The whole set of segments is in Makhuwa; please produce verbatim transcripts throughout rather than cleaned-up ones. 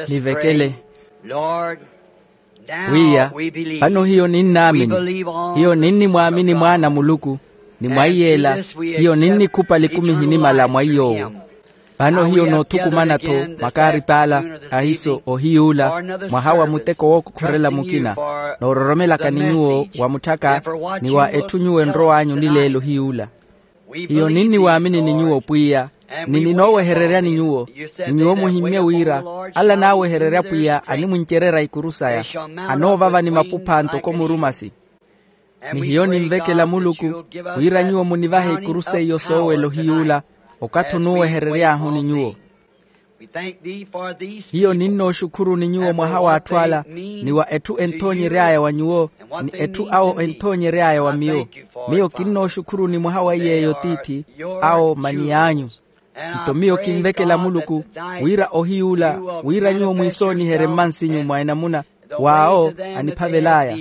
Nivekele. Pwiya, vano hiyo ninnaamini. Hiyo ninnimwaamini mwaana a muluku, ni mwa iyeela hiyo ninnikhupa likumi ehinimala mwa iy'owo. Vano hiyo noothukumana-tho makaarip'ala, ahiiso ohiy'ula, mwaha wa muteko wookokhorela mukina, noororomelaka ni nyuwo wa mutthaka, ni wa etthu nyuwo enrow'anyu nileelo hiy'ula. Hiyo ninniwaamini ni nyuwo pwiya, ni ninoowehereryani nyuwo, ni nyuwo muhimmye wira, ala anaawehererya pwiya animwincererya ikuru saya, anoovava ni mapupha ntoko murumasi. Ni hiyo ninvekela muluku, wira nyuwo munivahe ikuru seiyo soowela ohiy'ula, okathi onuuweherery'ahu ni nyuwo. Hiyo ninnooxukhuruni nyuwo mwaha w'atthu ala, ni wa etthu enthoonyery'aya wa nyuwo, ni etthu awo enthoonyery'aya wa miyo. Miyo kinnooxukhuruni mwaha wa iy'eyo tiithi, awo maniy'anyu. Nto miyo kinvekela muluku, wira ohiy'ula, wira nyuwo mwiisooniherye mmansinyu mwa enamuna, w'awo aniphavel'aya.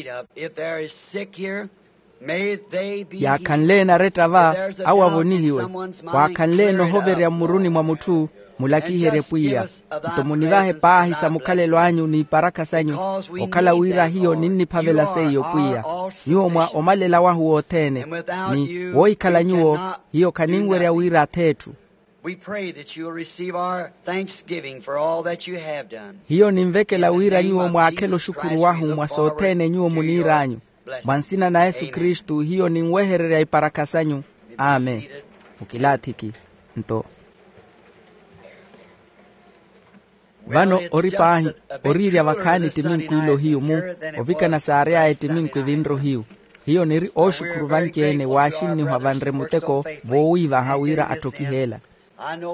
Yaakhanle enaretta va, awo avonihiwe. Waakhanle enohoverya mmuruni mwa mutthu, mulakiherye pwiya. Nto munivahe paahi sa mukhalelo anyu n'iparakha sanyu, okhala wira hiyo ninniphavela seiyo pwiya, nyuwo mwa omalela wahu wothene, ni woohikhala nyuwo, hiyo khaninwerya wira ath'etthu. We pray that you will receive our thanksgiving for all that you have done. Hiyo ninvekela wira nyuwo mwaakhele oxukhuru wahu mwa sothene nyuwo muniir'anyu. Mwa nsina na yesu kristu hiyo ninwehererya iparakha sanyu. Amen. Mukilaathiki. Nto vano ori paahi, oriirya vakhaani ettiminku ila ohiyu mu ovikana saary'aya ettiminku evinre ohiyu. Hiyo niri ooxukhuru vanci-ene waaxinnihwa vanre muteko voowiivaha wira atthokih'ela.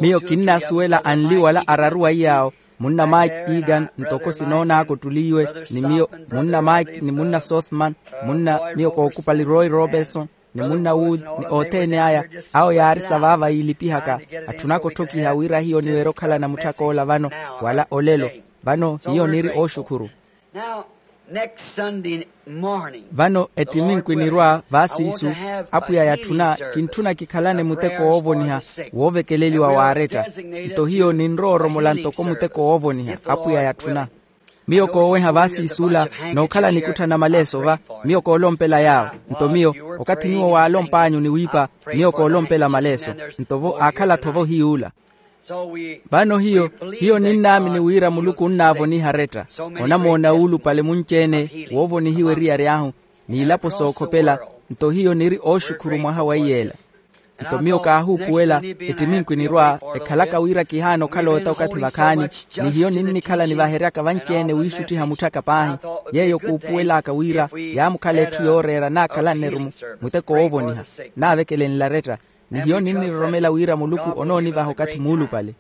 Miyo kinnaasuwela anli wala araru wa iy'awo, munna mike egan ntoko sinoon'aka ottuli iwe, ni miyo munna mike ni munna sothman, munna miyo kookupali roy robertson, ni munna wood, ni othene aya, awo yaari sa vaava yiilipihaka. Atthunaka otthokiha wira hiyo niweere okhalana mutthak'ola vano, wala olelo. Vano hiyo niri ooxukhuru. Now, next Sunday morning, vano ettiminku enirwa vaasiisu, apwiya yatthuna kintthuna kikhalane muteko woovoniha, woovekeleliwa waaretta. Nto hiyo ninrowa oromola ntoko muteko woovoniha apwiya yatthuna. Miyo kooweha vaasiisula, nookhala nikutthana maleeso va, miyo koolompela yaawo. Nto miyo, okathi nyuwo waalomp'anyu ni wiipa, miyo koolompela maleeso. Nto vo aakhala-tho vo hiy'ula. Vano hiyo, hiyo ninnaamini wira muluku onnaavoniha aretta. Onamoona wuulupale munci-ene woovonihiwa eriyari ahu, n'ilapo sookhopela. Nto hiyo niri ooxukhuru mwaha wa iyeela. Nto miyo kaahuupuwela, ettiminku enirwa, ekhalaka wira kihaana okhala ota okathi vakhaani, ni hiyo ninnikhala nivaheryaka vanci-ene wiixuttiha mutthaka paahi. Yeeyo kuupuwel'aka wira yaamukhala etthu yooreera naakhalanne-ru muteko woovoniha, naavekelenle aretta. Ni hiyo ninniroromela wira muluku onoonivaha okathi muulupale.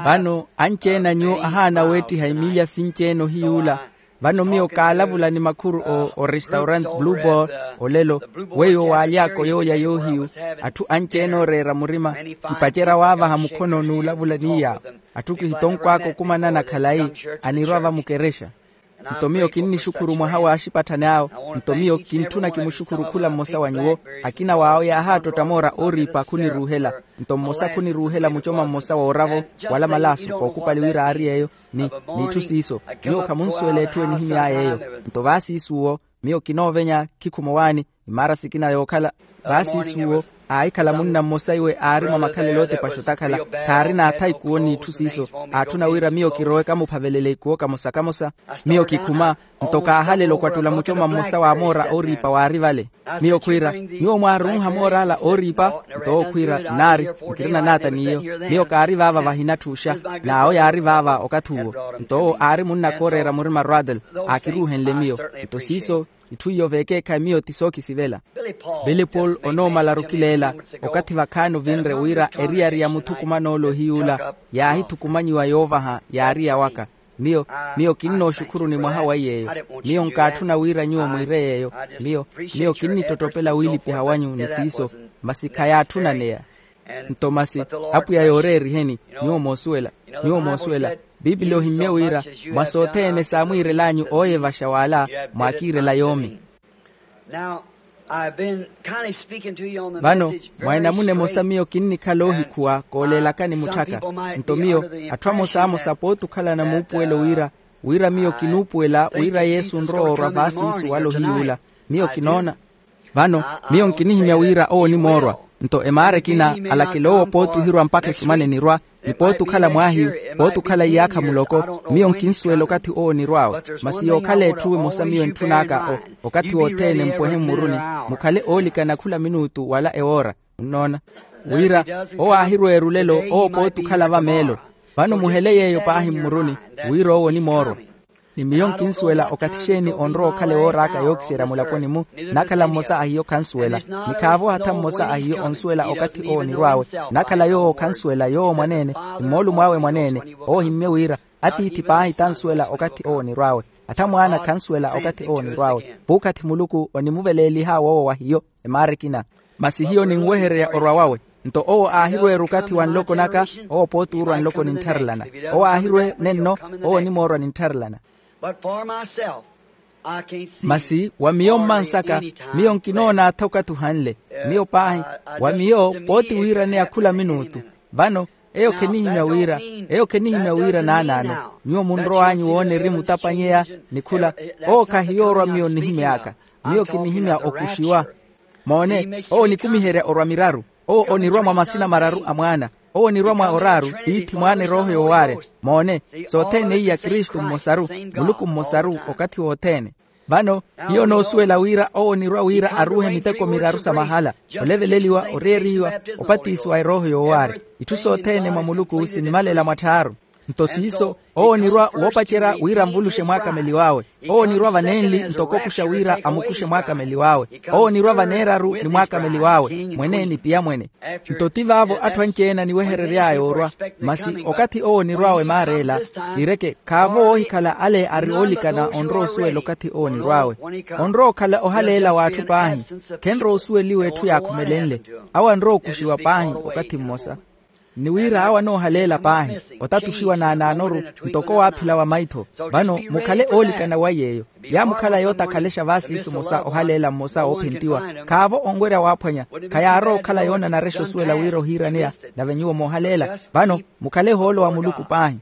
Vano anci-ene a nyuwo ahaana weettiha emilya sinci-ene ohiy'ula. Vano miyo kaalavula ni makhuru o orestaurant blue ball olelo, weiwo waaly'aka oyoolya yoohiyu. Atthu anci-ene ooreera murima, kipacerya waavaha mukhono n'ulavula ni yaawo. Atthu kihitonkw'aka okumanana khalayi anirwa vamukerexa. Nto miyo kinnixukhuru mwaha w'axipatthani awo. Nto miyo kintthuna kimuxukhuru khula mmosa wa nyuwo. Akina w'awo yaahaattotta moora ooriipa khuniruuhela. Nto mmosa khuniruuhela mucoma mmosa wooravo wala malaasu kookupali wira aari eyo, ni n'itthu siiso. Nyuwo khamunsuwela etthu enihimy'aya eyo. Nto vaasiisuwo miyo kinoovenya khikhuma owaani. Imaara sikina yookhala vaasiisuwo, aahikhala munna mmosa iwe aari mwa makhalelo ootepaxa otakhala. Khaarina athaikuwo n'itthu siiso. Aatthuna wira miyo kirowe kamuphavelele ikuwo kamosa-kamosa. Miyo kikhuma, nto kaahalela okwattula mucoma mmosa wa moora ooriipa waari vale. Miyo khwiira, nyuwo mwaarunha moor'ala ooriipa? Nto owo khwiira, nnaari, nkirina naata n'iyo. Miyo kaari vaava vahinatthuuxa. N'awo yaari vaava okathi uwo. Nto owo aari munnaka ooreera murima rodel, aakiruuhenle miyo. Nto siiso itthu iyo veekeekhayi miyo ti sookisivela. Pili paul onoomalaru kileela, okathi vakhaani ovinre wira eriyari ya muthukuman'ole ohiy'ula yaahithukumanyiwa yoovaha yaari yawaka. Miyo miyo kinnooxukhuruni mwaha wa iy'eyo. Miyo nkaatthuna wira nyuwo mwiire yeeyo. Miyo miyo kinnittottopela wiilipiha wanyu ni siiso, masi khayaatthuna neya. Nto masi apwiya yooreeriheni. Nyuwo moosuwela, nyuwo moosuwela, piipili ohimmye wira mwa sothene saamwiirel'anyu ooyevaxa w'ala, mwaakiirela yoomi. Now, Vano mwa enamuna emosa miyo kinnikhala oohikhuwa kooleelakani mutthaka. Nto miyo, atthu amosamosa pooti okhalana muupuwelo wira wira miyo kinuupuwela wira yesu onrowa orwa vaasiisu wala ohiyuula. Miyo kinoona. Vano miyo nkinihimya wira owo onimoorwa. Nto emaara ekina alakela owo pooti ohirwa mpakha esumana enirwa ni pooti okhala mwaahiyu, pooti okhala iyaakha muloko. Miyo nkinsuwela okathi owo onirw'awe. Masi yookhala etthu emosa miyo entthun'aka okathi wothene mpwehe mmuruni, mukhale oolikana khula minuutu wala ewoora. Munnoona wira owo aahirweera olelo owo pooti okhala vameelo. Vano muhele yeeyo paahi mmuruni wira owo onimoorwa. Ni miyo nkinsuwela okathi xeeni onrowa okhala ewooraaka yookiserya mulaponi-mu. Nakhala mmosa a hiyo khansuwela. Ni khaavo hatha mmosa a hiyo onsuwela okathi owo onirw'awe. Nakhala yoowo khansuwela yoowo mwaneene ni moolumo awe mwaneene. Owo ohimmye wira atiithi paahi tansuwela okathi owo onirw'awe. Hatha mwaana khansuwela okathi owo onirw'awe. Puukhathi muluku onimuveleelih'awe owo wa hiyo. Emaara ekina masi hiyo ninwehererya orwa wawe. Nto owo aahirweera okathi wa nloko naka. Owo pooti oorwa nloko ninttharelana. Owo aahirwe nenno. Owo onimoorwa ninttharelana. Masi wa miyo mmansaka miyo nkinoona atha okathi ohanle. Miyo paahi wa miyo pooti wiiraneya khula minuutu. Vano eyo khenihimya wira eyo khenihimya wira naanaano. Nyuwo munrow'anyu woona eri mutapanyeya ni khula. Owo khahiyoorwa miyo nnihimy'aka. Miyo kinihimya okuxiwa. Moone owo onikumiherya orwa miraru. Owo onirwa mwa masina mararu a mwaana. Owo onirwa mwa oraaru tiithi mwaana erooho yoowaarya. Moone sothene iya kristu mmosaru muluku mmosaru okathi wothene. Vano hiyo onoosuwela wira owo onirwa wira aruuhe miteko miraru sa mahala. Oleveleliwa oreerihiwa opatisiwa erooho yoowaarya. Itthu sothene mwa muluku sinimalela mwa tthaaru. Nto siiso owo onirwa woopacerya wira anvuluxe mwaakameliw'awe. Owo onirwa vanenli ntoko okuxa wira amukuxe mwaakameliw'awe. Owo onirwa vaneeraru ni mwaakameliw'awe mwene ni piyamwene. Nto ti vaavo atthu anci-ene aniweherery'aya orwa. Masi okathi owo onirw'awe maar'ela kiireke khaavo woohikhala ale ari oolikana onrowa osuwela okathi owo onirw'awe. Onrowa okhala ohaleela w'atthu paahi. Khenrowa osuweliwa etthu yaakhumelenle. Awo anrowa okuxiwa paahi okathi mmosa. Ni wira awo anoohaleela paahi otatuxiwa naanaanoru ntoko waaphila wa maitho. Vano mukhale oolikana wa yeeyo. Yaamukhala yootakhalexa vaasiisu mmosa ohaleela mmosa oophentiwa. Khaavo onwerya waaphwanya khayaarowa okhala yoonanarexa osuwela wira ohiiraneya. Nave nyuwo moohaleela vano mukhale ohoolo wa muluku paahi.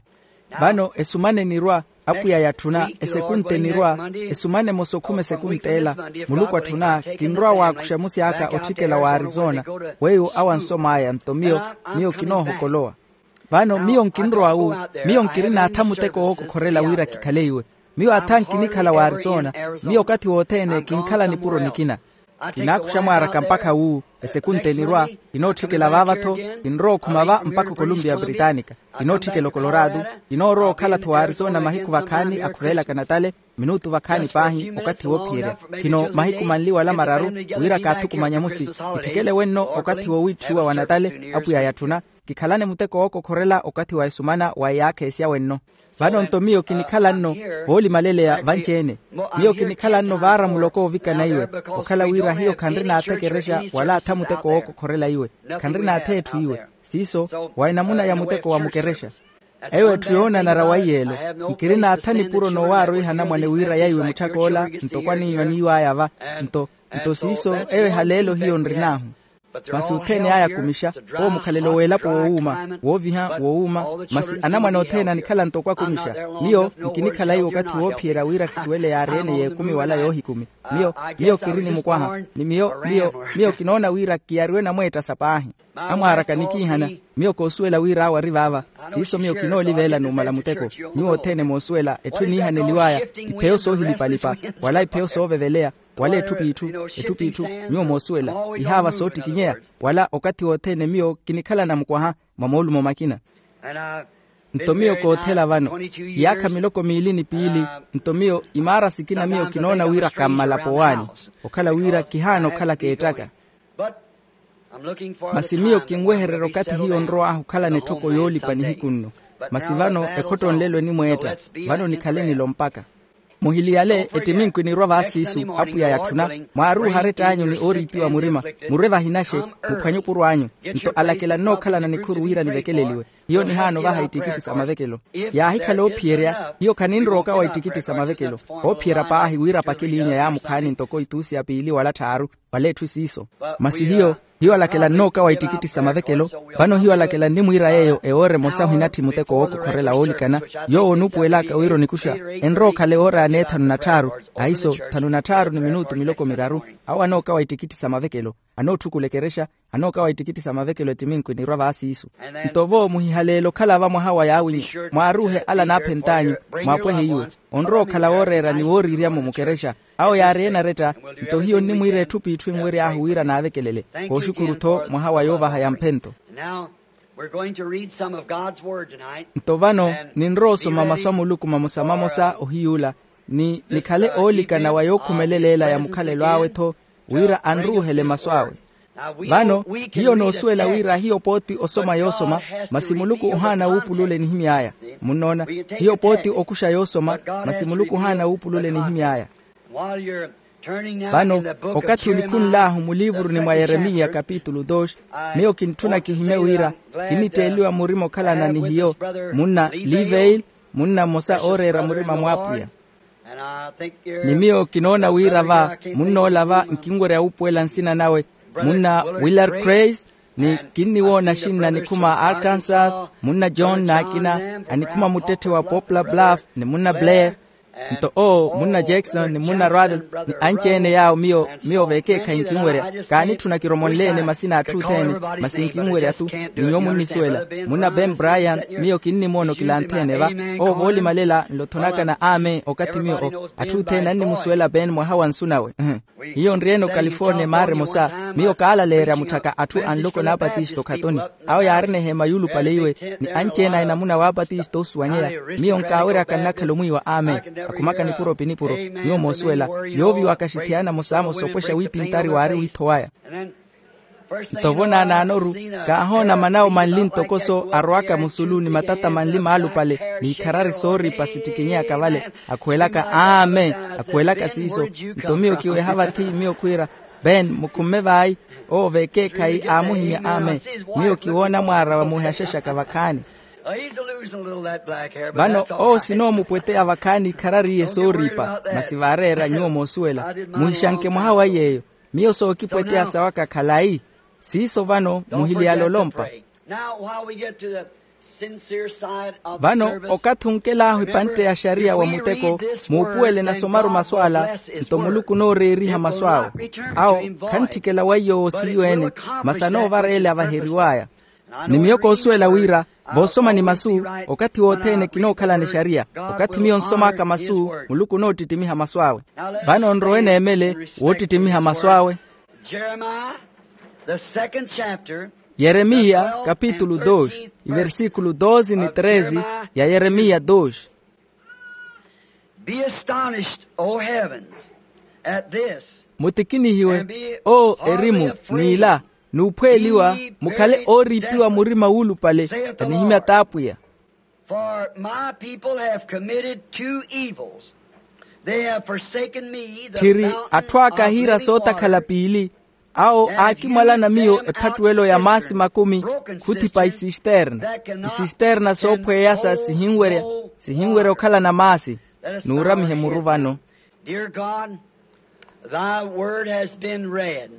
Vano esumana enirwa apwiya yatthuna esekunta enirwa. Esumana emosa okhuma esekunta ela muluku atthuna kinrowa waakuxa musi aka otthikela wa arizona. Weiwo awo ansom'aya nto miyo miyo kinoohokolowa. Vano miyo nkinrowa wu miyo nkirina atha muteko wookokhorela wira kikhale iwe. Miyo atha nkinikhala wa arizona. Miyo okathi wothene kinkhala nipuro nikina. Kinaakuxa mwaaraka mpakha wu esekunta enirwa. Kinootthikela vaava-tho kinrowa okhuma va mpakha okolumpiya britanika. Kinootthikela okolorado. Kinoorowa okhala-tho wa arizona mahiku vakhaani akhuveelaka natale. Minutu vakhaani paahi okathi woophiyerya khino mahiku manli wala mararu wira kaathukumanya musi. Kitthikele wenno okathi wowiitthiwa wa natale apwiya yatthuna. Kikhalane muteko wookokhorela okathi wa esumana wa eyaakha esya wenno. Vano nto miyo kinikhala nno voolimaleleya vanci-ene. Miyo kinikhala nno vaara muloko oovikana iwe okhala wira hiyo khanrina atha ekerexa wala atha muteko wookokhorela iwe. Khanrina atha etthu iwe siiso wa enamuna ya muteko wa mukerexa. Eyo etthu yoonanara wa iyeelo. Nkirina atha nipuro noowaarwiha anamwane wira yaiwe mutthak'ola ntoko aniinyu aniiw'aya va. Nto nto siiso eyo ehaleelo hiyo nrin'ahu. Masi othene aya akumixa owo mukhalelo w'elapo wowuuma wooviha wowuuma. Masi anamwane othene anikhala ntoko akumixa. Miyo nkinikhala iwe okathi woophiyerya wira kisuwele yaari ene y'ekumi wala yoohikumi. Miyo miyo kiri ni mukwaha ni miyo miyo miyo kinoona wira kiyariwe namweettasa paahi. Amwaaraka nikiihana. Miyo koosuwela wira awo ari vaava. Siiso miyo kinooliveela numala muteko. Nyuwo othene moosuwela etthu eniihaneliw'aya ipheyo soohilipalipa wala ipheyo sooveveleya wala etthu p'itthu. Etthu p'itthu nyuwo moosuwela ihaava soottikinyeya wala okathi wothene miyo kinikhalana mukwaha mwa moolumo makina. Nto miyo koothela vano iyaakha miloko miili ni piili. Nto miyo imaara sikina miyo kinoona wira kammala powaani okhala wira kihaana okhala keettaka. Masi miyo kinwehererya okathi hiyo nrow'ahu okhalana etthoko yoolipa nihiku nno. Masi vano ekhottonlelo enimweetta. Vano nikhale nilo mpakha muhili yale ettiminku enirwa vaasiisu apwiya yatthuna. Mwaaruuha arett'anyu ni ooriipiwa murima murwe vahinaxe muphwanye opuro anyu. Nto alakela nnookhalana nikhuru wira nivekeleliwe. Hiyo nihaana ovaha ittikitthi sa mavekelo. Yaahikhala oophiyerya hiyo khaninrowa okawa ittikitthi sa mavekelo. Oophiyerya paahi wira apake eliinya yaamukhaani ntoko ituusi ya piili wala tthaaru. Wala etthu siiso. Masi hiyo, hiyo alakela nnookawa ittikitti sa mavekelo. Vano hiyo alakela nnimwiira yeeyo ewoora emosa ohinatthi muteko wookokhorela woolikana. Yoowo onuupuwel'aka wira onikuxa, enrowa okhala ewoora ya neethanu na tthaaru, ahiso thanu na tthaaru ni minutu miloko miraru. Awo anookawa ittikitti sa mavekelo, anootthukulela ekerexa, anookawa ittikitti sa mavekelo ettiminku enirwa vaasiisu. Nto vo muhihaleele okhala va mwaha wa yaawinya, mwaaruuhe ala anaaphent'anyu, mwaapwehe iwe. Onrowa okhala wooreera ni wooriiryamo mukerexa. Awo yaari ene aretta. Nto hiyo nnimwiira etthu p'itthu enwery'ahu wira naavekelele. Kooxukuru-tho mwaha wa yoovaha ya mphento. Nto vano ninrowa osoma masu a muluku mamosa-mamosa ohiy'ula, ni nikhale oolikana wa yookhumelela ela ya mukhalelo awe-tho, wira anruuhele masu awe. Vano hiyo noosuwela wira hiyo pooti osoma yoosoma, masi muluku ohaana wuupulula enihimy'aya. Munnoona? Hiyo pooti okuxa yoosoma, masi muluku ohaana wuupulula enihimy'aya. Vano okathi onikhunl'ahu muliivuruni mwa yeremiya kapitulu dos, miyo kintthuna kihimye wira kinitteeliwa murima okhalana ni hiyo, munna liveil, munna mmosa ooreera murima mw'apwiya. Ni miyo kinoona wira va munn'ola va nkinwerya wuupuwela nsina nawe, munna willard crace, ni kinniwoona axinna anikhuma a arkansas, munna john n'akina, anikhuma muttetthe wa poplar bluff ni munna blair. Nto owo munna jackson ni munna radolf, ni anci-ene yaawo miyo miyo vekeekhayi nkinwerya. Kaanitthuna kiromonle-ene masina a atthu othene, masi nkinwerya-thu. Ni nyuwo munnisuwela, munna ben brian, miyo kinnimoona okilanthe-ene va. Owo voolimalela nlothonakana amen okathi miyo o atthu othene annimusuwela ben mwaha wa nsu nawe. Hiyo nri-ene okalifornia maara emosa, miyo kaalaleerya mutthaka atthu a nloko n'apatisto okhatoni. Awo yaarina eheema yuulupale iwe, ni anci-ene a enamuna w'apatisto osuwanyeya. Miyo nkaaweryaka nnakhala omwiiwa amen. Akhumaka nipuro pi nipuro. Nyuwo moosuwela, yooviwaka axithiyana mosamosa opwexa wiipintari waari wiitho waya. Nto vo naanaanoru, kaahoona manawo manli ntokoso arowaka musulu ni matata manli maalupale, n'ikharari sooripa sittikinyeyaka vale, akhuwelaka amen. Akhuwelaka siiso. Nto miyo kiweha vathi miyo khwiira, ben mukhumme vayi. Owo vekeekhayi aamuhimya amen. Miyo kiwoona mwaara wa muhihaxaxaka vakhaani. Vano owo sinoomupweteya vakhaani ikharari iye sooripa. Masi vaareera nyuwo moosuwela, muhixanke mwaha wa iy'eyo. Miyo sookipweteya sawaka khalayi. Siiso vano muhiliyala olompa. Vano okathi onkel'ahu epantte ya xariya wa muteko, muupuwele nasomaru masu ala. Nto muluku onooreeriha masu awe. Awo khantthikela weiyo woosiiwe-ene, masi anoovara ele avaheriw'aya. Ni miyo koosuwela wira voosoma ni masu, okathi wothene kinookhalana exariya. Okathi miyo nsom'aka masu, muluku onoottittimiha masu awe. Vano nrowe neemele woottittimiha masu awe. Jeremiya, the second chapter, yeremiya kapitulu dos, iversikulu dos ni tres. Ya yeremiya dos. Be astonished, O heavens, at this. Mutikinihiwe, o erimu, n'ila, n'uphweeliwa, mukhale ooriipiwa murima wuulupale. Anihimya t'apwiya. For my people have committed two evils. They have forsaken me, the tthiri, atthu aka ahiira sootakhala piili. Awo aakimwalana miyo ephattuwelo ya maasi makumi, khuthipa isisterna. Isisterna soophweyasa sihinwerya, sihinwerya okhalana maasi. Nuuramihe muru vano. Dear God, thy word has been read.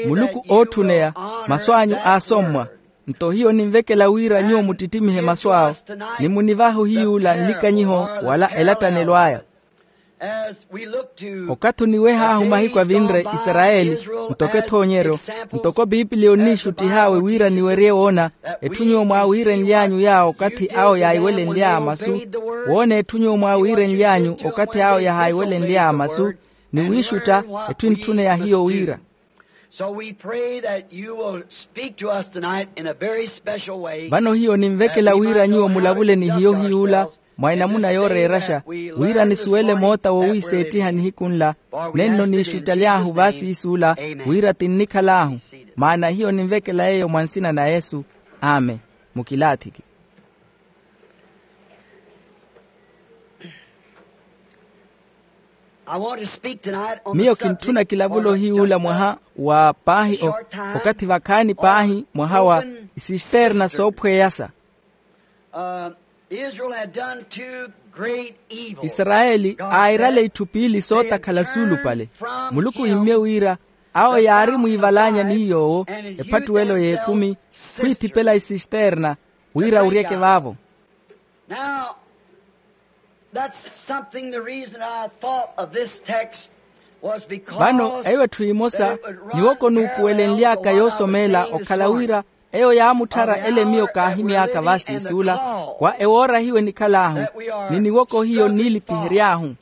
Muluku ootthuneya, masu anyu aasommwa. Nto hiyo ninvekela wira nyuwo muttittimihe masu awo, ni munivahe ohiyuula nlikanyiho wala elattanelo aya. Okathi oniweh'ahu mahiku avinre isarayeli, ntoko ethoonyeryo, ntoko pipiliya onniixuttih'awe wira niwerye woona, etthu nyuwo mwaawiirenly'anyu yaawo okathi awo yaahiwelenly'aya masu. Woona etthu nyuwo mwaawiirenly'anyu okathi awo yahaahiwelenly'aya masu, ni wiixutta, etthu entthune ya hiyo wira. So we pray that you will speak to us tonight in a very special way. Vano hiyo ninvekela wira nyuwo mulavule ni hiyo hiyuula, mwa enamuna yooreeraxa, wira nisuwele moota wowiiseettiha nihiku nla. Nenno niixuttaly'ahu vaasiisuula, wira tinnikhal'ahu. Maana hiyo ninvekela yeeyo mwa nsina na yesu. Amen. Mukilaathiki. Miyo kintthuna kilavulo hiyuula mwaha wa paahi okathi vakhaani paahi mwaha wa isisterna soophweyasa. Israel had done two great evils. Isarayeli aairale itthu piili sootakhala suulupale. Muluku ihimmye wira awo yaari mwiivalaanya ni yoowo ephattuwelo y'ekumi, khwiithipela isisterna wira uryeke vaavo. Now, that's something, the reason I thought of this text was because vano eyo etthu imosa niwoko nuupuwelenly'aka yoosomeela okhala wira eyo yaamutthara ele miyo kaahimy'aka vaasiisuula wa ewoora hiyo enikhal'ahu ni niwoko hiyo nniilipihery'ahu.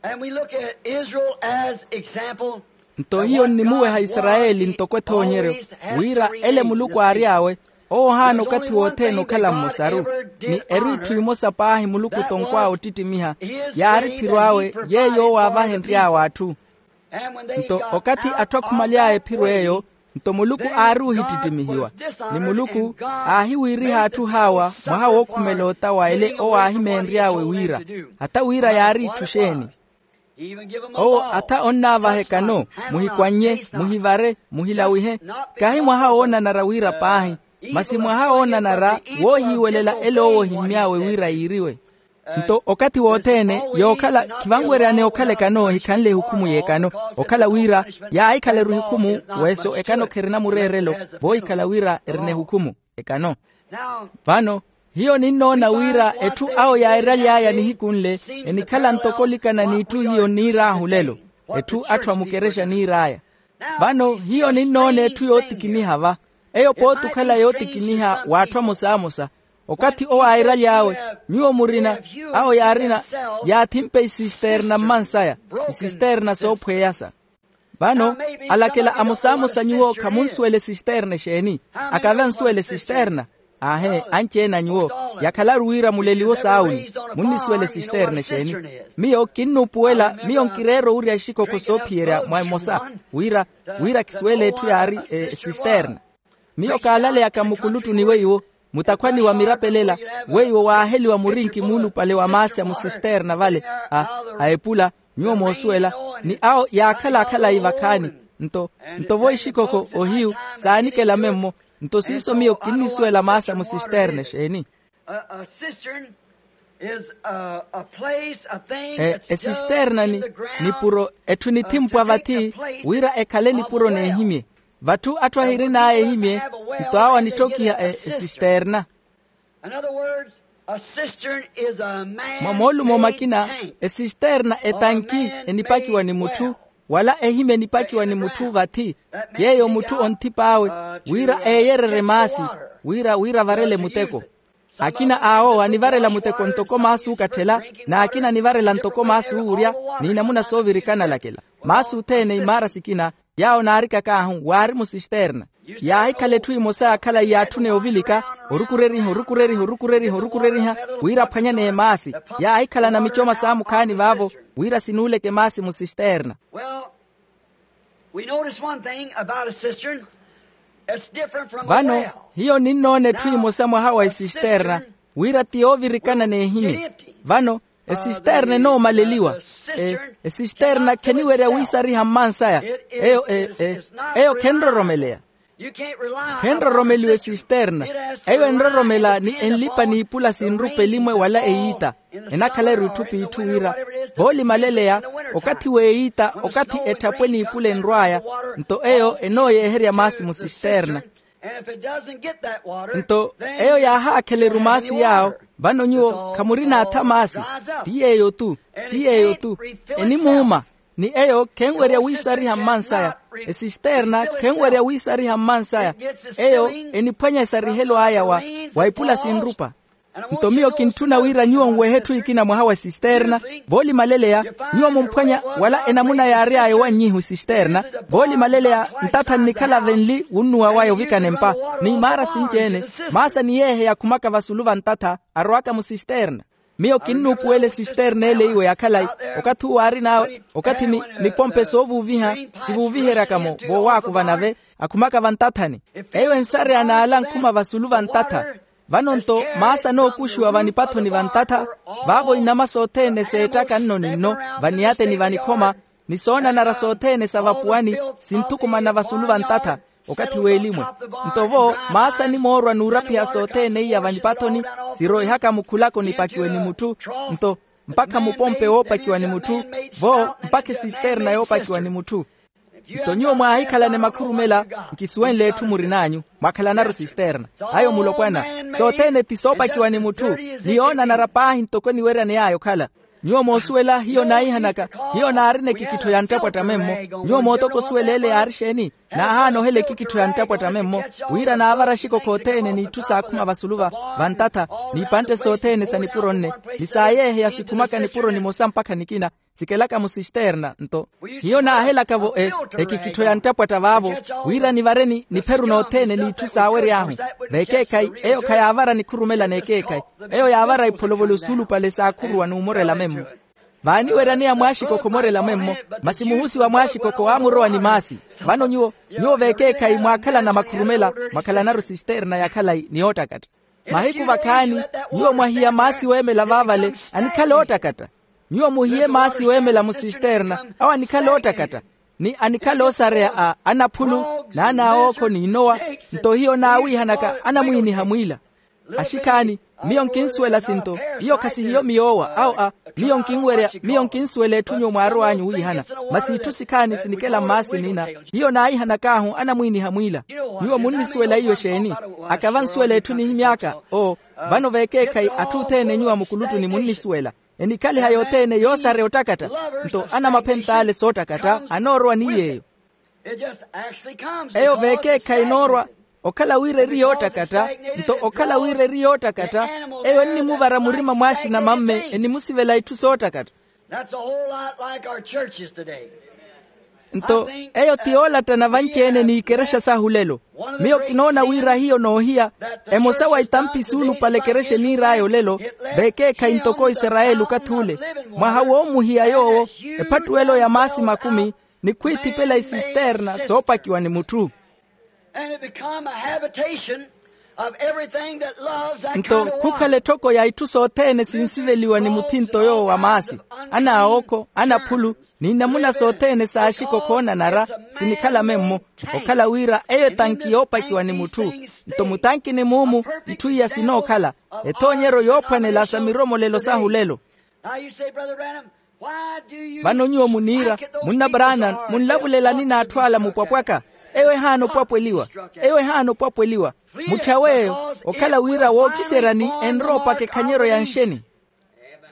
And we look at Israel as example. Nto hiyo nnimuweha isarayeli ntoko ethoonyeryo wira ele muluku aary'awe owo ohaana okathi wothene okhala mmosaru ni eri itthu imosa paahi muluku tonkw'awe ottittimiha yaari phiro awe yeeyo owo aavahenry'awe atthu. Nto okathi atthu akhumaly'aya ephiro eyo nto muluku aari ohittittimihiwa ni muluku aahiwiiriha atthu haawa mwaha wookhumela ota wa ele owo aahimeenry'awe wira hata wira yaari itthu xeeni? Owo atha onnaavaha ekano muhikwannye muhivare muhilawihe kahi mwaha woonanara wira paahi masi mwaha woonanara woohiiwelela ele owo ohimmy'awe wira yiiriwe. Nto okathi wothene yookhala khivanweryaneya okhala ekano ehikhanle ehukhumu y'ekano okhala wira yaahikhala erihukhumu weso ekano kherina mureerelo voohikhala wira erina ehukhumu ekano. Vano hiyo ninnoona wira etthu awo yairaly'aya nihiku nle enikhala ntoko olikana n'itthu hiyo nniir'ahu lelo etthu atthu a mukerexa niir'aya. Vano hiyo ninnoona etthu yootikiniha va eyo pooti okhala yootikiniha w'atthu amosamosa okathi owo airaly'awe nyuwo murina awo yaarina yaathimpe isisterna mmansaya isisterna soophweyasa. Vano alakela amosamosa nyuwo khamunsuwela esisterna exeeni? Akave ansuwela esisterna. Aahe anci-ene a nyuwo yakhalaru wira muleliwo saawuni munnisuwela esisterna exeeni? Miyo kinnuupuwela miyo nkireera owurya exikokho soophiyerya mwa emosa wira wira kisuwele etthu yaari esisterna. Miyo kaalaleyaka mukuluttuni weiwo mutakhwani wa mirapelela weiwo waaheliwa murinki muulupale wa maasi a musisterna vale a epula nyuwo moosuwela ni awo yaakhala akhalayi vakhaani. Nto nto vo ixikokho ohiyu saanikela memmo nto siiso miyo kinnisuwela maasi a musisterna exeeni? Esisterna ni nipuro etthu enithimpwa vathi wira ekhale nipuro n'ehimye vatthu atthu ahirin'aya ehimye nto awo anittokiha esisterna. Mwa moolumo makina esisterna etanki enipakiwa ni mutthu wala ehimye enipakiwa ni mutthu vathi yeeyo mutthu onthip'awe wira eeyererye maasi wira wira avarele muteko. Akina awo anivarela muteko ntoko maasi ookatthela n'akina anivarela ntoko maasi oowurya n'inamuna soovirikana alakela maasi othene imaara sikina yaawo naarikak'ahu waari musisterna. Yaahikhala etthu emosa yaakhala yaatthuna yoovilika orukureriha orukureriha orukureriha orukureriha wira aphwanyaneye maasi yaahikhalana micoma saamukhaani vaavo wira sinuuleke maasi musisterna. Vano hiyo ninnoona etthu emosa mwaha wa esisterna wira ti yoovirikana n'ehimye. Vano esisterna enoomaleliwa esisterna kheniwerya wiisariha mmansaya eyo eyo khenroromeleya. Khenroromeliwa esisterna eyo enroromela ni enlipa n'ipula sinrupa elimwe wala eyiita enakhala erutthu p'itthu wira voolimaleleya okathi w'eyiita okathi etthapwe n'ipula enrw'aya nto eyo enooyeeherya maasi musisterna. Nto eyo yaahaakheleru maasi yaawo vano nyuwo khamurina atha maasi ti yeeyo-tu ti yeeyo-tu enimuuma. Ni eyo khenwerya wiisariha mmansaya esisterna khenwerya wiisariha mmansaya eyo eniphwanya esarihelo aya wa ipula sinrupa. Nto miyo kintthuna wira nyuwo nwehe etthu ekina mwaha wa esisterna voolimaleleya nyuwo mumphwanya wala enamuna yaary'aya owannyihu esisterna voolimaleleya ntatha nnikhala venli wunnuwa waya ovikana empa ni imaara sinci-ene maasa ni yeehe yakhumaka vasulu va ntatha arwaka musisterna. Miyo kinnuupuwela esisterna ele iwe ya khalayi okathi uwo aarin'awe okathi ni nipompe soovuuviha sivuuviheryaka-mo voowaakuva nave akhumaka vantathani. Eyo ensareya n'ala ankhuma vasulu vantatha. Vano-nto maasa anookuxiwa vanipathoni vantatha vaavo inama sothene seettaka nno ni nno vaniyateni vanikhoma ni soonanara sothene sa vapuwani sinthukumana vasulu vantatha. Okathi w'elimwe. Nto vo maasani moorwa n'urapiha sothene iya vanipathoni, siroihaka mukhulako nipakiwe ni mutthu. Nto mpakha mupompe woopakiwa ni mutthu. Vo mpakha esisterna yoopakiwa ni mutthu. Nto nyuwo mwaahikhalane makhurumela. Nkisuwenle etthu murin'anyu, mwakhalanaru sisterna. Ayo mulopwana, sothene ti soopakiwa ni mutthu. Ni yoonanara paahi ntoko eniweryani yaya okhala. Nyuwo moosuwela hiyo naihanaka, hiyo naarina ekikittho ya nttapwatta memmo. Nyuwo mootoko osuwela ele yaari exeeni? Naahaana ohela ekikittho ya nttapwatta memmo, wira naavara axikokho othene n'itthu saakhuma vasulu va vantatha, n'ipantte sothene sa nipuro nne, ni saayeeheya sikhumaka nipuro nimosa mpakha nikina, sikelaka musisterna. Nto hiyo naahelaka-vo ekikittho ya nttapwatta vaavo, wira nivareni nipheru nothene n'itthu saawery'ahu. Veekeekhayi eyo khayaavara nikhurumela n'ekeekhayi. Eyo yaavara ipholovolo suulupale saakhuruwa n'umorela memmo. Vaaniweryaneya mwaaxikokho omorela memmo, masi muhusi wa mwaaxikokho aamurowa ni maasi. Vano nyuwo, nyuwo veekeekhayi mwaakhalana makhurumela, mwakhalanaru sisterna ya khalayi ni yoottakatta. Mahiku vakhaani, nyuwo mwahiya maasi weemela vaavale, anikhala oottakatta. Nyuwo muhiye maasi weemela musisterna, awo anikhala oottakatta, ni anikhala oosareya a anaphulu, n'anaawookho n'inowa. Nto hiyo naawiihanaka anamwiiniha mwiila. Axikhaani, miyo nkinsuwela sinto, iyo khasihiyo miyoowa awo a miyo nkinwerya. Miyo nkinsuwela etthu nyuwo mwaarow'anyu wiihana, masi itthu sikhaani sinikela mmaasi nina. Hiyo naayihanak'ahu anamwiiniha mwiila. Nyuwo munnisuwela iyo exeeni? Akava nsuwela etthu nihimy'aka. Oo, vano veekeekhayi atthu othene nyuwo a mukuluttuni munnisuwela. Enikhaliha yothene yoosareya ottakatta. Nto anamaphent'ale soottakatta anoorowa ni yeeyo. Eyo veekeekhayi enoorwa. Okhala wira eri yoottakatta, nto okhala wira eri yoottakatta, eyo ennimuvara murima mw'axina mamme, enimusivela itthu soottakatta. That's a whole lot like our churches today. Nto eyo ti yoolattana vanci-ene n'ikerexa sahu lelo. Miyo kinoona wira hiyo noohiya, emosa wa itampi suulupale ekerexa eniir'aya olelo, veekeekhayi ntoko isarayeli okathi ule. Mwaha woomuhiya yoowo, ephattuwelo ya maasi makumi, ni khwiithipela isisterna soopakiwa ni mutthu. And it become a habitation of everything that loves that kind of one. Nto khukhala etthoko ya itthu sothene sinsiveliwa ni muthinto yoowo wa maasi, anaawookho, anaphulu, ni namuna sothene saaxikokho oonanara, sinikhala memmo. Okhala wira eyo etanki yoopakiwa ni mutthu. Nto mutankini muumu itthu iya sinookhala ethoonyeryo yoophwanela sa miromolelo sahu lelo. Now you say, Brother Branham, why do you... Vano nyuwo muniira, munna Branham, munlavulelani n'atthu ala mupwapwaka. Eyo ehaana opwapweliwa. Eyo ehaana opwapweliwa. Mutthyaw'eyo, okhala wira wookiseryani enrowa opaka ekhanyeryo ya nxeni.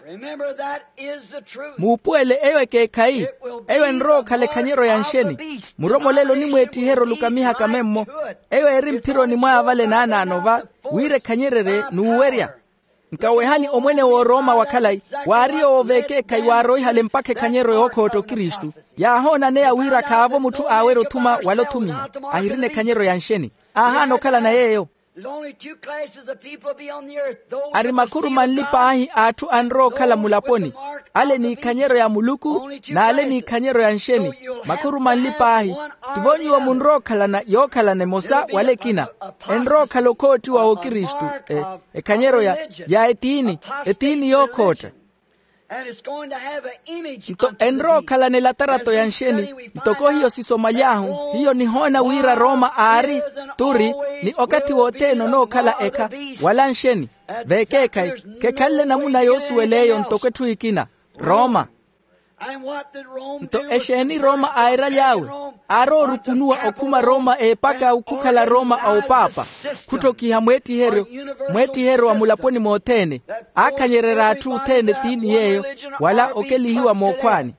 Remember, that is the truth. Muupuwele eyo ekeekhayi. Eyo enrowa okhala ekhanyeryo ya nxeni. Muromolelo onimweettiherya olukamihaka memmo. Eyo eri mphironi mwaya vale naanaano va, wira ekhanyererye n'uwerya. Nkawehani omwene w'orooma wa khalayi, waari yoowo veekeekhayi waaroihale mpakha ekhanyeryo yookhootta okristu. Yaahoonaneya wira khaavo mutthu aawerya othuma wala othumiha, ahirina ekhanyeryo ya nxeni. Aahaana okhalana yeeyo. There's only two classes of people be on the earth. Those that receive God, those with the mark. Ari makhuru manli paahi a atthu anrowa okhala mulaponi, ale n'ikhanyeryo ya muluku n'ale n'ikhanyeryo ya nxeni. Makhuru manli paahi. Tivo nyuwo munrookhalana yookhalana emosa wala ekina. Enrookhala okhoottiwa w'okristu, ekhanyeryo ya etiini, etiini yookhootta. Nto enrookhalana elatarato ya nxeni. Ntoko hiyo sisomaly'ahu, hiyo nihoona wira roma aari, turi, ni okathi wothene onookhala ekha wala nxeni. Vekeekhayi, khekhanle namuna yoosuwela eyo ntoko etthu ekina. Roma. Nto exeeni roma aairaly'awe? Aaroorukunuwa okhuma roma eepaka okhukhala roma a opaapa, khutthokiha mweettiheryo, mweettiheryo wa mulaponi mothene. Aakhanyererya atthu othene etiini yeeyo, wala okelihiwa mookhwaani.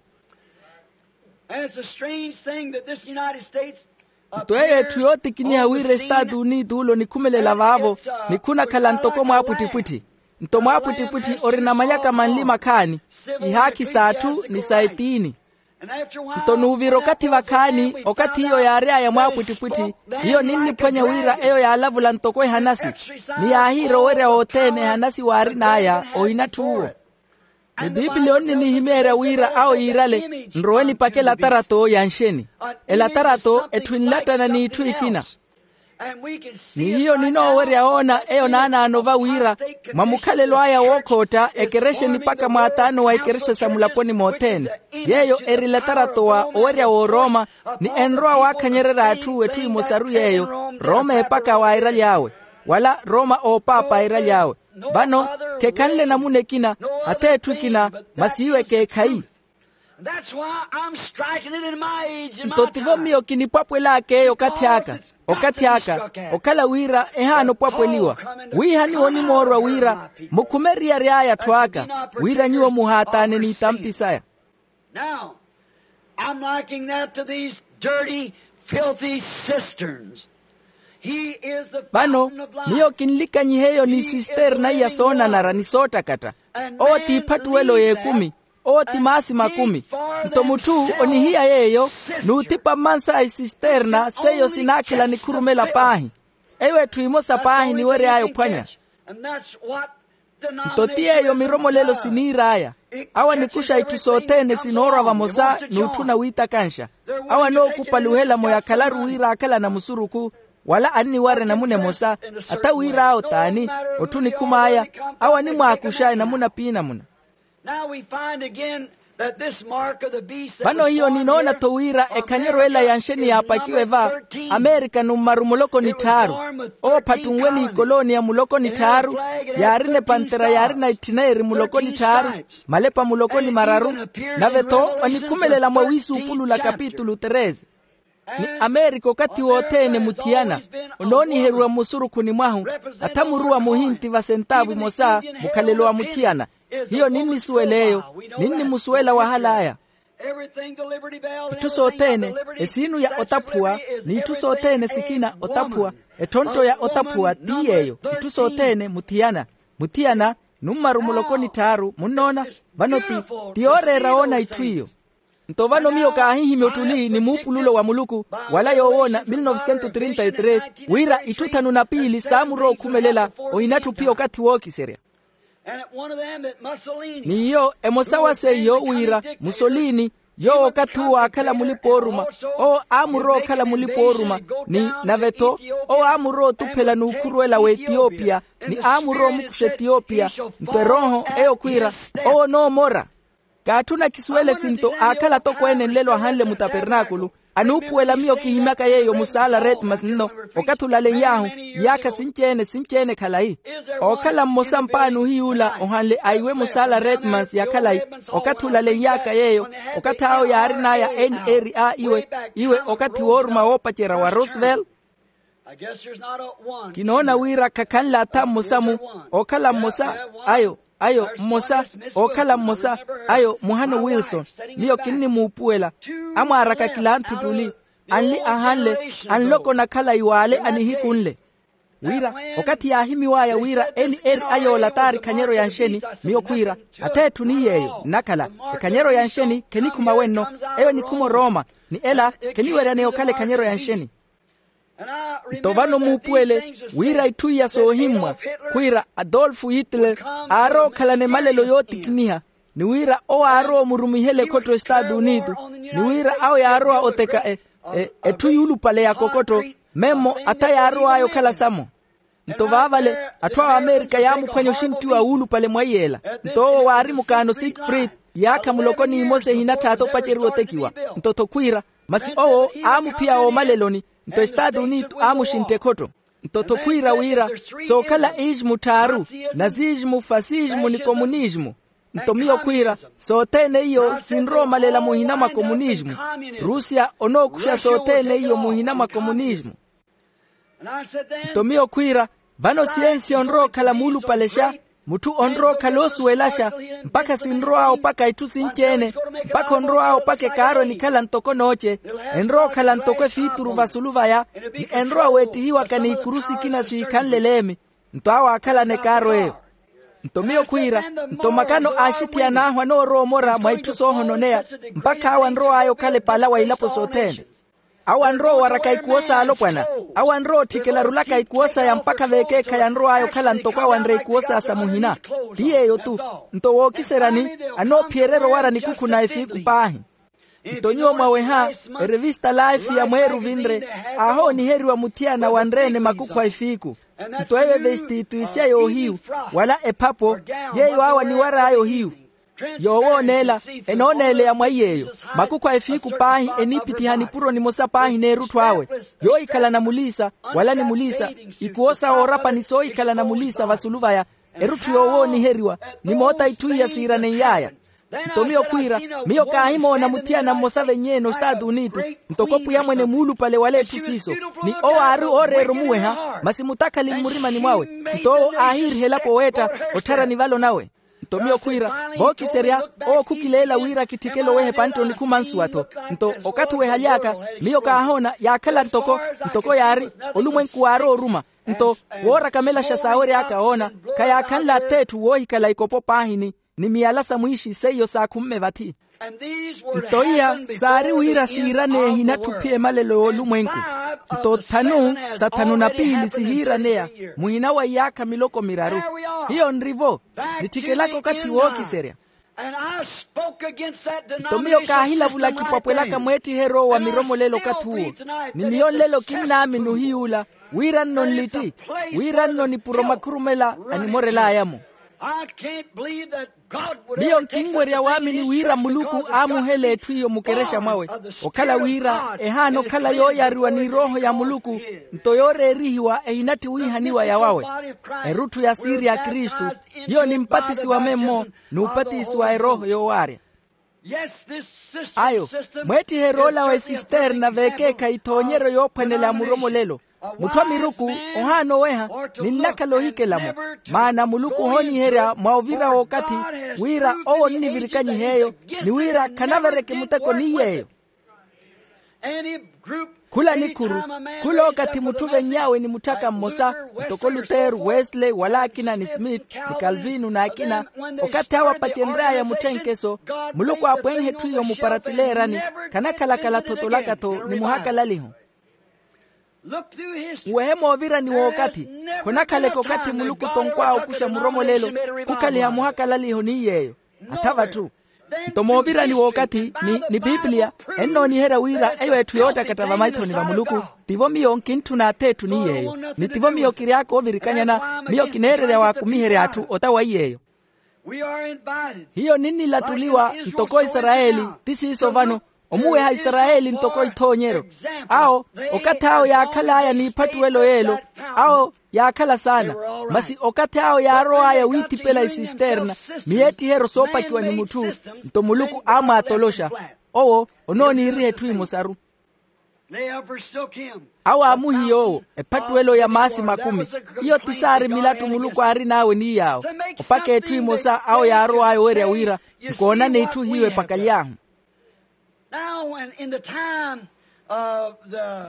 Nto eyo etthu yootikiniha wira estaatu unituulo nikhumelela vaavo, nikhunakhala ntoko mwaapwittipwitthi. Nto mwaapwittipwitthi orina manyaka manli makhaani, ihaakhi s'atthu ni sa etiini. Nto nuuvira okathi vakhaani, okathi iyo yaary'aya mwaapwittipwitthi, hiyo ninniphwanya wira eyo yaalavula ntoko ehanasi. Ni yaahiira owerya wothene ehanasi waarin'aya ohinatthuwo. Ni pipiliya onninihimeerya wira awo yiirale, nrowe nipake elatarato ya nxeni. Elatarato etthu enlattana n'itthu ekina. Ni hiyo ninoowerya woona eyo naanaano va wira mwa mukhalelo aya wookhootta ekerexe nipaka mwaataano wa ekerexa sa mulaponi mothene, yeeyo eri letarato wa owerya w'orooma, ni enrowa waakhanyererya atthu etthu emosaru yeeyo, rooma epaka waairaly'awe, wala rooma oopaapa airaly'awe. Vano khekhanle namuna ekina, ath'etthu ekina, masi iwe ekeekhayi. Nto tivo miyo kinipwapwel'aka eyo okathi aka, okathi aka, okhala wira ehaana opwapweliwa. Wiihani onimoorwa wira mukhume eriyari aya atthu aka, wira nyuwo muhaataane n'itampi saya. Now, I'm liking that to these dirty, filthy cisterns. He is the vano fountain of life. Miyo kinlikanyiha eyo ni sisterna iya soonanara ni soottakatta. Owo t'iphattuwelo y'ekumi. Owo ti maasi makumi. Nto mutthu onihiya yeeyo n'uthipa mmansa a isisterna seiyo sinaakhela nikhurumela paahi. Eyo etthu emosa paahi eniwery'aya ophwanya. Nto ti yeeyo miromolelo siniir'aya. Awo anikuxa itthu sothene sinoorwa vamosa n'utthuna wiitakanxa. Awo anookupaluhela-mo yakhalaru wira aakhalana musurukhu, wala anniwarya namuna emosa. Ata wir'awo t'ani, otthu onikhum'aya, awo animwaakuxa enamuna p'inamuna. Now we find again that this mark of the beast that vano hiyo ninoona-tho wira ekhanyeryo ela ya nxeni yaapakiwe va amerika nummaru muloko ni tthaaru. Owo phattunwe n'ikoloniya muloko ni tthaaru, yaarina epantera yaarina etthina eri muloko ni tthaaru, malepa muloko ni mararu. Nave-tho onikhumelela mwa wiisuupulula kapitulu treze. Ni amerika okathi wothene muthiyana onooniheriwa mmusurukhuni mwahu, athamuruwa muhinti vasentaavu imosa mukhalelo wa muthiyana. Hiyo ninnisuwela eyo. Ninnimusuwela wahal'aya. Itthu sothene, esiinu ya otaphuwa, n'itthu sothene sikina otaphuwa, ettontto ya otaphuwa ti yeeyo. Itthu sothene muthiyana, muthiyana, nummaru muloko ni tthaaru munnoona. Vano ti, ti yooreera woona itthu iyo. Nto vano miyo kaahihimya ottuli ni muupululo wa muluku, wala yoowoona mil novecentos trinta y tres, wira itthu thanu na piili saamurowa okhumelela. Ohinatthu phiya okathi wookiserya. Ni iyo emosa wa seiyo wira musolini, yoowo okathi uwo aakhala mulipa-ooruma, owo aamurowa okhala mulipa-ooruma. Ni nave-tho owo aamurowa otuphela n'ukhuruwela w'etiyopiya, ni aamurowa omukuxa etiyopiya. Nto erooho eyo khwiira, owo onoomora. Kaatthuna kisuwele sinto aakhala atokweene nlelo ahanle mutapernaakulu. Anuupuwela miyo kihimyaka yeeyo musaala redmans nno, okathi olalen'y'ahu iyaakha sinci-ene sinci-ene khalayi. Ookhala mmosa mpaani ohiy'ula ohanle aiwe musaala redmans ya khalayi, okathi olalen'y'aka yeeyo, okathi awo yaarin'aya n r a iwe, iwe okathi wooruma woopacerya wa roosevelt. Kinoona wira khakhanle atha mmosa-mu, ookhala mmosa, ayo ayo mmosa, ookhala mmosa, ayo muhano wilson. Miyo kinnimuupuwela. Amwaaraka kilanthu ttuli, anli ahanle, anloko na khalayi w'ale a nihiku nle. Wira okathi yaahimiw'aya wira n r a yoola t'ari ekhanyeryo ya nxeni, miyo khwiira, ath'etthu ni yeeyo nnakhala. Ekhanyeryo ya nxeni khenikhuma wenno, eyo enikhuma orooma, ni ela kheniweryaneya okhala ekhanyeryo ya nxeni. Nto vano muupuwele wira itthu iya soohimmwa, khwiira adolfo hitler aarowa okhalana emalelo yootikiniha, ni wira owo aarowa omurumihela ekhotto estaatu unitu, ni wira awo yaarowa oteka e- e- etthu yuulupale ya kokotto, memmo atha yaarow'aya okhala samo. Nto vaavale, atthu a amerika yaamuphwanya oxinttiwa wuulupale mwa iyeela. Nto owo waari mukaano sikfrid, iyaakha muloko n'imosa ehinatthaatha opaceriwa otekiwa. Nto-tho khwiira, masi owo aamuphiya woomaleloni. Nto estaatu unitu aamuxintta ekhotto. Nto-tho khwiira wira, sookhala ismu tthaaru, nazismu, fasismu ni komunismu. Nto miyo khwiira, sothene iyo sinrowa omalela muhina mwa komunismu. Rusia onookuxa sothene iyo muhina mwa komunismu. Nto miyo khwiira, vano siyensiya onrowa okhala muulupalexa, mutthu onrowa okhala oosuwelaxa, mpakha sinrow'awe opaka itthu sinci-ene, mpakha onrow'awe opaka ekaaro enikhala ntoko nooce, enrowa okhala ntoko efiituru vasulu vaya, ni enrowa weettihiwaka n'ikuru sikina siikhanle leemi. Nto awo aakhalana ekaaro eyo. Nto miyo khwiira, nto makano a axithiyan'ahu anoorowa omora mwa itthu soohononeya, mpakha awo anrow'aya okhala epaala wa ilapo sothene. Awo anrowa owaraka ikuwo s'alopwana. Awo anrowa otthikela arulaka ikuwo saya mpakha veekeekhayi anrow'aya okhala ntoko awo anre ikuwo saya sa muhina. Ti yeeyo-tu. Nto wookiseryani, anoophiyererya owara nikukhu na efiiku paahi. Nto nyuwo mwaweha erevista laifi ya mweeru vinre, aahooniheriwa muthiyana wanre-ene makukhwa efiiku. Nto eyo evestitu isya yoohiyu, wala ephapo, yeeyo awo aniwar'aya ohiyu. Yoowooneela, enooneeleya mwa iy'eyo. Makukhwa efiiku paahi eniipithiha nipuro nimosa paahi n'erutthu awe, yoohikhalana muliisa, wala ni muliisa, ikuwo sa woorapa ni soohikhalana muliisa vasulu vaya. Erutthu yoowooniheriwa, ni moota itthu iya siiranenyaaya. Nto miyo khwiira, miyo kaahimoona muthiyana mmosa venyeene ostaatu unitu, ntoko pwiya mwene muulupale wala etthu siiso, ni owo aari ooreera omuweha, masi mutakhali mmurimani mwawe. Nto owo aahiiriha elapo weetta, otthara nivalo nawe. Nto miyo khwiira, vookiserya, owo khukileela wira kitthikele oweha epantte onikhuma nsuwa-tho. Nto okathi wehaly'aka, miyo kaahoona yaakhala ntoko, ntoko yaari, olumwenku waari ooruma. Nto woorakamelaxa saawery'aka oona, khayaakhanle ath'etthu woohikhala ikopo paahini, ni miyala sa mwiixi seiyo saakhumme vathi. Nto iya saari wira siiraneya ehinatthu ophiya emalelo y'olumwenku. Nto thanu sa thanu na piili sihiiraneya, muhina wa iyaakha miloko miraru. Hiyo nri-vo, nitthikelaka okathi wookiserya. Nto miyo kaahilavula kipwapwelaka mweettiheryo owo wa miromolelo okathi uwo. Ni miyo nlelo kinnaamini ohiy'ula, wira nno nlitti, wira nno nipuro makhurumela animorel'aya-mo. Miyo nkinwerya waamini wira muluku aamuhela etthu iyo mukerexa mwawe, okhala wira ehaana okhala yooyariwa ni erooho ya muluku, nto yooreerihiwa ehinatthi wiihaniwa yawawe. Erutthu ya siiri ya kristu, hiyo nimpatisiwa memmo, n'upatisiwa erooho yoowaarya. Ayo, mweettiheryo ola wa esisterna veekeekhayi ethoonyeryo yoophwanela ya muromolelo. Mutthu a miruku ohaana oweha, ninnakhala ohikela-mo. Maana muluku ohooniherya mwa ovira w'okathi, wira owo onnivirikanyiha eyo, ni wira khanavereke muteko ni yeeyo. Khula nikhuru, khula okathi mutthu ovenny'awe ni mutthaka mmosa, ntoko lutero, wesley wala akina ni smith, ni kalvino n'akina, okathi awo apacenry'aya mutthenkeso, muluku aapwenhe etthu iyo muparatileerani, khanakhalakhala thotolaka-tho ni muhakalaliho. Nwehe moovirani w'okathi, khonakhaleke okathi muluku tonkw'awe okuxa muromolelo, khukhaliha muhakalaliho ni yeeyo. Atha vatthu. Nto moovirani w'okathi, ni ni piipiliya, ennooniherya wira eyo etthu yoottakatta vamaithoni va muluku. Tivo miyo nkintthuna ath'etthu ni yeeyo, ni tivo miyo kiry'aka oovirikanyana, miyo kineererya waakumiherya atthu ota wa yeeyo. Hiyo ninnilattuliwa ntoko isarayeli. Ti siiso vano, omuweha isarayeli ntoko ithoonyeryo. Awo, okathi awo yaakhal'aya n'iphattuwelo y'elo, awo yaakhala saana. Masi okathi awo yaarow'aya wiithipela isisterna, miyeettiheryo soopakiwa ni mutthu, nto muluku aamwaatoloxa. Owo onooniiriha etthu emosaru. Awo aamuhiya owo ephattuwelo ya maasi makumi. Iyo ti saari milattu muluku aarin'awe ni yaawo, opaka etthu emosa awo yaarow'aya owerya wira, nkoonani itthu hiyo epakaly'ahu.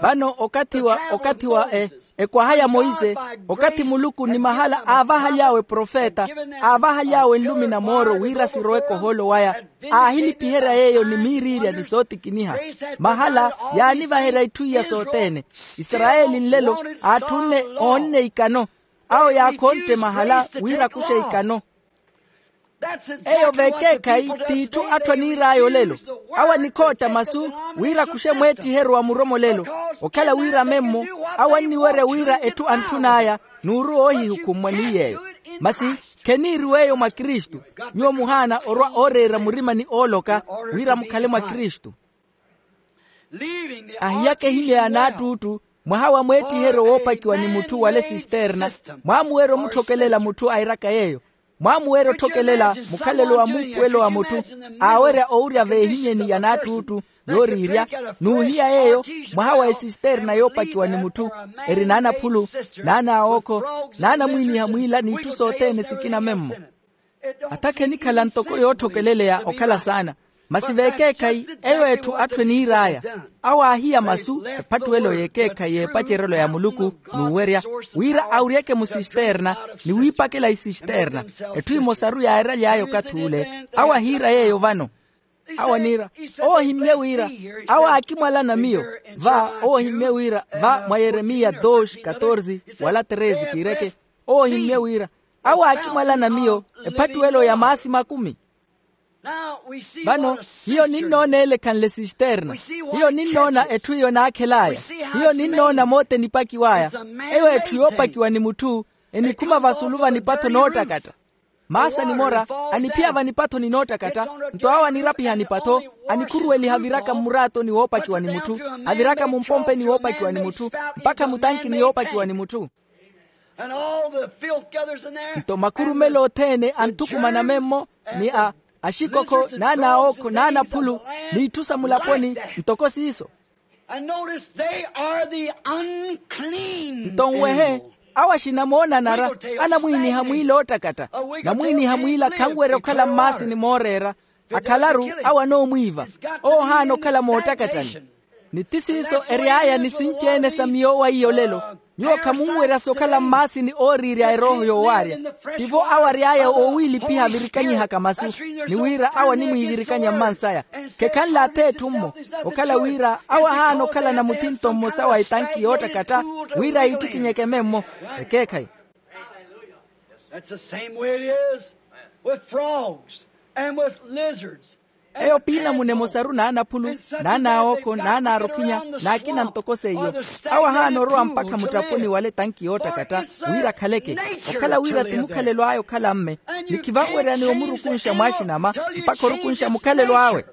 Vano okathi wa okathi wa e ekwaha ya monse, okathi muluku ni mahala aavahaly'awe profeta, aavahaly'awe nlumi na mooro wira siroweke ohoolo waya, aahilipiherya yeeyo ni miiriirya ni sootikiniha. Mahala yaanivaherya itthu iya sothene. Isarayeli nlelo aatthunne oonne ikano, awo yaakhontte mahala wira akuxe ikano. Eyo vekeekhayi t'itthu atthu aniir'aya olelo. Awo anikhootta masu wira akuxe mweettiheryo wa muromolelo, okhala wira memmo awo anniwerya wira etthu antthun'aya, n'uru oohihukhummwa ni yeeyo. Masi kheniiriw'eyo mwa kristu. Nyuwo muhaana orwa ooreera murima ni ooloka wira mukhale mwa kristu. Ahiyaka ehinya ya naattuuttu, mwaha wa mweettiheryo woopakiwa ni mutthu wala esisterna, mwaamuwerya omutthokelela mutthu airaka yeeyo. Mwaamuwerya otthokelela mukhalelo wa muupuwelo wa mutthu, aawerya owurya veehinyeni ya naattuuttu, yooriirya, n'uhiya yeeyo, mwaha wa esisterna yoopakiwa ni mutthu, eri n'anaphulu, n'anaawookho, n'anamwiiniha mwiila n'itthu sothene sikina memmo. Atha khenikhala ntoko yoothokeleleya okhala saana. Masi vekeekhayi eyo etthu atthu eniir'aya, awo aahiya masu ephattuwelo y'ekeekhayi y'epacerelo ya muluku, n'uwerya wira awuryeke musisterna, ni wiipakela isisterna, etthu emosaru yaairaly'aya okathi ule. Awo ahiira yeeyo vano. Awo aniira, owo ohimmye wira, awo aakimwalana miyo. Va owo ohimmye wira va mwa yeremiya dos katorze wala treze kiireke. Owo ohimmye wira, awo aakimwalana miyo ephattuwelo ya maasi makumi. Vano hiyo ninnoona ele ekhanle sisterna. Hiyo ninnoona etthu iyo naakhel'aya. Hiyo ninnoona moota enipakiw'aya. Eyo etthu yoopakiwa ni mutthu, enikhuma vasulu vanipatho noottakatta. Maasa nimora aniphiya vanipatho ni noottakatta. Nto awo anirapiha nipatho, anikhuruweliha aviraka mmuraatoni woopakiwa ni mutthu, aviraka mumpompeni woopakiwa ni mutthu, mpakha mutankini yoopakiwa ni mutthu. Nto makhurumelo othene anthukumana memmo, ni a axikokho n'anaawookho n'anaphulu, n'itthu sa mulaponi. Ntoko siiso. Nto nwehe, awo axina moonanara anamwiiniha mwiila oottakatta. Namwiiniha mwiila khanwerya okhala mmaasini mooreera. Akhalaru awo anoomwiiva. Owo ohaana okhala moottakattani. Ni ti siiso ery'aya ni sinci-ene sa miyo wa iyo lelo. Nyuwo khamunwerya sokhala mmaasini ooriirya erooho yoowaarya. Tivo awo ary'aya oowiilipiha avirikanyihaka masu, ni wira awo animwiivirikanya mmansaya. Khekhanle ath'etthu-mmo. Okhala wira awo ahaana okhalana muthinto mmosa wa etanki yoottakatta, wira yiittikinyeke memmo. Ekeekhayi. That's the same way it is with frogs and with lizards. Eyo piinamuna emosaru n'anaphulu, n'anaawookho, n'anaarukhinya, n'akina ntoko seiyo. Awo ahaana orowa mpakha muttapuni wala etanki yoottakatta, wira akhaleke. Okhala wira ti mukhalelo aya okhala mme. Ni khivanweryaneya omurukunxa mwaaxinama mpakha orukunxa mukhalelo awe.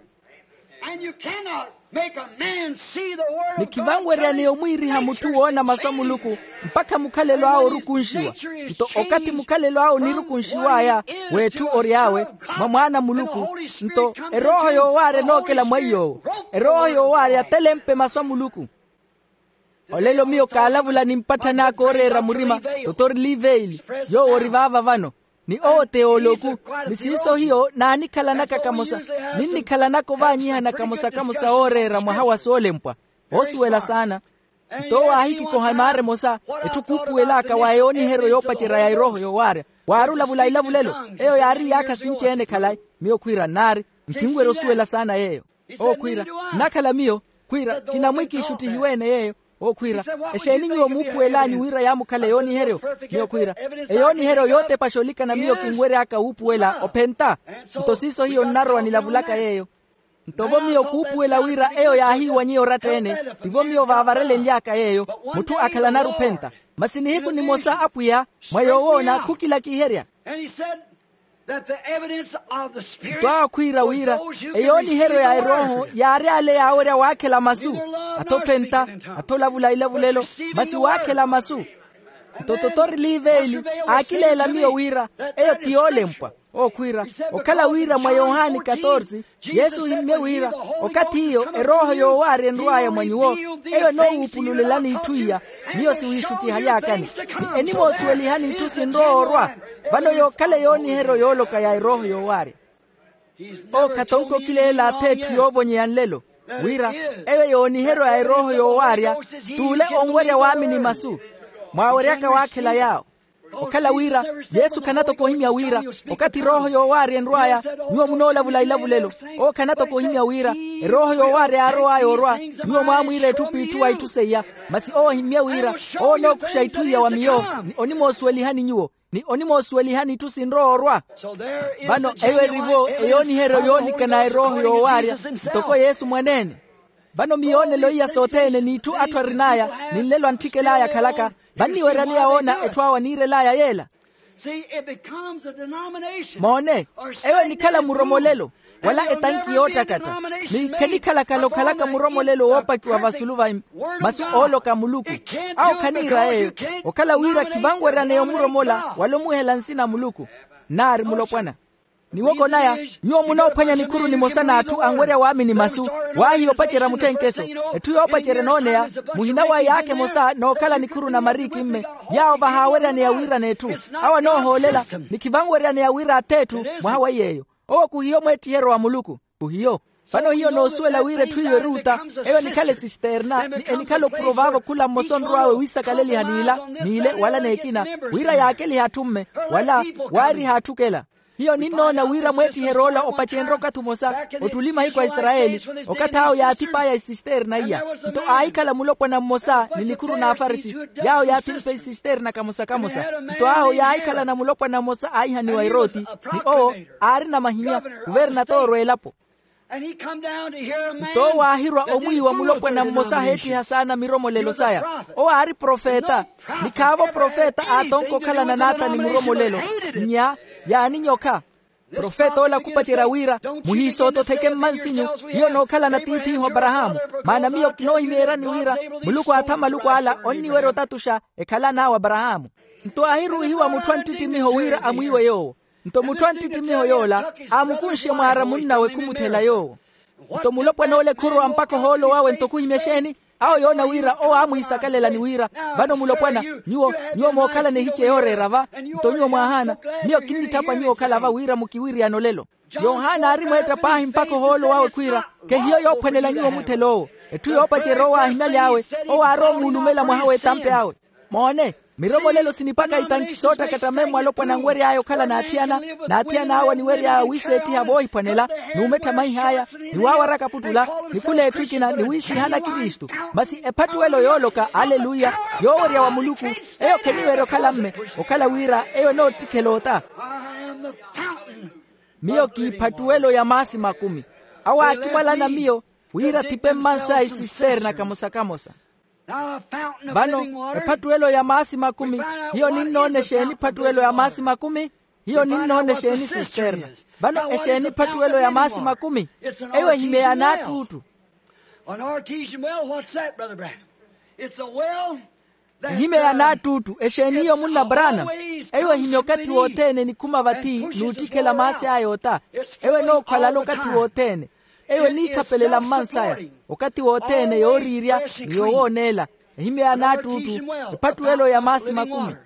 Ni khivanweryaneya omwiiriha mutthu woona masu a muluku mpakha mukhalelo awe orukunxiwa. Nto okathi mukhalelo awe onirukunxiw'aya, w'etthu ory'awe, mwa mwaana a muluku. Nto erooho yoowaarya enookela mwa iy'owo. Erooho yoowaarya telempe masu a muluku. Olelo miyo kaalavula ni mpatthani aka ooreera murima, totori liveili, yoowo ori vaava vano. Ni owo ti yooloku. Ni siiso hiyo naanikhalanaka kamosa. Ninnikhalanaka ovaanyiha na kamosa kamosa ooreera mwaha wa soolempwa. Oosuwela saana. Nto owo aahikikoha emaara emosa, etthu kuupuwel'aka wa yooniheryo yoopacerya ya erooho yoowaarya. Waari olavula ilavulelo. Eyo yaari iyaakha sinci-ene khalayi. Miyo khwiira nnaari. Nkhinwerya osuwela saana yeeyo. Owo khwiira, nnakhala miyo. Khwiira kinamwiki ixuttihiwe-ene yeeyo. Owo khwiira, exeeni nyuwo muupuwel'anyu wira yaamukhale yooniheryo? Miyo khwiira, eyooniheryo yootepaxa olikana miyo kinwery'aka wuupuwela ophenta. Nto siiso hiyo nnarowa nilavulaka yeeyo. Nto vo miyo kuupuwela wira eyo yaahiiwanyiye oratta-ene, tivo miyo vaavarelenly'aka yeeyo. Mutthu akhalanaru ophenta. Masi nihiku nimosa apwiya, mwa yoowoona khukilakiherya. Nto awo khwiira wira eyooniheryo ya erooho yaari ale yaawerya waakhela masu. Athophenta, atholavula ilavulelo, masi waakhela masu. Nto totori liveili aakileela miyo wira eyo ti yoolempwa. Owo khwiira, okhala wira mwa yohani katorsi, yesu ohimmye wira, okathi iyo erooho yoowaari enrw'aya mwa nyuwo, eyo enoowuupululelani itthu iya. Miyo siwiixuttihaly'akani, ni enimoosuwelihani itthu sinrowa orwa. Vano yookhala yooniheryo yooloka ya erooho yoowaarya. Owo khatonko okileela ath'etthu yoovonyeya nlelo, wira eyo yooniheryo ya erooho yoowaarya, t'ule onwerya waamini masu. Mwaaweryaka waakhela yaawo. Okhala wira yesu khanatoko ohimya wira, okathi erooho yoowaarya enrw'aya, nyuwo munoolavula ilavulelo. Owo khanatoko ohimya wira erooho yoowaarya yaarow'aya orwa, nyuwo mwaamwiira etthu p'itthu wa itthu seiya. Masi owo ohimmye wira owo onookuxa itthu iya wa miyo, ni onimoosuwelihani nyuwo, ni onimoosuwelihani itthu sinrowa orwa. Vano eyo eri-vo eyooniheryo yoolikana erooho yoowaarya, ntoko yesu mwaneene. Vano miyoonelo iya sothene n'itthu atthu arin'aya, ni nlelo antthikela aya akhalaka, vanniweryaneya woona etthu awo aniirel'aya yeela. Moone, eyo enikhala muromolelo, wala etanki yoottakatta, ni khenikhala khalokhalaka muromolelo woopakiwa vasulu va masu ooloka a muluku. Awo khaniira yeeyo, okhala wira khivanweryaneya omuromola wala omuhela nsina a muluku. Nnaari mulopwana. Niwoko naya, nyuwo munoophwanya nikhuru nimosa n'atthu anwerya waamini masu, waahiya opacerya mutthenkeso. Etthu yoopacerya enooneya, muhina wa iyaakha emosa nookhala nikhuru na mariikimme, yaawo vahaaweryaneya wiirana etthu. Awo anoohoolela, ni khivanweryaneya wira ath'etthu mwaha wa iy'eyo. Owo khuhiyo mweettiheryo wa muluku. Khuhiyo. Vano hiyo noosuwela wira etthu iyo eruuta, eyo enikhala esisterna ni enikhala oprovaavo khula mmosa onrw'awe wiisakaleliha n'ila, n'ile wala n'ekina, wira yaakelihe atthu mme, wala waarihe atthukela. Hiyo ninnoona wira mweettiherya ola opacenrye okathi omosa, ottuli mahiku a isarayeli, okathi awo yaathip'aya esisterna iya. Nto aahikhala mulopwana mmosa ni nikhuru n'afarisi, yaawo yaathimphe esisterna kamosa kamosa. Nto awo yaahikhalana mulopwana mmosa aahihaniwa eroti, ni owo aarina mahinya, kuvernatoro a elapo. Nto owo aahirwa omwiiwa mulopwana mmosa aheettiha saana miromolelo saya. Owo aari profeta, ni khaavo profeta aatonka okhalana naatani muromolelo. Nnya, yaaninyokha. Profeta ola khupacerya wira, muhiisoototheke mmansinyu, hiyo nookhalana tiith'ihu aparahaamu. Maana miyo kinoohimeeryani wira muluku aatha maluku ala onniwerya otatuxa, ekhalan'awe aparahaamu. Nto aahiruwihiwa mutthu a nttittimiho wira amwiiwe yoowo. Nto mutthu a nttittimiho yoola aamukunxe mwaara munnawe khumuthela yoowo. Nto mulopwana ole khurwa mpakha ohoolo wawe nto khuhimya exeeni? Awo yoona wira owo aamwiisakalela ni wira, vano mulopwana, nyuwo nyuwo mookhalana ehice yooreera va. Nto nyuwo mwaahaana. Miyo kinnitthapa nyuwo okhala va wira mukiwiriyana olelo. Yohana aari mweetta paahi mpakha ohoolo wawe khwiira, khehiyo yoophwanela nyuwo omuthela owo. Etthu yoopacerya owo aahimyaly'awe, owo aarowa omuulumela mwaha w'etampe awe. Moone, miromolelo sinipaka itanki soottakatta memmo alopwana anwery'aya okhala n'athiyana, n'athiyan'awe aniwery'aya wiiseettiha voohiphwanela, n'umettha maih'aya, ni waawaraka puttula, ni khula etthu ekina ni wiisihana kristu. Masi ephattuwelo yooloka aleluya, yoowerya wa muluku, eyo kheniwerya okhala mme, okhala wira eyo enoottikhela ota. Miyo k'iphatuwelo ya maasi makumi. Awo aakimwalana miyo, wira athipe mmansaya isisterna kamosa-kamosa. Vano ephattuwelo ya maasi makumi. Hiyo ninnoona exeeni ephattuwelo ya maasi makumi? Hiyo ninnoona exeeni sisterna? Vano exeeni ephattuwelo ya maasi makumi? Eyo ehimye ya naattuuttu. An artesian well, what's that, Brother Branham? It's a well. Ehimye ya naattuuttu exeeni hiyo munna brana? Eyo ehimye okathi wothene enikhuma vathi n'uttikhela maasi aya ota. Eyo enookhwalala okathi wothene. Eyo eniikhapelela mmansaya okathi wothene yooriirya ni yowooneela. Ehimye ya naattuuttu ephattuwelo ya maasi makumi.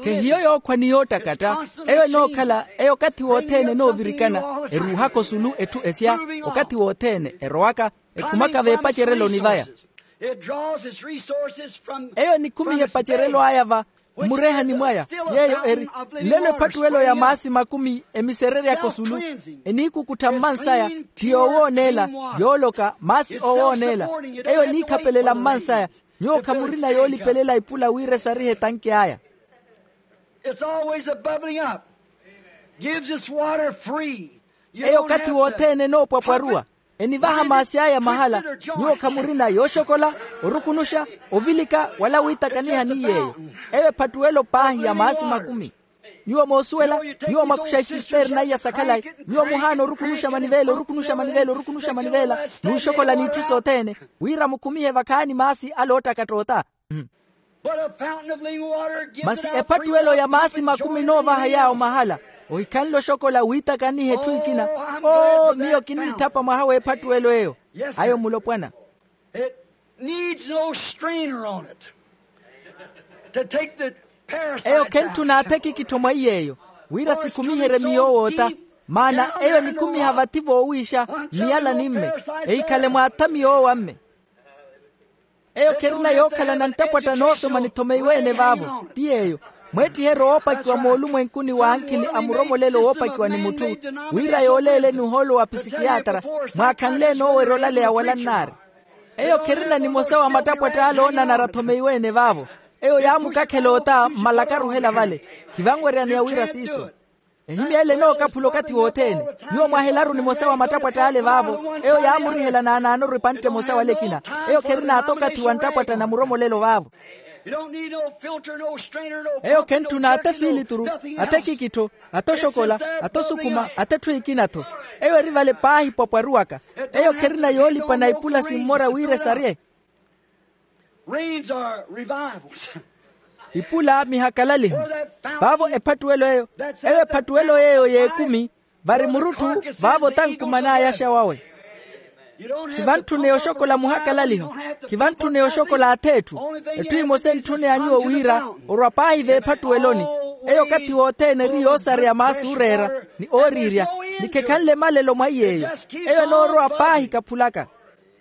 Khehiyo yookhwa ni yoottakatta. Eyo enookhala eyo okathi wothene enoovirikana, eruuhaka osulu etthu esya okathi wothene erowaka, ekhumaka veepacereloni vaya. Eyo enikhumiha epacerelo aya va mmurehani mwaya. Yeeyo eri nlelo ephattuwelo ya maasi makumi emisereryaka osulu, eniikukuttha mmansaya ti yoowooneela, yooloka maasi oowooneela. Eyo eniikhapelela mmansaya. Nyuwo khamurina yoolipelela ipula wira esarihe etanki aya. It's always a bubbling up. Gives us water free. Eyo okathi wothene enoopwapwaruwa, enivaha maasi aya mahala. Nyuwo khamurina yooxokola, orukunuxa, ovilika wala wiitakaniha ni yeeyo. Eyo ephattuwelo paahi ya maasi makumi. Nyuwo moosuwela, nyuwo mwakuxa isisterna iya sakhalayi. Nyuwo muhaana orukunuxa manivela orukunuxa manivela orukunuxa manivela, n'uxokola n'itthu sothene, wira mukhumihe vakhaani maasi ale oottakatta ota. Masi ephattuwelo ya maasi makumi enoovaha yaawo mahala. Ohikhanle oxokola wiitakaniha etthu ekina. Oo miyo kinnitthapa mwaha w'ephattuwelo eyo. Ayo mulopwana. It needs no strainer on it to take the parasites out. Eyo khentthuna athekikittho mwa iy'eyo, wira sikhumiherye miyoowo ota. Maana eyo enikhumiha vathi voowiixa, miyala ni mme, ehikhale mwaathami yoowa mme. Eyo kherina yookhalana nttapwatta noosoma nithomeiwe-ene vaavo. Ti yeeyo, mweettiheryo woopakiwa moolumwenkuni w'ankhili a muromolelo woopakiwa ni mutthu, wira yooleeleni ohoolo wa pisikiyatra, mwaakhanle enoowerya olaleya wala nnaari. Eyo kherina nimosa wa mattapwatta ale oonanara athomeiwe-ene vaavo. Eyo yaamukakhela ota mmalakaruhela vale. Khivanweryaneya wira siiso. Ehimya ele enookaphula okathi wothene. Nyuwo mwahelaru nimosa wa mattapwatta ale vaavo. Eyo yaamurihela naanaanoru epantte emosa wala ekina. Eyo kherin'ata okathi wa nttapwatta na muromolelo vaavo. Eyo khentthuna ata efiilituru, ata ekikittho, ata oxokola, ata osukhuma, ata etthu ekina-tho. Eyo eri vale paahi pwapwaruwaka. Eyo kherina yoolipana ipula simmora wira esarye. Ipula mihakalaliho. Vaavo ephattuwelo eyo, eyo ephattuwelo yeeyo y'ekumi. Vari murutthu vaavo tankuman'aya axa wawe. Khivantthune yoxokola muhakalaliho. Khivantthune yoxokola ath'etthu. Etthu emosa entthuneya nyuwo wira orwa paahi veephattuweloni. Eyo okathi wothene eri yoosareya maasi ooreera, ni ooriirya, ni khekhanle malelo mwa iy'eyo. Eyo enoorowa paahi kaphulaka.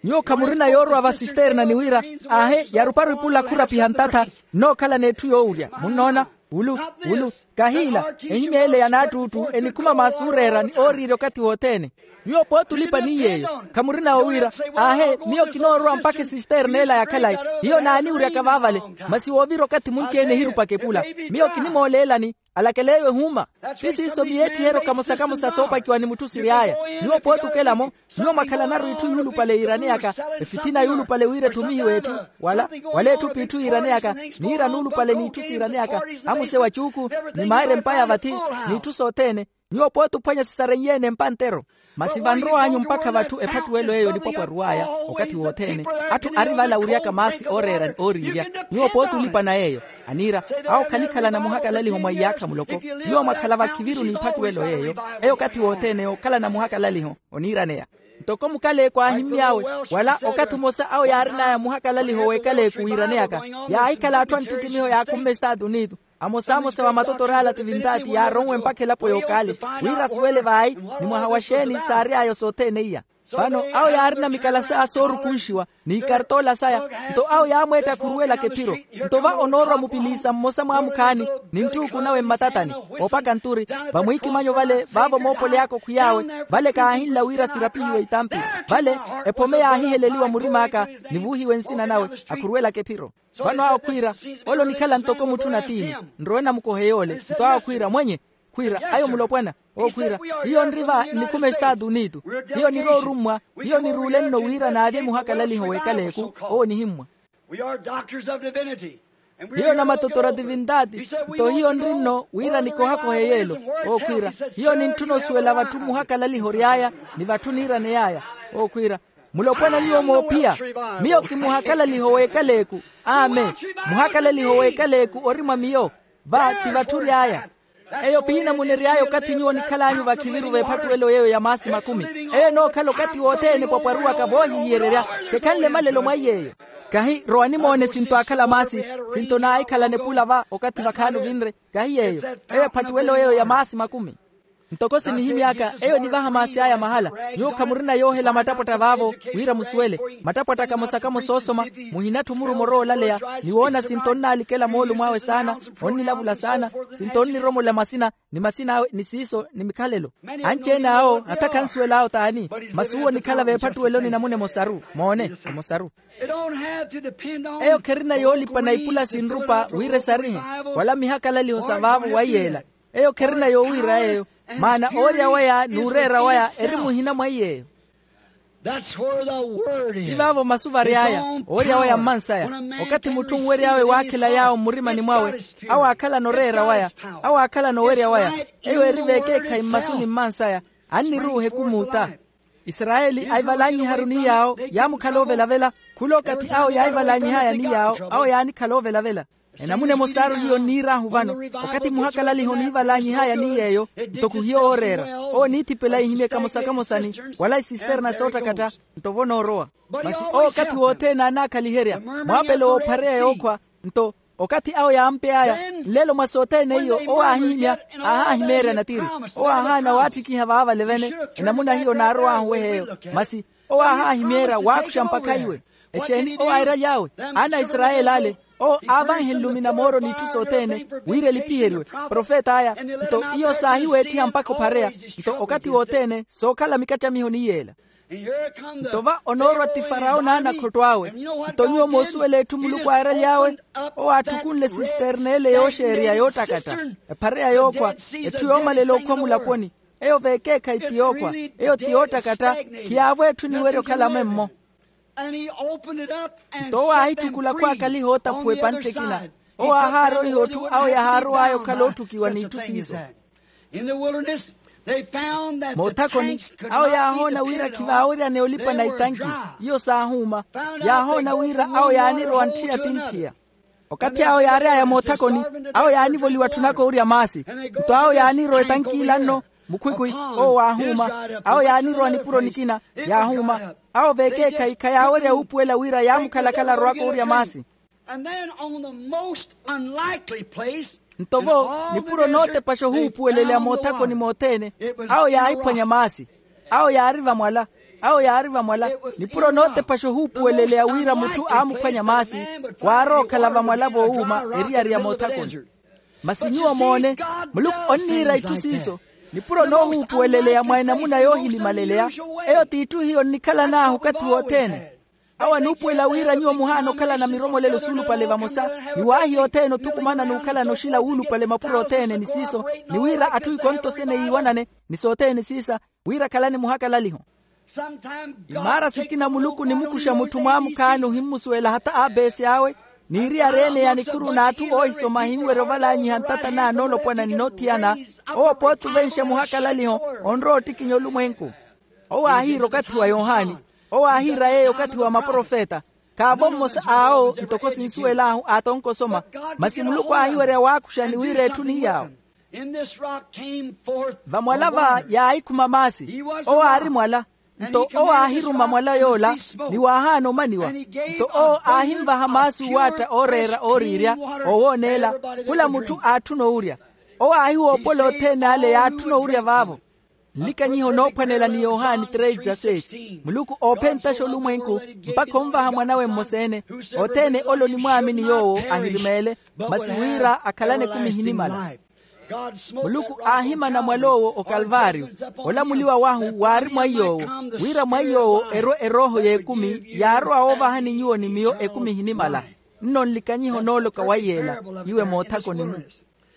Nyuwo khamurina yoorowa vasisterna ni wira, aahe yaruparu ipula khurapiha ntatha. Nnookhala n'etthu yoowurya munnoona. Wulu, wulu, kahiila. Ehimya ele ya naattuuttu enikhuma maasi ooreera ni ooriirya okathi wothene. Nyuwo pooti olipa ni yeeyo, khamurina owiira, aahe, miyo kinoorowa mpakha esisterna ela ya khalayi. Hiyo naaniwuryaka vaavale. Masi woovira okathi munci-ene ehirupaka epula. Miyo kinimooleelani, alakeleeyo ehuuma. Ti siiso miyeettiheryo kamosa-kamosa soopakiwa ni mutthu siry'aya. Nyuwo pooti okela-mo, nyuwo mwakhalanaru itthu yuulupale yiiraneyaka, efithina yuulupale wira ethumihiwe etthu, wala, wala etthu p'itthu yiiraneyaka, niira nuulupale n'itthu siiraneyaka, amuse wa cuuku, ni maayira empa ya vathi, n'itthu sothene. Nyuwo pooti ophwanya sisarenye-ene empa ntero. Masi vanrow'anyu mpakha vatthu ephattuwelo eyo enipwapwaruw'aya okathi wothene. Atthu ari vala awuryaka maasi ooreera ni ooriirya. Nyuwo pooti olipana yeeyo. Aniira, awo khanikhalana muhakalaliho mwa iyaakha muloko. Nyuwo mwakhala vakhiviru n'iphattuwelo yeeyo, eyo okathi wothene yookhalana muhakalaliho oniiraneya. Ntoko mukaleeku aahimmy'awe, wala okathi omosa awo yaarin'aya muhakalaliho w'ekaleeku wiiraneyaka, yaahikhala atthu a nttittimiho yaakhumme estaatu unitu. Amosamosa va matotor'ala tivintaati yaaronwe mpakha elapo y'okaali, wira asuwele vaayi, ni mwaha wa xeeni saary'ayo sothene iya. Vano awo yaarina mikalasa soorukunxiwa, n'ikartoola saya. Nto awo yaamweetta khuruwelaka ephiro. Nto va onoorwa mupiliisa mmosa mwaamukhaani, ni nttuuku nawe mmatatani, oopaka nturi, vamwiikimanyo vale vaavo moopoleyaka okhwiy'awe. Vale kaahinla wira sirapihiwe itampi. Vale, ephome yaahiheleliwa murim'aka, nivuuhiwe nsina nawe, akhuruwelaka ephiro. Vano awo khwiira, ole onikhala ntoko mutthu natiini, nrowe namukohe yoole. Nto awo khwiira, mwenye, khwiira, ayo mulopwana. Owo khwiira, hiyo nri va nnikhuma estaatu unitu. Hiyo niroorummwa. Hiyo niruule nno wira naavye muhakalaliho w'ekaleeku. Owo nihimmwa. Hiyo namatotora tivintaati. Nto hiyo nri nno wira nikohakohe yeelo. Owo khwiira, hiyo nintthuna osuwela vatthu muhakalaliho ory'aya, ni vatthu niiraney'aya. Owo khwiira, mulopwana nyuwo moophiya. Miyo kimuhakalaliho w'ekaleeku. Amen. Muhakalaliho w'ekaleeku ori mwa miyo. Va ti vatthu ory'aya. Eyo piina munery'aya okathi nyuwo onikhal'anyu vakhiviru v'ephattuwelo yeeyo ya maasi makumi. Eyo enookhala okathi wothene epwapwaruwaka voohihiyererya. Khekhanle malelo mwa iy'eyo. Kahi rowani moone sinto aakhala maasi, sinto naahikhalana epula va okathi vakhaani ovinre. Kahi yeeyo. Eyo ephattuwelo yeeyo ya maasi makumi. Ntoko sinihimy'aka, eyo enivaha maasi aya mahala. Nyuwo khamurina yoohela mattapwatta vaavo, wira musuwele. Mattapwatta kamosa-kamosa oosoma, muhinatthi omuruma orowa olaleya, ni woona sinto onnaalikela moolumo awe saana, onnilavula saana, sinto onniromola masina, ni masina awe ni siiso ni mikhalelo. Anci-ene awo hata khansuwel'awo t'ani. Masi uwo onikhala v'ephattuweloni namuna emosaru. Moone, emosaru. Eyo kherina yoolipana ipula sinrupa wira esarihe, wala mihakalaliho sa vaavo wa iyeela. Eyo kherina yowiira yeeyo, maana oorya waya n'ureera waya eri muhina mwa iy'eyo. Ti vaavo masu vary'aya. Oorya waya mmansaya. Okathi mutthu onwery'awe waakhela yaawo mmurimani mwawe, awo aakhalana oreera waya, awo aakhalana owerya waya. Eyo eri v'ekeekhayi mmasuni mmansaya. Anniruuha ekumuuta. Isarayeli aivalanyiharu ni yaawo yaamukhala ovelavela. Khula okathi awo yaivalanyih'aya ni yaawo, awo yaanikhala ovelavela. Enamuna emosaaru hiyo nniir'ahu vano, okathi muhakalaliho niivalanyih'aya ni yeeyo, ntoko hiyo ooreera. Owo niithipela ihimye kamosa-kamosani, wala isisterna soottakatta, nto vo noorowa. Masi owo okathi wothene aanaakhaliherya mwaapelo w'ophareya yookhwa. Nto okathi awo yaampey'aya, nlelo mwa sothene iyo owo aahihimya, aahaahimeerya natiri. Owo aahaana waattikiha vaavale vene. Enamuna hiyo naarow'ahu weha eyo. Masi owo aahaahimyeerya waakuxa mpakha iwe. Exeeni owo airaly'awe? Aana a isarayeli ale. Owo aavanhe nlumi na mooro n'itthu sothene, wira elipiheriwe profet'aya. Nto iyo saahiweettiha mpakha ophareya. Nto okathi wothene sookhala mikattamiho ni yeela. Nto va onoorwa ti farawo n'anakhotto awe. Nto nyuwo moosuwela etthu muluku aaraly'awe? Owo aatthukunle sisterna ele yooxeerya yoottakatta, ephareya yookhwa, etthu yoomalela okhwa mulaponi. Eyo v'ekeekhayi ti yookhwa. Eyo ti yoottakatta. Khiyaavo etthu eniwerya okhala memmo. Nto owo aahitthukula khwaakaliha ootaphuwa epantte ekina. Owo aahaaroiha otthu awo yahaarow'aya okhala oottukiwa n'itthu siiso. Moothakoni, awo yaahoona wira khivaaweryaneya olipana itanki, iyo saahuuma. Yaahoona wira awo yaanirowa ntthiya ti ntthiya. Okathi awo yaary'aya moothakoni, awo yaanivoliwa tthunaka oorya maasi. Nto awo yaanirowa etankila nno, mukhwikhwi, owo waahuuma. Awo yaanirowa nipuro nikina, yaahuuma. Awo v'ekeekhayi khayaawerya wuupuwela wira yaamukhalakhala arowaka oorya maasi. Nto vo nipuro nootepaxa ohuupuweleleya moothakoni mothene, awo yaahiphwanya maasi. Awo yaari vamwala. Awo yaari vamwala. Nipuro nootepaxa ohuupuweleleya wira mutthu aamuphwanya maasi, waarowa okhala vamwala voowuuma eriyari ya moothakoni. Masi nyuwo moone, muluku onniira itthu siiso. Nipuro noohuupuweleleya mwa enamuna yoohilimaleleya. Eyo t'itthu hiyo nnikhalan'ahu okathi wothene. Awo anuupuwela wira nyuwo muhaana okhalana miromolelo suulupale vamosa, ni waahiya othene othukumana n'ukhalana oxila wuulupale mapuro othene ni siiso, ni wira atthu ikonto sene yiiwanane, ni sothene siisa, wira akhalani muhakalaliho. Imaara sikina muluku onimukuxa mutthu mwaamukhaani ohimmusuwela hata aapeesi awe, n'iriyareene ya nikhuru n'atthu oohisoma ahinwerya ovalanyiha ntata n'anoolopwana ni noothiyana. Owo pooti ovenxa muhakalaliho, onrowa ottikinya olumwenku. Owo aahiira okathi wa yohani. Owo aahiira yeeyo okathi wa maprofeta. Khaavo mmosa awo ntoko sinsuwel'ahu aatonka osoma. Masi muluku aahiwerya waakuxani wira etthu ni yaawo. Vamwala va yaahikhuma maasi. Owo aari mwala. Nto owo aahiruma mwala yoola, ni waahaana omaniwa. Nto owo aahinvaha maasi uwaatta ooreera ooriirya, oowooneela. Khula mutthu aatthuna owurya. Owo aahiwoopola othene ale yaatthuna owurya vaavo. Nlikanyihe onoophwanela ni yohani três dezasseis. Muluku oophentaxa olumwenku, mpakha onvaha mwan'awe mmosa-ene. Othene ole onimwaamini yoowo ahirimeele, masi wira akhalane ekumi ehinimala. Muluku aahimana mwal'owo okalvaariyo. Olamuliwa wahu waari mwaiy'owo, wira mwaiy'owo erwe erooho y'ekumi yaarowa woovahani nyuwo ni miyo ekumi ehinimala. Nno nlikanyihe onooloka waiy'ela, iwe moothakoni-mu.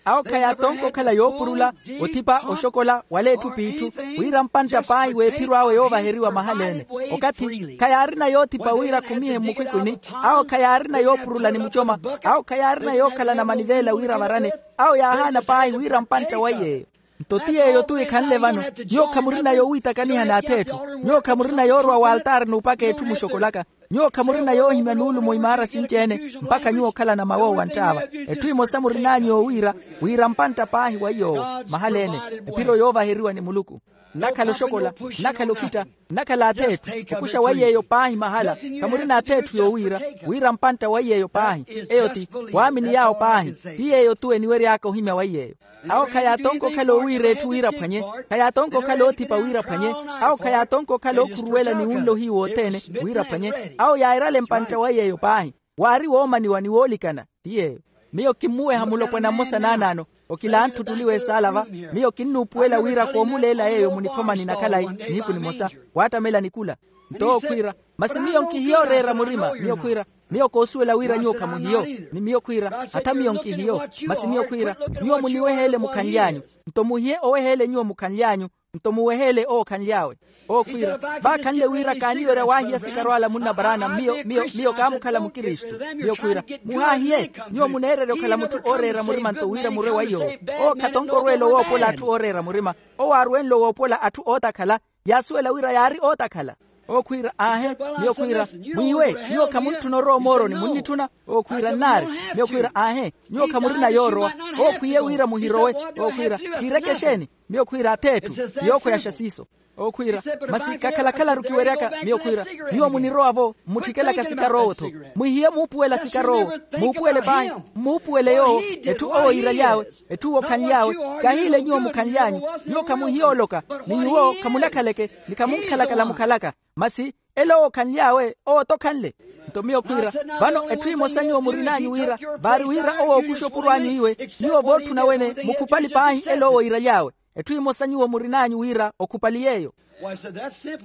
Awo khayaatonka okhala yoopurula, othipa oxokola wala etthu p'itthu, wira mpantta paahi w'ephiro awe yoovaheriwa mahal'ene. Okathi khayaarina yoothipa wira akhumihe mmukhwikhwini. Awo khayaarina yoopurula ni mucoma. Awo khayaarina yookhalana maniveela wira avarane. Awo yaahaana paahi wira mpantta waiy'eyo. Nto ti yeeyo-tu ekhanle vano. Nyuwo khamurina yowiitakaniha n'ath'etthu. Nyuwo khamurina yoorowa w'altaari n'upaka etthu muxokolaka. Nyuwo khamurina yoohimya nuulumo imaara sinci-ene, mpakha nyuwo okhalana mawoowa nttaava. Etthu emosa murin'anyu yoowiira, wiira mpantta paahi wa iy'owo. Mahal'ene, ephiro yoovaheriwa ni muluku. Nnakhala oxokola, nnakhala okhitta, nnakhala ath'etthu. Okuxa wa iy'eyo paahi mahala. Khamurina ath'etthu yoowiira, wiira mpantta wa iy'eyo paahi. Eyo ti waamini yaawo paahi. Ti yeeyo-tu eniwery'aka ohimya wa iy'eyo. Awo khayaatonka okhala oowiira etthu wira aphwanye. Khayaatonka okhala oothipa wira aphwanye. Awo khayaatonka okhala ookhuruwela ni wunla ohiyu wothene, wira aphwanye. Awo yairale mpantta wa iy'eyo paahi. Waari woomaniwa ni woolikana. Ti yeeyo. Miyo kimmuweha mulopwana mmosa naanaano. Okilanthu ttuliwa esaala va. Miyo kinnuupuwela wira koomuleela yeeyo munikhomani na khalayi, nihiku nimosa, waattamela nikula. Nto owo khwiira, masi miyo nkihiya oreera murima. Miyo khwiira, miyo koosuwela wira nyuwo khamuhiyo. Ni miyo khwiira, hata miyo nkihiyo. Masi miyo khwiira, nyuwo muniweheele mukhanly'anyu. Nto muhiye oweheele nyuwo mukhanly'anyu. Nto muweheele owo okhanly'awe. Owo khwiira, vaakhanle wira kaaniwerya waahiya sikaro ala munna paraana. Miyo miyo miyo kaamukhala mukristu. Miyo khwiira, muhaahiye. Nyuwo muneererya okhala mutthu ooreera murima nto wira murwe wa iy'owo. Owo khatonkorweela owoopola atthu ooreera murima. Owo aaruwenle owoopola atthu ootakhala. Yaasuwela wira yaari ootakhala. Owo khwiira, aahe. Miyo khwiira, mwiiwe, nyuwo khamuntthuna orowa omooroni munnitthuna? Owo khwiira, nnaari. Miyo khwiira, aahe. Nyuwo khamurina yoorowa. Owo khwiiye wira muhirowe. Owo khwiira, kiireke exeeni? Miyo khwiira, ath'etthu. Ti yookhoyaxa siiso. Owo khwiira, masi kakhala-khalaru kiweryaka. Miyo khwiira, nyuwo munirowa-vo mmutthikelaka sikar'owo-tho. Mwihiye muupuwela sikar'owo. Muupuwele paahi. Mmuupuwele yoowo. Etthu owo iiraly'awe, etthu owo okhanly'awe. Kahiile nyuwo mukhanly'anyu. Nyuwo khamuhiya oloka. Ni nyuwo khamunakhaleke, ni khamunkhalakala mukhalaka. Masi ela owo okhanly'awe, owo-tho okhanle. Nto miyo khwiira, vano etthu emosa nyuwo murin'anyu wira, vaari wira owo ookuxa opuro anyu iwe. Nyuwo vootthuna wene mukhupali paahi ela owo iiraly'awe. Etthu emosa nyuwo murin'anyu wira okhupali yeeyo.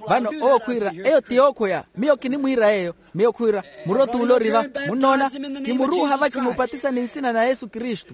Vano owo khwiira, eyo ti yookhoya. Miyo kinimwiira yeeyo. Miyo khwiira, muro t'ule ori va. Munnoona, kimuruuha va kimupatisa ni nsina na yesu kristu.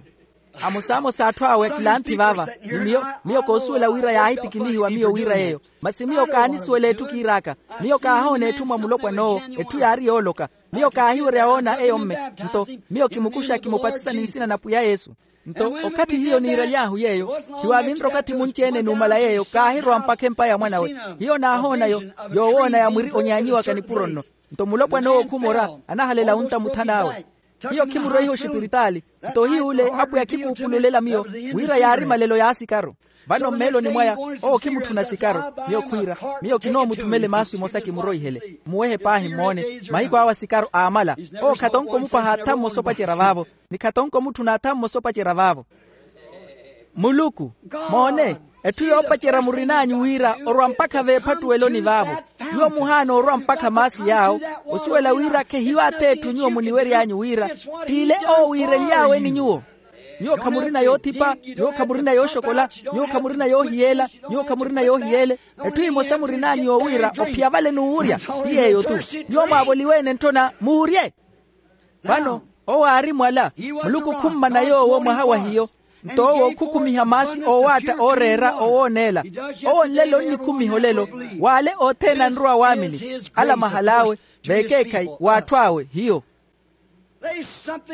Amosamosa atthu awe akilanthi vaava. Ni miyo, miyo koosuwela wira yaahitikinihiwa miyo wira yeeyo. Masi miyo kaanisuwela etthu kiir'aka. Miyo kaahoona etthu mwa mulopwan'owo. Etthu yaari yooloka. Miyo kaahiwerya woona eyo mme. Nto miyo kimukuxa kimupatisa ni nsina na pwiya yesu. Nto okathi hiyo niiraly'ahu yeeyo, khiwaavinre okathi munci-ene numala yeeyo kaahirowa mpakha empa ya mwanawe. Hiyo naahoona yo, yoowoona ya mwiri onyaanyiwaka nipuro nno. Nto mulopwan'owo khumora, anahalela wuntta muthan'awe. Hiyo khimuroiha oxipiritaali. Nto hiy'ule apwiya khikuupululela miyo, wira yaari malelo y'asikaru. Vano mmeeloni mwaya, owo khimutthuna sikaru. Miyo khwiira, miyo kinoomuthumele maasu emosa kimuroihele, mmuwehe paahi mmoone. Mahiku awe asikaru aamala. Owo khatonko omupaha atha mmosa opacerya vaavo, ni khatonko omutthuna atha mmosa opacerya vaavo. Muluku, moone, etthu yoopacerya murin'anyu wira orwa mpakha veephattuweloni vaavo. Nyuwo muhaana orwa mpakha maasi yaawo, osuwela wira khehiyo ath'etthu nyuwo muniwery'anyu wira, t'ile owo wiirenly'awe ni nyuwo. Nyuwo khamurina yoothipa, nyuwo khamurina yooxokola, nyuwo khamurina yoohiyeela, nyuwo khamurina yoohiyeele. Etthu emosa murin'anyu yoowiira ophiya vale n'uwurya. Ti yeeyo-tu. Nyuwo mwaavoliwe-ene ntthona muurye. Vano owo aari mwala. Muluku khummana yoowo mwaha wa hiyo. Nto owo khukhumiha maasi oowaatta ooreera owooneela. Owo nlelo onnikhumiha olelo. W'ale othene anrowa waamini, ala mahal'awe, v'ekeekhayi w'atthu awe hiyo.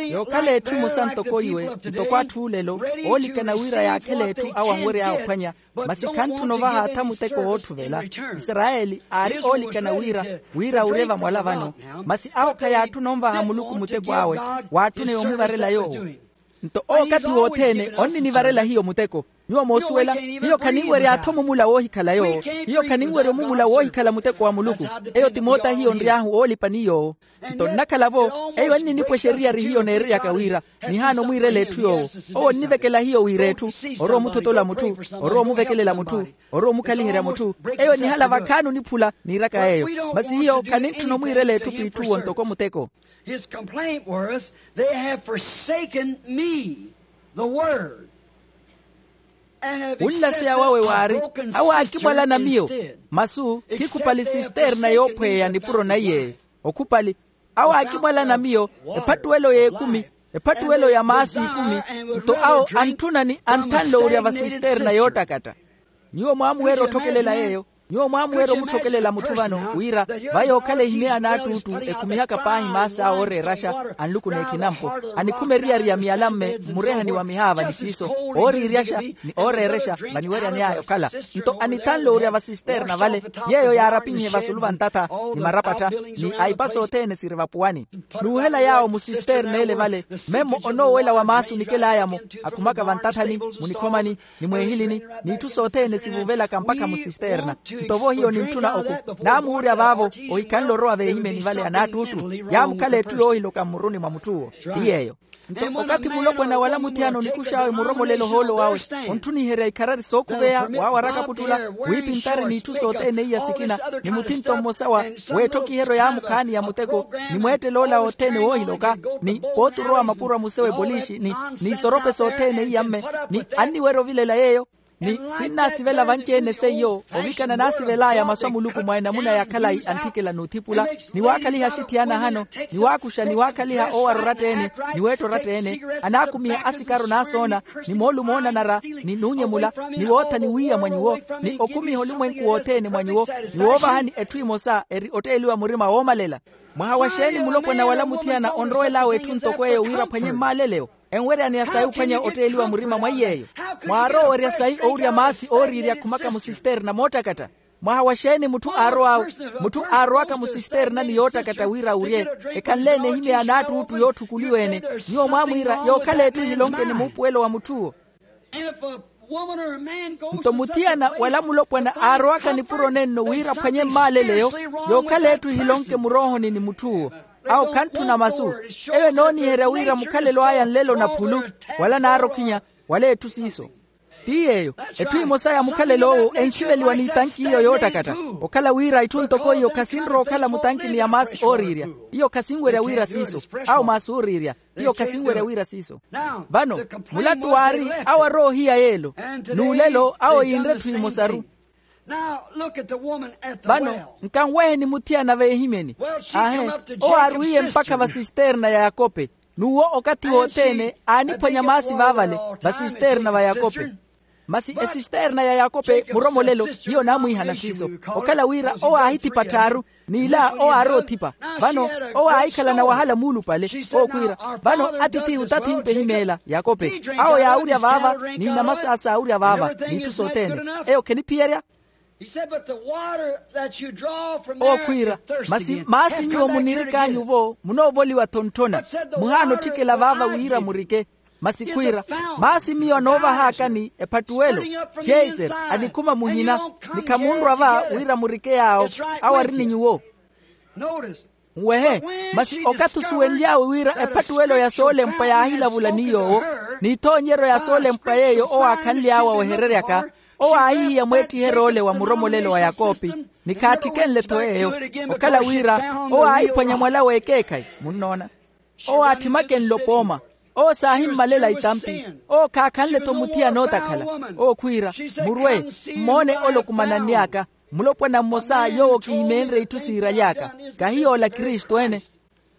Yookhala etthu emosa ntoko iwe, ntoko atthu olelo oolikana wira yaakhela etthu awo anwery'awe ophwanya. Masi khantthuna ovaha atha muteko wootthuvela. Isarayeli aari oolikana wira, wira awurye vamwala vano. Masi awo khayaatthuna onvaha muluku muteko awe, waatthuna yoomuvarela yoowo. Nto okathi wothene onninivarela hiyo muteko. Nyuwo moosuwela, hiyo khaninwerya-tho mumula woohikhala yoowo. Hiyo khaninwerya omumula woohikhala muteko wa muluku. Eyo ti moota hiyo nry'ahu oolipa ni yoowo. Nto nnakhala-vo, eyo enninipwa exeriyari hiyo neereryaka wira, nihaana omwiirela etthu yoowo. Owo onnivekela hiyo wira etthu, orowa omuthotola mutthu, orowa omuvekelela mutthu, orowa omukhaliherya mutthu. Eyo enihala vakhaani oniphula niiraka yeeyo. Masi hiyo khanintthuna omwiirela etthu p'itthuwo ntoko muteko. His complaint was, they have forsaken me, the word. Wunlaseya wawe waari, awo aakimwalana miyo. Masu khikhupali sisterna yoophweya nipuro naiyeeyo. Okhupali, awo aakimwalana miyo, ephattuwelo y'ekumi, ephattuwelo ya maasi ikumi. Nto awo antthuna ni anthanle owurya va sisterna yoottakatta. Nyuwo mwaamuweera otthokelela yeeyo. Nyuwo mwaamuweera omutthokelela mutthu vano wira, va yookhala ehimye ya naattuuttu ekhumihaka paahi maasi awe ooreeraxa, anluku n'ekhinampo, anikhuma eriyari ya miyalamme mmurehani wa mihaava ni siiso, ooriiryaxa ni ooreerexa vaniweryane'aya okhala. Nto anithanle owurya va sisterna vale, yeeyo yaarapinhe vasulu va ntatha, ni marapattha, ni aipa sothene siri vapuwani. Nuuhela yaawo musisterna ele vale, memmo onoowela wa maasi onikel'aya-mo, akhumaka vantathani, munikhomani, ni mweehilini, n'itthu sothene sivuuvelaka mpakha musisterna. Nto vo hiyo nintthuna oku, naamuurya vaavo, ohikhanle orowa veehimyeni vale ya naattuuttu. Yaamukhala etthu yoohiloka mmuruni mwa mutth'uwo. Ti yeeyo. Nto okathi mulopwana wala muthiyana onikux'awe muromolelo ohoolo wawe, ontthuniherya ikharari sookhuveya waawaraka puttula, wiipintari n'itthu sothene iya sikina, ni muthinto mmosa wa, w'etthokiheryo yaamukhaani ya muteko, ni mweettel'ola othene woohiloka, ni pooti orowa mapuro a musewe polishi ni, ni isorope sothene iya mme, ni anniwerya ovilela yeeyo. Ni sinnaasivela vanci-ene seiyo ovikana naasivel'aya masu a muluku mwa enamuna ya khalayi anthikela n'uthipula, ni waakhaliha axithiyana ahano, ni waakuxa ni waakhaliha oowara oratta-ene, ni weetta oratta-ene, anaakumiha asikaro naasoona, ni moolumo oonanara, ni nuunyemula, ni wootha ni wiiya mwa nyuwo, ni okhumiha olumwenku wothene mwa nyuwo, ni woovahani etthu emosa eri otteeliwa murima woomalela. Mwaha wa xeeni mulopwana wala muthiyana onrowel'awe etthu ntoko eyo wira aphwanye mmaaleleyo? Enweryaneya sayi ophwanya otteeliwa murima mwa iy'eyo. Mwaarowa owerya sayi owurya maasi ooriirya akhumaka musisterna moottakatta? Mwaha wa xeeni mutthu aarow'awe, mutthu aarowaka musisternani yoottakatta wira awurye, ekhanle-ene ehimya ya naattuuttu yootthukuliwa-ene? Nyuwo mwaamwiira yookhala etthu ehilonke ni muupuwelo wa mutth'uwo. Nto muthiyana wala mulopwana aarowaka nipuro nenno wira aphwanye mmaaleleyo, yookhala etthu ehilonke muroohoni ni mutth'uwo. Awo khantthuna masu. Eyo enooniherya wira mukhalelo aya nlelo naphulu, wala naarokhinya, wala etthu siiso. Ti yeeyo, etthu emosa ya mukhalelo owo ensiveliwa n'itanki iyo yoottakatta. Okhala wira itthu ntoko iyo khasinrowa okhala mutankini ya maasi ooriirya. Iyo khasinwerya wira siiso. Awo maasi ooriirya. Iyo khasinwerya wira siiso. Vano, mulattu waari awo arowa ohiya yeelo, n'ulelo awo yiinre etthu emosaru. Vano, nkanweheni muthiyana veehimyeni. Aahe, owo aarwiiye mpakha vasisterna ya yakope. N'uwo okathi wothene aaniphwanya maasi vaavale, vasisterna va yakope. Masi esisterna ya yakope muromolelo hiyo naamwiihana siiso. Okhala wira owo aahithipa tthaaru, n'ila owo aarowa othipa. Vano owo aahikhalana wahala muulupale. Owo khwiira, vano atithihu tathimpe ehimeela yakope. Awo yaawurya vaava, n'inamasa saawurya vaava, n'itthu sothene. Eyo kheniphiyerya. Owo khwiira, masi maasi nyuwo munirik'anyu-vo munoovoliwa-tho ntthona. Muhaana otthikela vaava wira murike. Masi khwiira, maasi miyo anoovah'aka ni ephattuwelo, jeser, anikhuma muhina, ni khamunrwa va wira murike yaawo. Awo ari ni nyuwo. Nwehe, masi okathi osuwenly'awe wira ephattuwelo ya soolempwa yaahilavula ni yoowo, n'ithoonyeryo ya soolempwa yeeyo owo aakhanly'awe awehereryaka, owo aahihiya mweettiherya-ole wa muromolelo wa yakope, ni khaattikenle-tho yeeyo. Okhala wira owo aahiphwanya mwala w'ekeekhayi. Munnoona? Owo aatthimakenle opooma. Owo saahimmalela itampi. Owo khaakhanle-tho muthiyana ootakhala. Owo khwiira, murwe, mmoone ole okumananny'aka. Mulopwana mmosa yoowo kihimeenre itthu siiraly'aka. Kahi yoola kristu ene.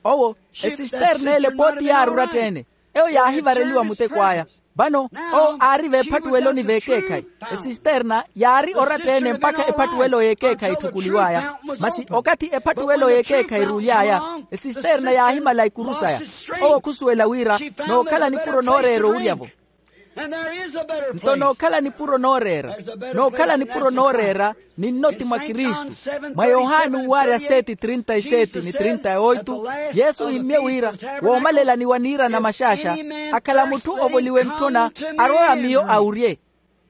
Owo, esisterna ele pooti yaari oratta-ene. Eyo yaahivareliwa muteko aya. Vano, owo aari veephattuweloni veekeekhayi. Esisterna yaari oratta-ene mpakha ephattuwelo y'ekeekhayi etthukuliw'aya. Masi okathi ephattuwelo y'ekeekhayi eruuly'aya, esisterna yaahimala ikuru saya. Owo khusuwela wira nookhala nipuro nooreera owurya-vo. Nto nookhala nipuro nooreera, nookhala nipuro nooreera, ninno ti mwa kristu. Mwa yohani uwaarya seti trinta y seti ni trinta y oitu, yesu ohimmye wira, woomalelani wa niirana maxaaxa, akhala mutthu ovoliwe ntthona, arwe a miyo awurye.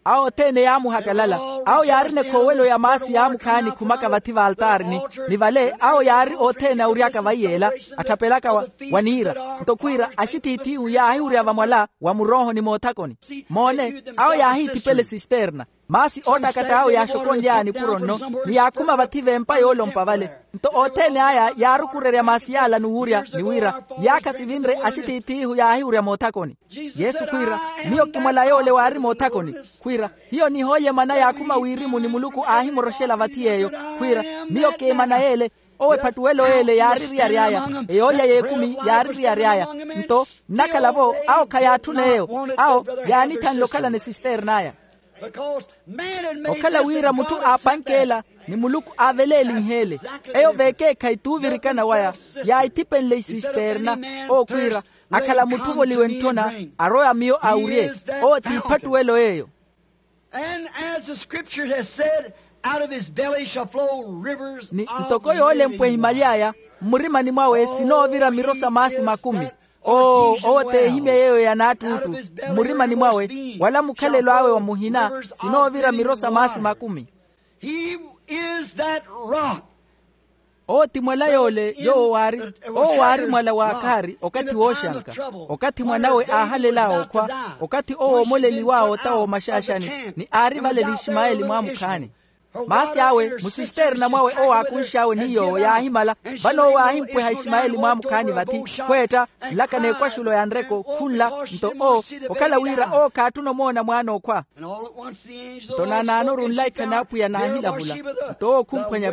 Awo othene yaamuhakalala. Awo yaarina ekhoowelo ya maasi yaamukhaani khumaka vathi vaaltaarini, ni vale awo yaari othene awuryaka vaiyeela, atthapelaka wa niira. Nto khwiira axithiithihu yaahiwurya vamwala wa muroohoni moothakoni. Moone, awo yaahiithipela esisterna. Maasi oottakatta awo yaaxokonly'aya nipuro nno, ni yaakhuma vathi v'empa yoolompa vale. Nto othene aya yaarukurerya maasi yaala ni wuurya ni wira, yaakha sivinre axithiithihu yaahiwurya moothakoni. Yesu khwiira, miyo kimwala yoole waari moothakoni. Khwiira, hiyo nihoolye mana yaakhuma wirimu ni muluku aahimoroxela vathi yeeyo. Khwiira, miyo kiimana yeele. Owo ephattuwelo yeele yaari eriyari aya. Eyoolya y'ekumi yaari eriyari aya. Nto nnakhala-vo, awo khayaatthuna eyo. Awo yaanithanle okhalana esisterna aya. Okhala wira mutthu aapankeela, ni muluku aaveleelinheele. Eyo veekeekhayi t'uvirikana waya, yaahithipenle isisterna. Owo khwiira, akhala mutthu ovoliwe ntthona, arowe a miyo awurye. Owo t'iphattuwelo yeeyo. And as the scripture has said, out of his belly shall flow rivers of living water. Ni ntoko yoolempwa ehimaly'aya, mmurimani mwawe sinoovira miro sa maasi makumi. Oo, owo t'ehimya yeeyo ya naattuuttu. Mmurimani mwawe, wala mukhalelo awe wa muhina, sinoovira miro sa maasi makumi. He is that rock. Owo ti mwala yoole yoowo waari, owo waari mwala w'akhaari okathi wooxanka, okathi mwanawe aahalel'awe okhwa, okathi owo oomoleliw'awe ota w'omaxaaxani, ni aari vale n'ishimayeli mwaamukhaani. Maasi awe musisterna mwawe owo aakunx'awe ni yoowo yaahimala. Vano owo aahimpweha ishimayeli mwaamukhaani vathi, khweetta, nlaka n'ekwaxulo ya nreko khunla. Nto owo, okhala wira owo khaatthuna omoona mwaana okhwa. Nto naanaanoru nlaikha n'apwiya naahilavula. Nto owo khumphwanya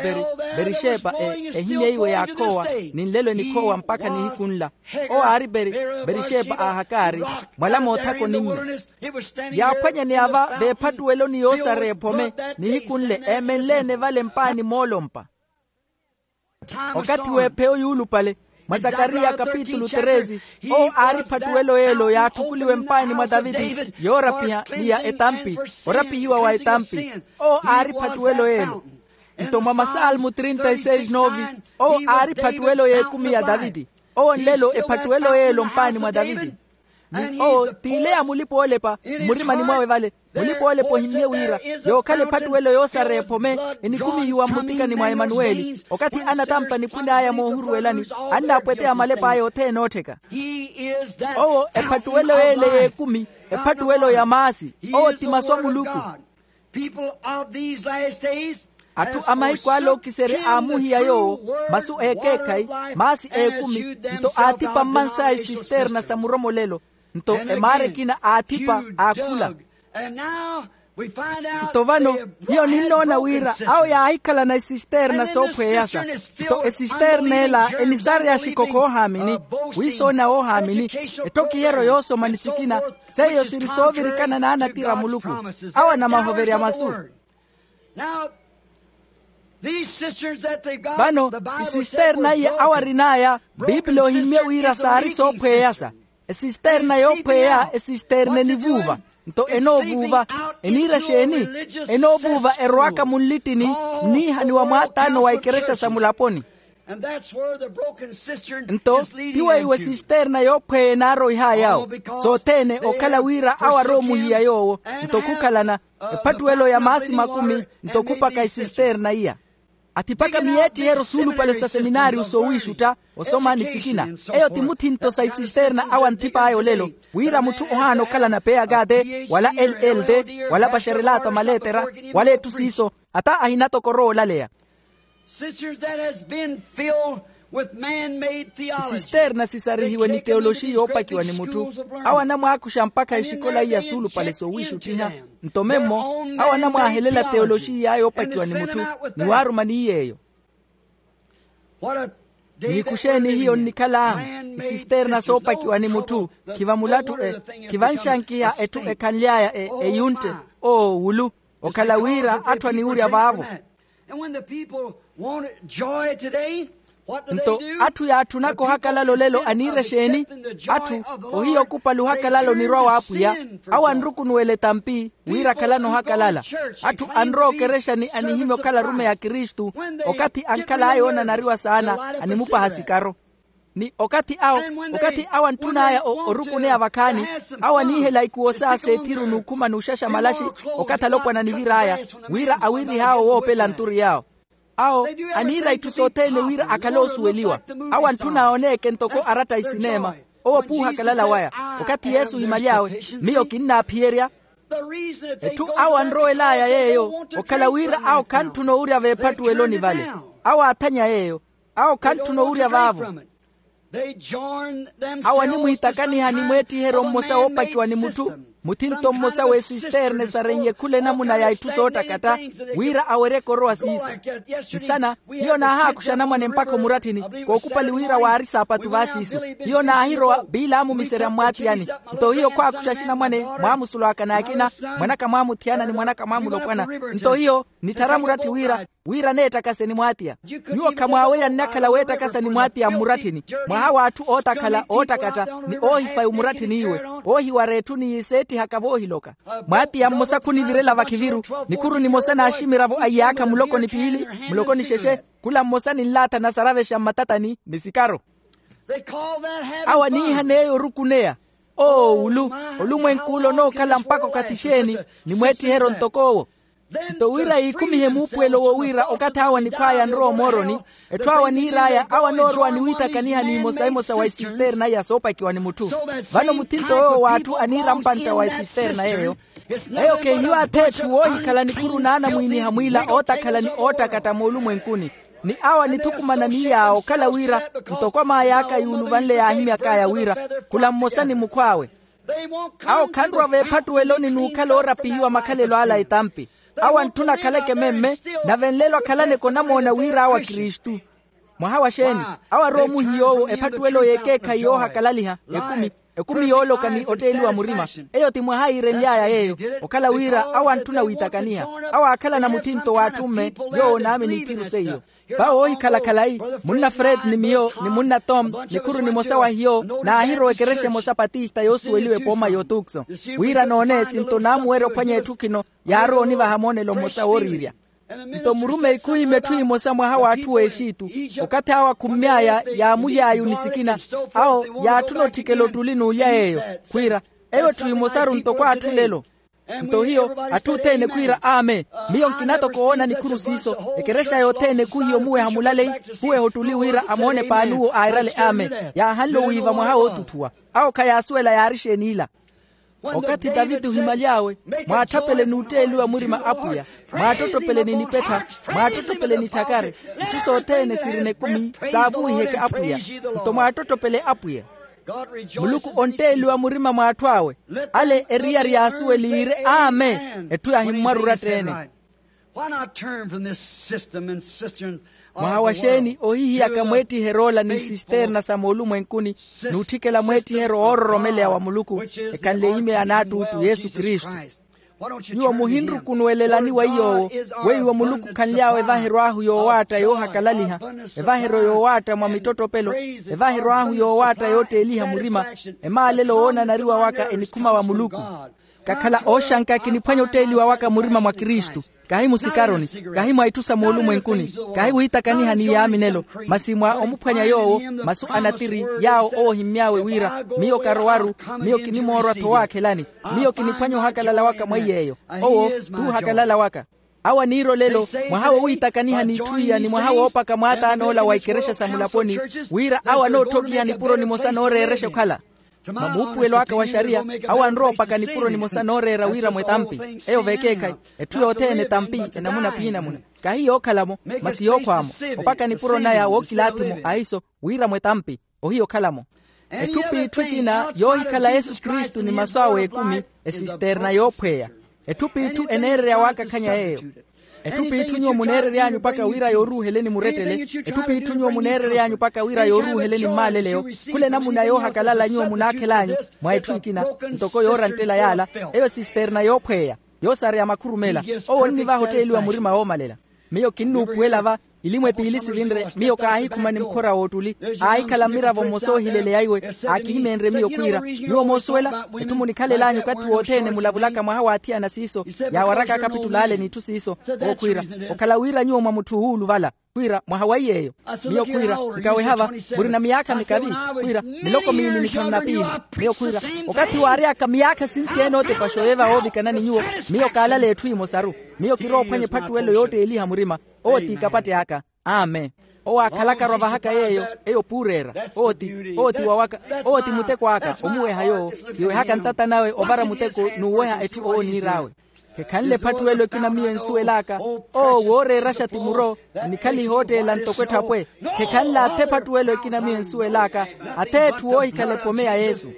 berixepa, ehimya iwe yaakhoowa, ni nlelo enikhoowa mpakha nihiku nla. Owo aari berixepa a hakaari, mwala moothakoni-mme. Yaaphwanyaneya va veephattuweloni yoosareya ephome, nihiku nle eemenle-ene vale mpaani moolompa. Okathi w'epheyo yuulupale, mwa zakariya kapitulu treze, owo aari ephattuwelo y'elo yaatthukuliwe mpaani mwa taviti, yoorapiha ni ya etampi, orapihiwa wa etampi. Owo aari ephattuwelo y'elo. Nto mwa masalmu trinta y seis novi, owo aari ephattuwelo y'ekumi ya taviti. Owo nlelo ephattuwelo y'elo mpaani mwa taviti. Ni owo t'ile ya mulipa-oolepa mmurimani mwawe vale. Mulipa-oolepa ohimmye wira, yookhala ephattuwelo yoosareya ephome, enikhumihiwa mmutikani mwa emanuweli. Okathi anatampa nipwin'aya moohuruwelani, annaapweteya malep'aya othene oottheka. Owo ephattuwelo y'ele y'ekumi, ephattuwelo ya maasi. Owo ti masu a muluku. Atthu a mahiku ale ookiserya aamuhiya yoowo masu eekeekhayi, maasi eekumi. Nto aathipa mmansaya isisterna sa muromolelo. Nto emaara ekina aathipa, aakhula. Nto vano, hiyo ninnoona wira awo yaahikhalana isisterna soophweyasa. Nto esisterna ela enisareya xikokho oohaamini, wiisoona woohaamini, etthokihero yoosoma ni sikina. Seiyo siri soovirikana n'anatira a muluku, awo anamahoverya masu. Vano isisterna iya awo arin'aya, pipili ohimmye wira saari soophweyasa. Esisterna yoophweya esisterna enivuuva. Nto enoovuuva, eniira xeeni? Enoovuuva erowaka munlittini, nniihaniwa mwaataano wa ikerexa sa mulaponi. Nto ti weiwo esisterna yoophweya enaarowih'aya awo, sothene okhala wira awo aroomuhiya yoowo. Nto khukhalana ephattuwelo ya maasi makumi, nto khupaka esisterna iya. Athipaka miyeettiheryo suulupale sa seminaariyo soowiixutta, osoma ni sikina. Eyo ti muthinto sa isisterna awo anthip'aya olelo, wira mutthu ohaana okhalana peyakate wala elde wala paxerelata maleetera, wala etthu siiso, ata ahina toko oroolalleya. Sisters that has been filled Isisterna sisarihiwe ni teoloxi yoopakiwa ni mutthu. Awo anamwaakuxa mpakha exikola iya suulupale soowiixuttiha. Nto memmo awo anamwaahelela teoloxi iya yoopakiwa ni mutthu, ni waaruma ni yeeyo. N'iku xeeni hiyo nnikhal'ahu? Isisterna soopakiwa ni mutthu, khiva mulattu e, khiva nxankiha etthu ekhanly'aya eyuntte, oowulu. Okhala wira atthu aniwurya vaavo. Nto atthu yaatthunaka ohakalala olelo aniira exeeni? Atthu ohiya okupali ohakalala onirwa w'apwiya. Awo anrukunuwela etampi wira akhalane ohakalala. Atthu anrowa okerexani anihimya okhala arumeyi a kristu. Okathi ankhal'aya oonanariwa saana animupaha sikaro. Ni okathi awo, okathi awo antthun'aya orukuneya vakhaani, awo aniihela ikuwo saa s'ethiru n'ukhuma n'uxaxa malaxi. Okathi alopwana anivir'aya wira awirih'awo woopela nturi yawo. Awo aniira itthu sothene wira akhale oosuweliwa. Awo antthun'aya oneeke ntoko aratta a isineema. Owo p'uhakalala waya. Okathi yesu ohimaly'awe, miyo kinnaaphiyerya. Etthu awo anrowel'aya yeeyo okhala wira awo khantthuna owurya veephattuweloni vale. Awo aathanya yeeyo. Awo khantthuna owurya vaavo. Awo animwiitakaniha ni mweettiheryo mmosa woopakiwa ni mutthu, muthinto mmosa w'esisterne saren'ye khula enamuna ya itthu soottakatta, wira aweryeke orowa siiso. Nsana hiyo naahaakuxa anamwane mpakha omuratthini, kookupali wira waari saapatu vaasiiso. Hiyo naahirowa biilaamumiserya mmwaattiyani. Nto hiyo khwaakuxa axinamwane mwaamusulwaka n'akina, mwanaka mwaamuthiyana ni mwanaka mwaamulopwana. Nto hiyo nitthara muratthi wira, wira neettakase ni mwaatiya. Nyuwo khamwaawerya nnakhala weettakasa ni mwaatiya mmuratthini. Mwaha w'atthu ootakhala oottakata ni oohifaya omuratthini iwe, oohiwara etthu ni yiseettihaka voohiloka. Mwaatiya mmosa khunivirela vakhiviru, nikhuru nimosa n'aximiravo a iyaakha muloko ni piili, muloko ni xexe, khula mmosa ninlaatha nasaravexa mmatatani ni sikaro. Awo aniihan'eyo orukuneya. Oowulu, olumwenk'ule onookhala mpakha okathi xeeni? Ni mweettiheryo ntok'owo. Nto wira yiikhumihe muupuwelo wowira okathi awo anikhw'aya anrowa omooroni, etthu awo aniir'aya awo anoorowa ni wiitakaniha n'imosa emosa wa isisterna iya soopakiwa ni mutthu. Vano muthinto yoowo w'atthu aniira mpantta wa isisterna yeeyo. Eyo khehiyo ath'etthu woohikhala nikhuru n'anamwiiniha mwiila ootakhala ni oottakatta moolumwenkuni. Ni awo anithukumana ni yaawo okhala wira, ntoko amaay'aka yuuluvanle yaahimyak'aya wira, khula mmosa ni mukhw'awe. Awo khanrwa veephattuweloni n'ukhala oorapihiwa makhalelo ala etampi. Awo antthuna akhaleke memme, nave nlelo akhalaneke onamoona wira awo akristu. Mwaha wa xeeni? Awo arowa omuhiy'owo ephattuwelo y'ekeekhayi yoohakalaliha, ekumi, ekumi yooloka ni otteeliwa murima. Eyo ti mwaha yiirenly'aya yeeyo, okhala wira awo antthuna wiitakaniha. Awo aakhalana muthinto w'atthu mme, yoowo onaamini ithiru seiyo. Vawo oohikhala khalayi, munna fred ni miyo ni munna tom, nikhuru nimosa wa hiyo naahirowa ekerexa emosa patista yoosuweliwa epooma y'otukso. Wira noone sinto naamuwerya ophwanya etthu khino, yaarowa onivaha moonelo mmosa wooriirya. Nto murumeyi khuhimya etthu emosa mwaha w'atthu w'exitu. Okathi awo akhummy'aya yaamuly'aya onisikina, awo yaatthuna otthikela ottuli n'ulya yeeyo, khwiira, eyo etthu emosaru ntoko atthu lelo. Nto hiyo atthu othene khwiira aame. Miyo nkina toko woona nikhuru siiso. Ekerexa yothene khuhiya omuweha mulaleyi, khuweha ottuli wira amoone paani uwo airale aame. Yaahanle owiiva mwaha wootutthuwa. Awo khayaasuwela yaari exeeni ila. Okathi taviti ohimaly'awe, mwaatthapele n'utteeliwa murima apwiya, mwaattottopele ni nipettha, mwaattottopele ni tthakari, itthu sothene sirina ekumi, saavuwiheke apwiya. Nto mwaattottopele apwiya. Muluku ontteeliwa murima mw'atthu awe. Ale eriyari yaasuweliire amen. Etthu yahimmwara oratta-ene. Mwaha wa xeeni ohihiyaka mweettiheryo ola ni sisterna sa moolumwenkuni, n'utthikela mweettiheryo oororomeleya wa muluku, ekhanle ehimya ya naattuuttu yesu kristu. Nyuwo muhinrukunuwelelani wa iy'owo, weiwo muluku khanly'awe evaheryo ahu yoowaatta yoohakalaliha, evaheryo yoowaatta mwa mittottopelo, evaheryo ahu yoowaatta yootteeliha murima, emaalelo woonanariwa waka enikhuma wa muluku. Kakhala ooxanka kiniphwanya otteeliwa waka murima mwa kristu, kahi musikaroni, kahi mwa itthu sa moolumwenkuni, kahi wiitakaniha ni yaaminelo, masi mwa omuphwanya yoowo, masu a natiri yaawo owo ohimmy'awe wira miyo karowaru, miyo kinimoorwa-tho owaakhelani. Miyo kiniphwanya ohakalala waka mweiy'eyo. Owo t'uhakalala waka. Awo aniira olelo, mwaha wowiitakaniha n'itthu iya ni mwaha woopaka mwaataan'ola wa ikerexa sa mulaponi, wira awo anootthokhiha nipuro nimosa nooreerexa okhala. Mwa muupuwelo aka wa xariya, awo anrowa opaka nipuro nimosa nooreera wiiramo etampi. Eyo vekeekhayi, etthu yothene etampi, enamuna p'inamuna. Kahi yookhala-mo, masi yookhwa-mo. Opaka nipuro naya wookilaathi-mo ahiso, wiiramo etampi. Ohiya okhala-mo. Etthu p'itthu ekina yoohikhala yesu kristu ni masu awe ekumi, esisterna yoophweya. Etthu p'itthu eneererya waakakhanya yeeyo. Etthu p'itthu nyuwo muneerery'anyu mpakha wira yooruuheleni murettele. Etthu p'itthu nyuwo muneerery'anyu mpakha wira yooruuheleni mmaaleleyo. Khula enamuna yoohakalala nyuwo munaakhel'anyu, mwa etthu ekina, ntoko yooranttela yaala, eyo sisterna yoophweya, yoosareya makhurumela. Owo onnivaha otteeliwa murima woomalela. Miyo kinnuupuwela va, ilimwe piili sivinre, miyo kaahikhumani mukhora w'ottuli. Aahikhala mmiravo mmosa oohileleya iwe, aakihimenrye miyo khwiira, nyuwo moosuwela, etthu munikhalel'anyu okathi wothene mulavulaka mwaha waathiyana siiso, yaawaraka akapitul'ale n'itthu siiso. Owo khwiira, okhala wira nyuwo mwa mutthu wuuluvala. Khwiira, mwaha wa iy'eyo. Miyo khwiira, nkaweha va, murina miyaakha mikavi? Khwiira, miloko miili mithanu na piili. Miyo khwiira, okathi waary'aka miyaakha sinci-ene ootepaxa oyo eva woovikana ni nyuwo, miyo kaalaleya etthu emosaru. Miyo kiroophwanya ephattuwelo yootteeliha murima. Owo ti kapatte aka. Amen. Owo aakhalaka arwa vahaka yeeyo, eyo puureera. Owo ti, owo ti wawaka, owo ti muteko aka omuweha yoowo. Kiwehaka ntata nawe ovara muteko n'uweha etthu owo oniir'awe. Khekhanle ephattuwelo ekina miyo ensuwel'aka. Owo wooreeraxa ti muro, onikhaliha ootteela ntoko etthapwe. Khekhanle athe ephattuwelo ekina miyo ensuwel'aka, athe etthu woohikhala epome ya yesu.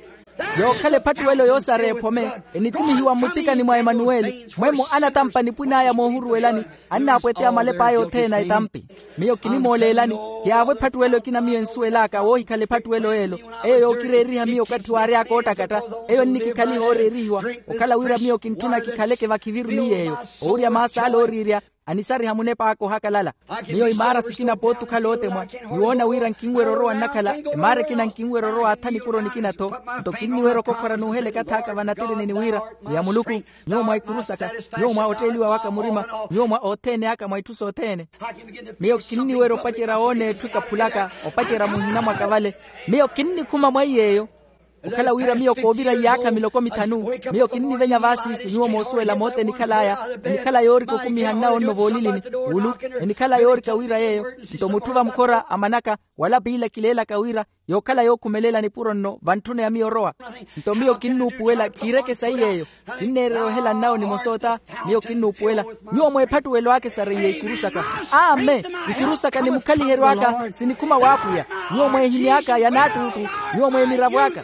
Yookhala ephattuwelo yoosareya ephome, enikumihiwa mmutikani mwa emanuweli. Mwemmo anatampa nipwin'aya moohuruwelani, annaapweteya malep'aya othene a etampi. Miyo kinimooleelani, ti yaavo ephattuwelo ekina miyo ensuwel'aka woohikhala ephattuwelo y'elo. Eyo yookireeriha miyo okathi waary'aka oottakatta. Eyo ennikikhaliha ooreerihiwa, okhala wira miyo kintthuna kikhaleke vakhiviru ni yeeyo. Owurya maas'ale ooriirya, anisariha munep'aka ohakalala. Miyo imaara sikina pooti okhala ootemwa, niwoona wira nkinwerya orowa nnakhala. Emaara ekina nkinwerya orowa atha nipuro nikina-tho. Nto kinniwerya okokhora n'uheleka ath'aka vanatirini ni wira, ni ya muluku, nyuwo mwa ikuru saka, nyuwo mwa otteeliwa waka murima, nyuwo mwa othene aka mwa itthu sothene. Miyo kinniwerya opacerya woona etthu ekaphulaka, opacerya muhina mwaka vale. Miyo kinnikhuma mwa iy'eyo. Okhala wira miyo koovira iyaakha miloko mithanu, miyo kinnivenya vaasiisu nyuwo moosuwela moota enikhal'aya. Enikhala yoorika okumiha nnawo nno voolilini, wulu, enikhala yoorika wira yeeyo. Nto mutthu vamukhora amanaka, wala piila kileelaka wira, yookhala yookhumelela nipuro nno vantthuna ya miyo orowa. Nto miyo kinnuupuwela kiireke sayi yeeyo. Kinneererya ohela nnawo nimosa ota. Miyo kinnuupuwela, nyuwo mweephattuwelo aka esareiye ikuru saka. Amen. Ikuru saka nimukhaliheryo aka sinikhuma w'apwiya. Nyuwo mweehimy'aka yanaattuuttu, nyuwo mweemiravo aka.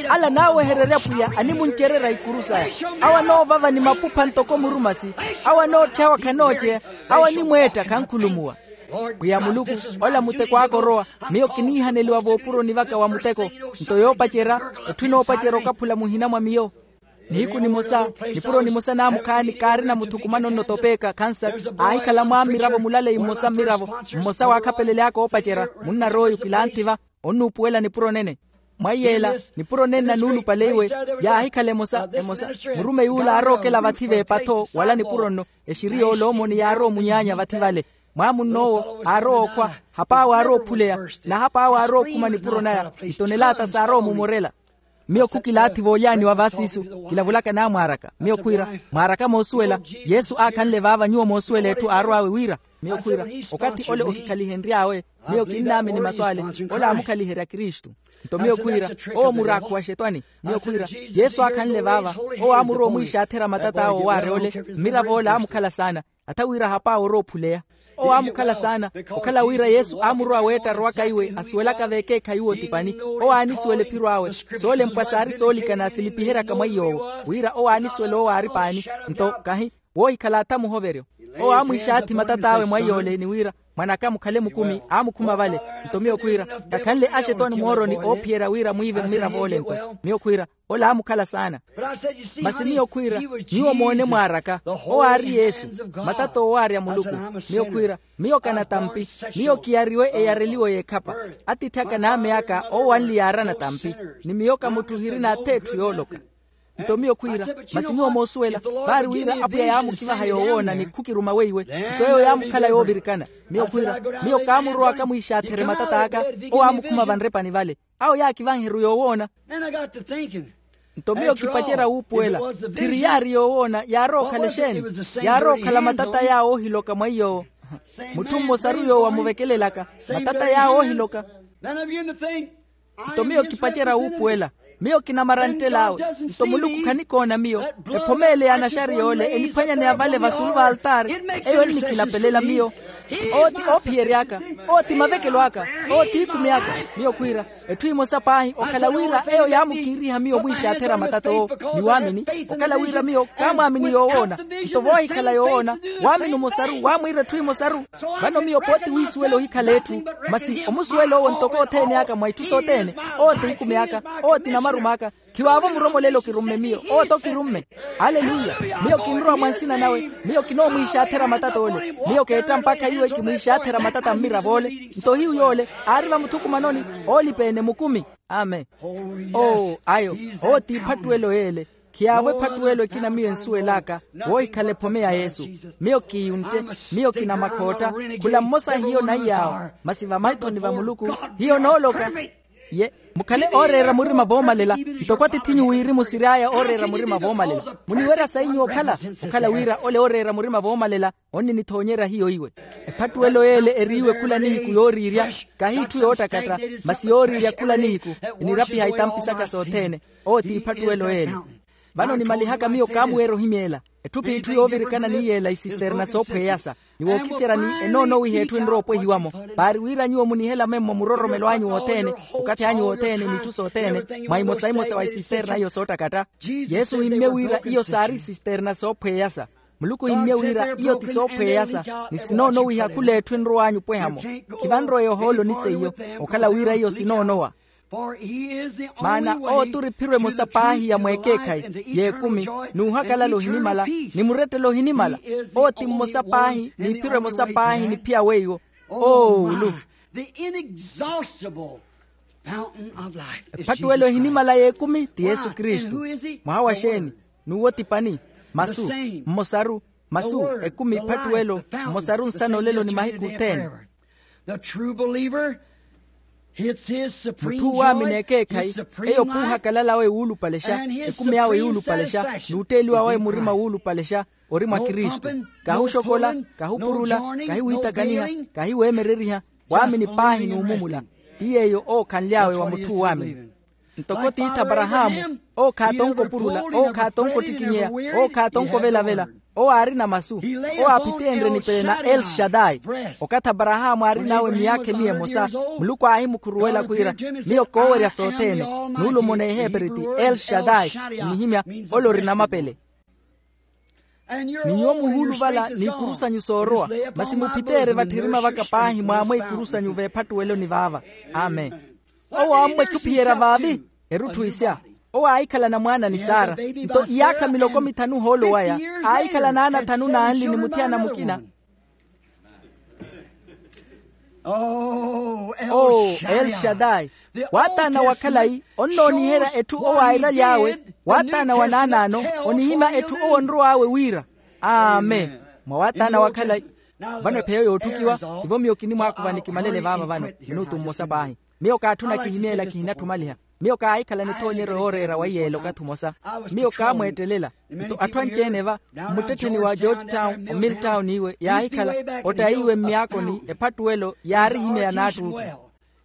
Ala anaawehererya pwiya animuncererya ikuru saya. Awo anoovava ni mapupha ntoko murumasi. Awo anootthyawa khanooceya. Awo animweetta khankhulumuwa. Pwiya muluku, ola muteko aka orowa. Miyo kiniihaneliwa voopuroni vaka wa muteko. Nto yoopacerya, etthu enoopacerya okaphula muhina mwa miyo. Nihiku nimosa, nipuro nimosa naamukhaani kaarina muthukumano nno topeeka kansas, aahikhala mwaammiravo mulaleyi mmosa mmiravo, mmosa waakhapelelyaaka oopacerya. Munnar'oyu kilanthi va, onnuupuwela nipuro nene. Mwa iyeela, nipuro nene nanuulupale iwe, yaahikhala emosa emosa. Murumeyi ula aarookela vathi v'epa-tho wala nipuro nno. Exiri y'oloomoni yaarowa omunyaanya vathi vale. Mwaamunn'owo aarowa okhwa, hap'awe aarowa ophuleya, na hap'awe aarowa okhuma nipuro naya, itonelaata saarowa omumorela. Miyo khukilaathi voolyaaniwa vaasiisu, kilavulaka naamwaaraka. Miyo khwiira, mwaaraka moosuwela. Yesu aakhanle vaava nyuwo moosuwela etthu aarw'awe wira. Miyo khwiira, okathi ole okikhalihenry'awe. Miyo kinnaamini masu ale. Ole aamukhaliherya kristu. Nto miyo khwiira, owo muraakhu wa xetwani. Miyo khwiira, yesu aakhanle vaava. Owo aamurowa omwiixaatherya matat'awe owaarya ole. Mmirav'ole aamukhala saana. Atha wira hap'awe orowa ophuleya. Owo aamukhala saana, okhala wira yesu aamurowa weetta arowaka iwe asuwelaka veekeekhayi uwo ti pani. Owo aanisuwela ephiro awe. Soolempwa saari soolikana silipiheryaka mwa iy'owo, wira owo aanisuwela owo aari pani. Nto kahi, woohikhala atha muhoveryo. Owo aamwiixaathi matat'awe mwa iy'ole ni wira, mwan'aka mukhale mukumi. Aamukhuma vale. Nto miyo khwiira, kakhanle axetwani mooroni oophiyerya wira mwiive mmirav'ole nto. Miyo khwiira, ole aamukhala saana. Masi miyo khwiira, nyuwo moone mwaaraka, owo aari yesu, matata owaarya muluku. Miyo khwiira, miyo kanatampi. Miyo kiyariwe eyareliwo y'ekhapa. Atiithi aka n'ame aka owo anli yaarana tampi. Ni miyo ka mutthu ohirina atha etthu yooloka. Nto miyo khwiira, masi nyuwo moosuwela, vaari wira apwiya yaamukivaha yoowoona ni khukiruma weiwe. Nto eyo yaamukhala yoovirikana. Miyo khwiira, miyo kaamurowaka mwiixaatherye matat'aka. Owo aamukhuma vanrepani vale. Awo yaakivanheru yoowoona. Nto miyo kipacerya wuupuwela, tthiri yaari yoowoona yaarowa okhala exeeni? Yaarowa okhala matata yaawo oohiloka mwa iy'owo. Mutthu mmosaru yoowo amuvekelelaka, matata yaawo oohiloka. Nto miyo kipacerya wuupuwela. Miyo kinamaranttel'awe. Nto muluku khanikoona miyo. Ephome ele y'anaxariya ole eniphwanyaneya vale vasulu va altaari, eyo ennikilapelela miyo. Owo ti oophiyery'aka. Owo ti mavekelo aka. Owo ti ikumi aka. Miyo khwiira, etthu emosa paahi okhala wira eyo yaamukiiriha miyo mwiixaathera matata owo, ni waamini. Okhala wira miyo kaamwaamini yoowoona. Nto voohikhala yoowoona, waamini omosaru waamwiira etthu emosaru. Vano miyo pooti wiisuwela ohikhala etthu, masi omusuwela owo ntoko othene aka mwa itthu sothene. Owo ti ikumi aka. Owo ti namarumo aka. Khiwaavo muromolelo kirumme miyo, owo to kirumme. Aleluya. Miyo kinrowa mwa nsina nawe. Miyo kinoomwiixaathera matata ole. Miyo keetta mpakha iwe kimwiixaathera matata mmiravo ole. Nto hiyu yoole aari vamuthukumanoni, oolipa-ene mukumi. Amen. Oo ayo. Owo ti ephattuwelo y'ele. Khiyaavo ephattuwelo ekina miyo ensuwel'aka, woohikhala ephome ya yesu. Miyo kiiyuntte. Miyo kinamakhootta. Khula mmosa hiyo naiy'awo. Masi vamaithoni va muluku hiyo nooloka. Ye, mukhale ooreera murima voomalela. Ntoko atithinyu wirimu siry'aya ooreera murima voomalela. Muniwerya sayi nyuwo okhala? Okhala wira ole ooreera murima voomalela onninithoonyerya hiyo iwe. Ephattuwelo y'ele eriiwe khula nihiku yooriirya, kahi itthu yoottakatta, masi yooriirya khula nihiku. Enirapiha itampi saka sothene. Owo ti ephattuwelo y'ele. Vano nimalihaka miyo kaamuweerya ohimyeela. Etthu p'itthu yoovirikana ni yeela isisterna soophweyasa. Ni wookiserya ni enoonowiha etthu enrowa opwehiwa-mo. Paari wira nyuwo munihela memmo muroromelo anyu wothene, okathi anyu wothene n'itthu sothene, mwa imosa-imosa wa isisterna iyo soottakatta. Yesu ohimmye wira iyo saari isisterna soophweyasa. Muluku ohimmye wira iyo ti soophweyasa, ni sinoonowiha khula etthu enrow'anyu opweha-mo. Khivanroweya ohooloni seiyo, okhala wira iyo sinoonowa. Maana owo turi ephiro emosa paahi ya mweekeekhayi, y'ekumi, n'uhakalala ohinimala, ni murettelo ohinimala. Owo ti mmosa paahi n'iphiro emosa paahi ni phiya weiwo. Oowulu. Ephattuwelo ehinimala y'ekumi ti yesu kristu. Mwaha wa xeeni? N'uwo ti pani? Masu. Mmosaru. Masu. Ekumi ephattuwelo. Mmosaru nsana olelo ni mahiku othene. Mutthu uwaamini ekeekhayi, eyo p'uhakalala awe wuulupalexa, ekumi awe yuulupalexa, n'utteeliwa wawe murima wuulupalexa. Ori mwa kristu. Kahuxokola, kahupurula, kahiwiitakaniha, kahiweemereriha. Waamini paahi n'umumula. Ti yeeyo ookhanly'awe wa mutthu uwaamini. Ntoko tiithi aparahaamu, owo khaatonko opurula, owo khaatonko ottikinyeya, owo khaatonko ovelavela. Owo aarina masu. Owo aaphiteenrye nipele na elshadai. Okathi aparahaamu aarin'awe miyaakha emiya emosa, muluku aahimukhuruwela khwiira, miyo koowerya sothene. Nuulumo n'eheeperi ti elshadai. Nnihimya, ole orina mapele. Ni nyuwo muhuuluvala n'ikuru sanyu soorowa, masi muphiteerye vatthirima vaka paahi mwaamwe ikuru sanyu v'ephattuweloni vaava. Amen. Owo aammwekhuphiyerya vaavi. Erutthu isya. Owo aahikhala na mwaana ni sara. Nto iyaakha miloko mithanu ohoolo waya, aahikhala n'ana athanu n'anli ni muthiyana mukina. Oo elshadai. Waataana wa khalayi onnooniherya etthu owo airaly'awe. Waataana wa naanaano onihimya etthu owo onrow'awe wira. Amen. Mwa waataana wa khalayi. Vano epheyo yootthukiwa tivo miyo kinimwaakuva ni kimalele vaava vano minutu mmosa paahi. Miyo kaatthuna kihimyeela kihinatthu omaliha. Miyo kaahikhala nithoonyeryo yooreera wa iyeela okathi omosa. Miyo kaamweettelela. Nto atthu anci-ene va mmuttettheni wa george town omiltown iwe yaahikhala ottayiwe mmiyaakoni ephattuwelo yaarihimyeya n'attuttu.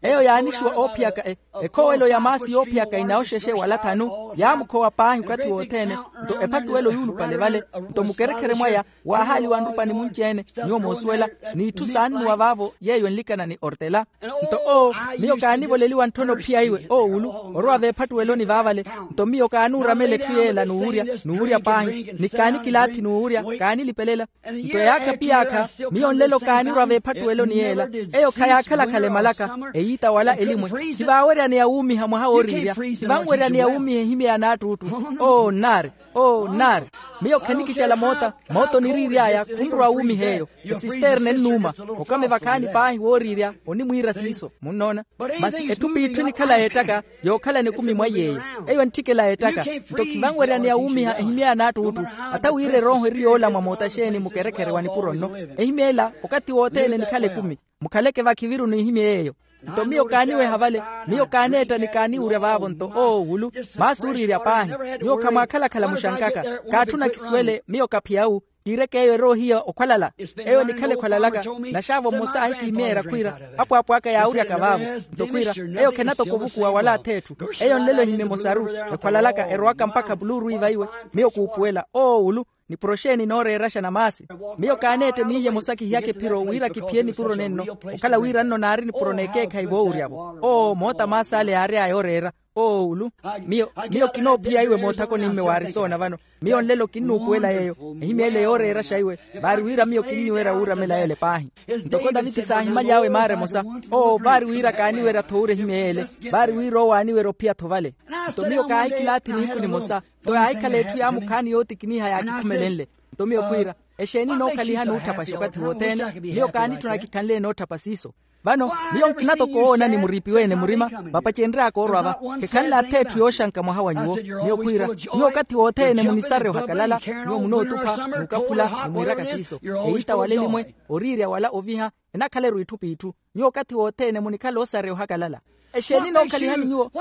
Eyo yaanixuwa oophiyaka ekhowelo ya maasi yoophiyaka inawoxexe wala thanu. Yaamukhowa paahi okathi wothene. Nto ephattuwelo yuulupale vale. Nto mukerekhere mwaya waahaaliwa nrupani munci-ene. Nyuwo moosuwela n'itthu saannuwa vaavo yeeyo enlikana ni ortela. Nto owo miyo kaanivoleliwa ntthona ophiya iwe oowulu orwa veephattuweloni vaavale. Nto miyo kaanuuramela etthu yeela n'uwurya n'uwurya paahi ni kaanikilaathi n'uwurya kaanilipelela. Nto yaakha p'iyaakha miyo nlelo kaanirwa veephattuweloni yeela. Eyo khayaakhala-khala emalaka eyiita wala elimwe. Khivaaweryaneya wuumiha mwaha wooriirya. Khivanweryaneya wuumiha ehimyeya n'attuttu. Oo nnaari. Oo nnaari. Miyo khanikicala moota. Moota oniriiry'aya khunrowa wuumiha eyo. Esisterna ennuuma. Okame vakhaani paahi wooriirya onimwiira siiso munnoona. Masi etthu p'itthu enikhala yeettaka yookhalana ekumi mwa iy'eyo. Eyo entthikela yeettaka. Nto khivanweryaneya wuumiha ehimyeya n'attuttu. Ata wira erooho eri yoolamwa moota xeeni mukerekhere wa nipuro nno. Ehimyeela okathi wothene enikhala ekumi. Mukhaleke vakhiviru n'ihimyeya eyo. Nto miyo kaaniweha vale. Miyo kaaneetta ni kaaniwurya vaavo nto oowulu. Maasi ooriirya paahi. Nyuwo khamwaakhala-khala muxankaka. Kaatthuna kisuwele miyo kaphiya wu. Kiireke eyo eroohiya okhwalala. Eyo enikhala ekhwalalaka. Naxaavo mmosa aahikihimyeerya khwiira, apwaapwaaka yaawuryaka vaavo. Nto khwiira, eyo khenatoko ovukuwa wala atheetthu. Eyo nlelo ehimye emosaru. Ekhwalalaka erowaka mpakha puluuru iva iwe. Miyo kuupuwela oowulu. Nipuro xeeni nooreeraxa na maasi? Miyo kaaneette miiye emosa kihiyaka ephiro wira kiphiye nipuro nenno. Okhala wira nno naari nipuro n'ekeekhayi voowuryavo. Oo moota maasi ale yaary'aya oreera. Oowulu. Miyo miyo kinoophiya iwe moothakoni mme waari soona vano. Miyo nlelo kinnuupuwela yeeyo. Ehimya ele yooreeraxa iwe. Vaari wira miyo kinniwerya wuuramela ele paahi. Ntoko taviti saahimaly'awe maara emosa. Oo vaari wira kaaniwerya-tho wuura ehimya ele. Vaari wira owo aaniwerya ophiya-tho vale. Nto miyo kaahikilaathi nihiku nimosa. Nto yaahikhala etthu yaamukhaani yootikiniha yaakikhumelenle. Nto miyo khwiira, exeeni nookhaliha nuutthapaxa okathi wothene? Miyo kaanitthuna kikhanle nootthapa siiso. Vano miyo nkina toko owoonani muriipiwe-ene murima. Vapacenry'aka orwa va. Khekhanle atheetthu yooxanka mwaha wa nyuwo. Miyo khwiira, nyuwo okathi wothene munisarya ohakalala. Nyuwo munootupha n'ukaphula nimwiiraka siiso. Eyiita wala elimwe, oriirya wala oviha, enakhaleru itthu p'itthu. Nyuwo okathi wothene munikhala osarya ohakalala. Exeeni nookhaliha ni nyuwo?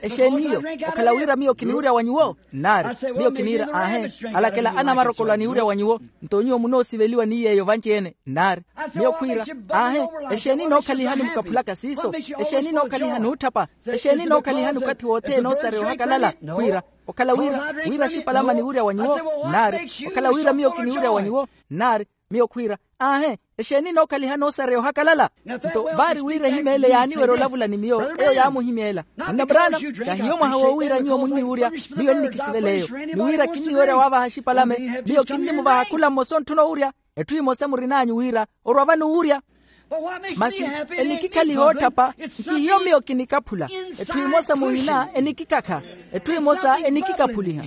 Exeeni iyo? Okhala wira miyo kiniwurya wa nyuwo? Nnaari. Miyo kiniira aahe. Alakela anamarokolo aniwurya wa nyuwo. Nto nyuwo munoosiveliwa ni yeeyo vanci-ene? Nnaari. Miyo khwiira, aahe. Exeeni nookhaliha ni mukaphulaka siiso? Exeeni nookhaliha n'utthapa? Exeeni nookhaliha ni okathi wothene osarya ohakalala? Khwiira, okhala wira wira axipalama aniwurya wa nyuwo? Nnaari. Okhala wira miyo kiniwurya wa nyuwo? Nnaari. Miyo khwiira, aahe. Exeeni nookhaliha n'osarya ohakalala? Nto vaari wira ehimya ele yaaniwerya olavula ni miyo, eyo yaamuhimya ela. Munna brana, kahiyo mwaha woowiira nyuwo munniwurya. Miyo ennikisivela eyo. Ni wira kinniwerya waavaha axipalame. Miyo kinnimuvaha khula mmosa ontthuna owurya. Etthu emosa murin'anyu wira orwa vano owurya. Masi enikikhaliha ootthapa. Nkihiyo miyo kinikaphula. Etthu emosa muhina enikikakha. Etthu emosa enikikaphuliha.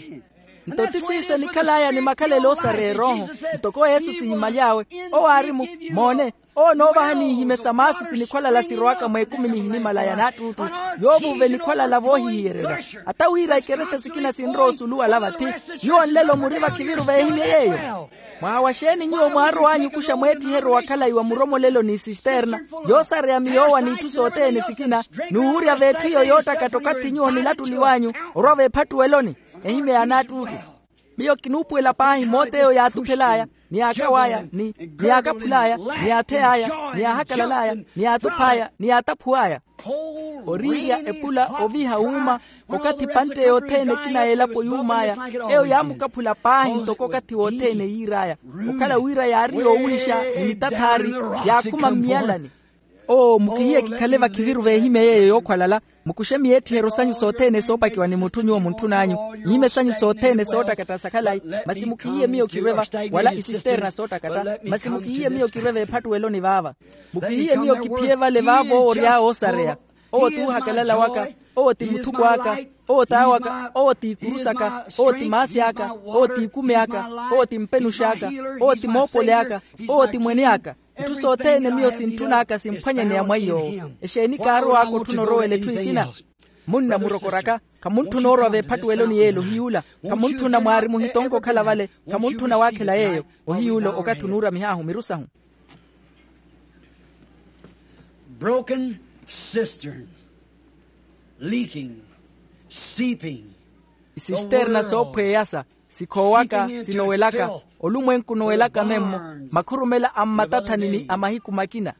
Nto ti siiso enikhal'aya ni makhalelo oosarya erooho. Ntoko yesu sihimaly'awe, owo aari-mu, moone, owo onoovaha n'ihimesa maasi sinikhwalala sirowaka mweekumi nihinimala ya naattuuttu. Yoovuuva enikhwalala voohihiyererya. Ata wira ikerexa sikina sinrowa osulu wala vathi. Nyuwo nlelo muri vakhiviru veehimye yeeyo. Mwaha wa xeeni nyuwo mwaarow'anyu okuxa mweettiheryo wa khalayi wa muromolelo ni sisterna, yoosareya miyoowa n'itthu sothene sikina, n'uwurya v'etthu iyo yoottakatta okathi nyuwo onilattuliw'anyu orwa veephattuweloni? Ehimya ya naattuuttu. Miyo kinuupuwela paahi moota eyo yaatuphel'aya, ni yaakaw'aya, ni yaakaphul'aya, ni yaathey'aya, ni yaahakalal'aya, ni yaatuph'aya, ni yaataphuw'aya. Oriirya epula oviha wuuma, okathi epantte yothene ekina y'elapo yuum'aya. Eyo yaamukaphula paahi ntoko okathi wothene yiir'aya. Okhala wira yaari yoowiixa ni mitathaari, yaakhuma mmiyalani. Oo mukihiye kikhale vakhiviru veehimya yeeyo yookhwalala. Mukuxe miyeettiheryo sanyu sothene soopakiwa ni mutthu nyuwo muntthun'anyu, n'ihimya sanyu sothene soottakatta sa khalayi. Masi mukihiye miyo kirwe-va, wala isisterna soottakatta. Masi mukihiye miyo kirwe veephattuweloni vaava. Mukihiye miyo kiphiye vale vaavo owo ory'awe oosareya. Owo t'uhakalala waka. Owo ti muthuko aka. Owo t'awaka. Owo t'ikuru saka. Owo ti maasi aka. Owo t'ikumi aka. Owo ti mpenuxi aka. Owo ti moopoli aka. Owo ti mwene aka. Itthu sothene miyo sintthun'aka simphwanyeneya mwa iy'owo. Exeeni kaarow'aka otthuna orowela etthu ekina? Munna murokor'aka, khamuntthuna orwa veephattuweloni y'ele ohiy'ula. Khamuntthuna mwaari muhitonke okhala vale. Khamuntthuna waakhela yeeyo. Ohiy'ula okathi onuuramih'ahu miru sahu. Broken cisterns, leaking, seeping. Isisterna soophweyasa, sikhoowaka, sinowelaka, olumwenku onowelaka memmo, makhurumela a mmatathani ni a mahiku makina.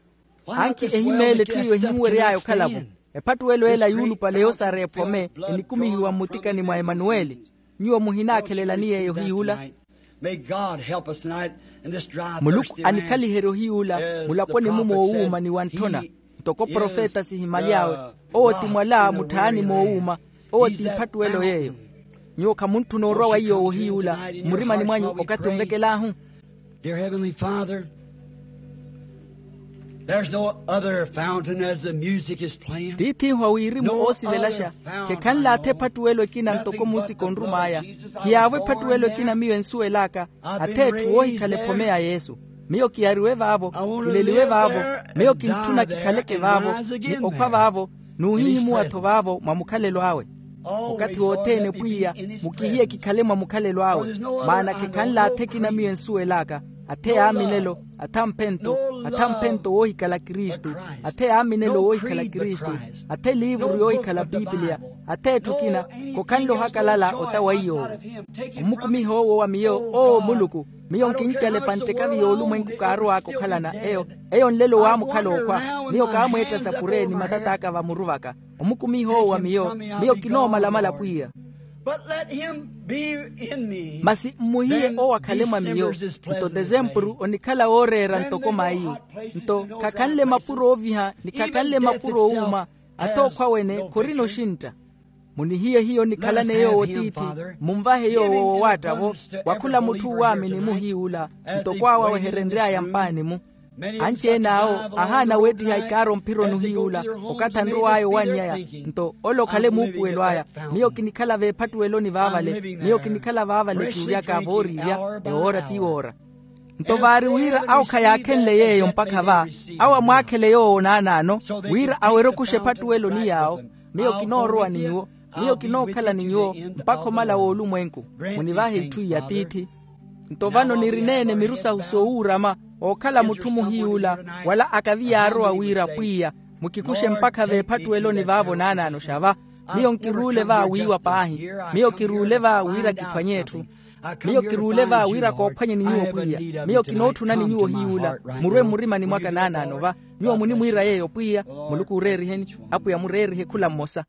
Anki ehimeele etthu iyo ehinwery'aya okhala-vo. Ephattuwelo ela yuulupale yoosareya ephome, enikumihiwa mmutikani mwa emanuweli. Nyuwo muhinaakhelelani yeeyo hiy'ula? Muluku anikhaliherye ohiy'ula mulaponi-mu moowuuma ni wantthona. Ntoko profeta sihimaly'awe, owo ti mwala mutthaani moowuuma. Owo t'iphattuwelo yeeyo. Nyuwo khamuntthuna orwa wa iy'owo ohiy'ula mmurimani mwanyu okathi onvekel'ahu? Dear heavenly father, there's no other fountain as the music is playing. Tiith'ihu a wirimu oosivelaxa. Khekhanle athe ephattuwelo ekina ntoko muusika onrum'aya. Khiyaavo ephattuwelo ekina miyo ensuwel'aka. Athe etthu woohikhala ephome ya yesu. Miyo kiyariwe vaavo, kileliwe vaavo. Miyo kintthuna kikhaleke vaavo, ni okhwa vaavo, n'uhihimuwa-tho vaavo mwa mukhalelo awe. Okathi wothene pwiya, mukihiye kikhale mwa mukhalelo awe. Maana khekhanle athe ekina miyo ensuwel'aka. Athe yaaminelo, athe amphento, athe amphento woohikhala kristu. Athe yaaminelo woohikhala kristu. Athe liivuru yoohikhala pipiliya. Atheetthu okina khokhanle ohakalala ota wa iy'owo. Omukumiha owo wa miyo, oo muluku, miyo nkincala epantthekavi y'olumwenku kaarow'aka okhalana eyo. Eyo nlelo waamukhala okhwa. Miyo kaamweetta sapure ni matat'aka vamuruvaka. Omukumiha owo wa miyo, miyo kinoomalamala pwiya. Masi mmuhiye owo akhale mwa miyo. Nto tesempuru onikhala wooreera ntoko maiyu. Nto khakhanle mapuro ooviha ni khakhanle mapuro oowuuma. Athookhwa wene khorina oxintta. Munihiye hiyo nikhalane yoowo tiithi. Munvahe yoowo wowaatta-vo. Wa khula mutthu uwaamini-mu hiy'ula. Ntoko awo aweherenry'aya mpaani-mu. Anci-ene awo ahaana weettiha ikaaro mphironi hiy'ula. Okathi anrow'aya owanny'aya. Nto ole okhale muupuwelo aya. Miyo kinikhala veephattuweloni vaavale. Miyo kinikhala vaavale kiwuryaka vooriirya. Ewoora ti woora. Nto vaari wira awo khayaakhenle yeeyo mpakha va, awo amwaakhele yoowo naanaano, wira awerye okuxa ephattuweloni yaawo. Miyo kinoorowa ni nyuwo. Miyo kinookhala ni nyuwo mpakha omala w'olumwenku. Munivahe itthu iya tiithi. Nto vano nirineene mirusahu soowuurama, ookhala mutthu muhiy'ula, wala akavi yaarowa wira pwiya, mukikuxe mpakha veephattuweloni vaavo naanaano xa va. Miyo nkiruule va wiiwa paahi. Miyo kiruule va wira kiphwanye etthu. Miyo kiruule va wira koophwanyeni nyuwo pwiya. Miyo kinootthunani nyuwo hiy'ula. Murwe mmurimani mwaka naanaano va. Nyuwo munimwiira yeeyo pwiya. Muluku ooreeriheni. Apwiya mureerihe khula mmosa.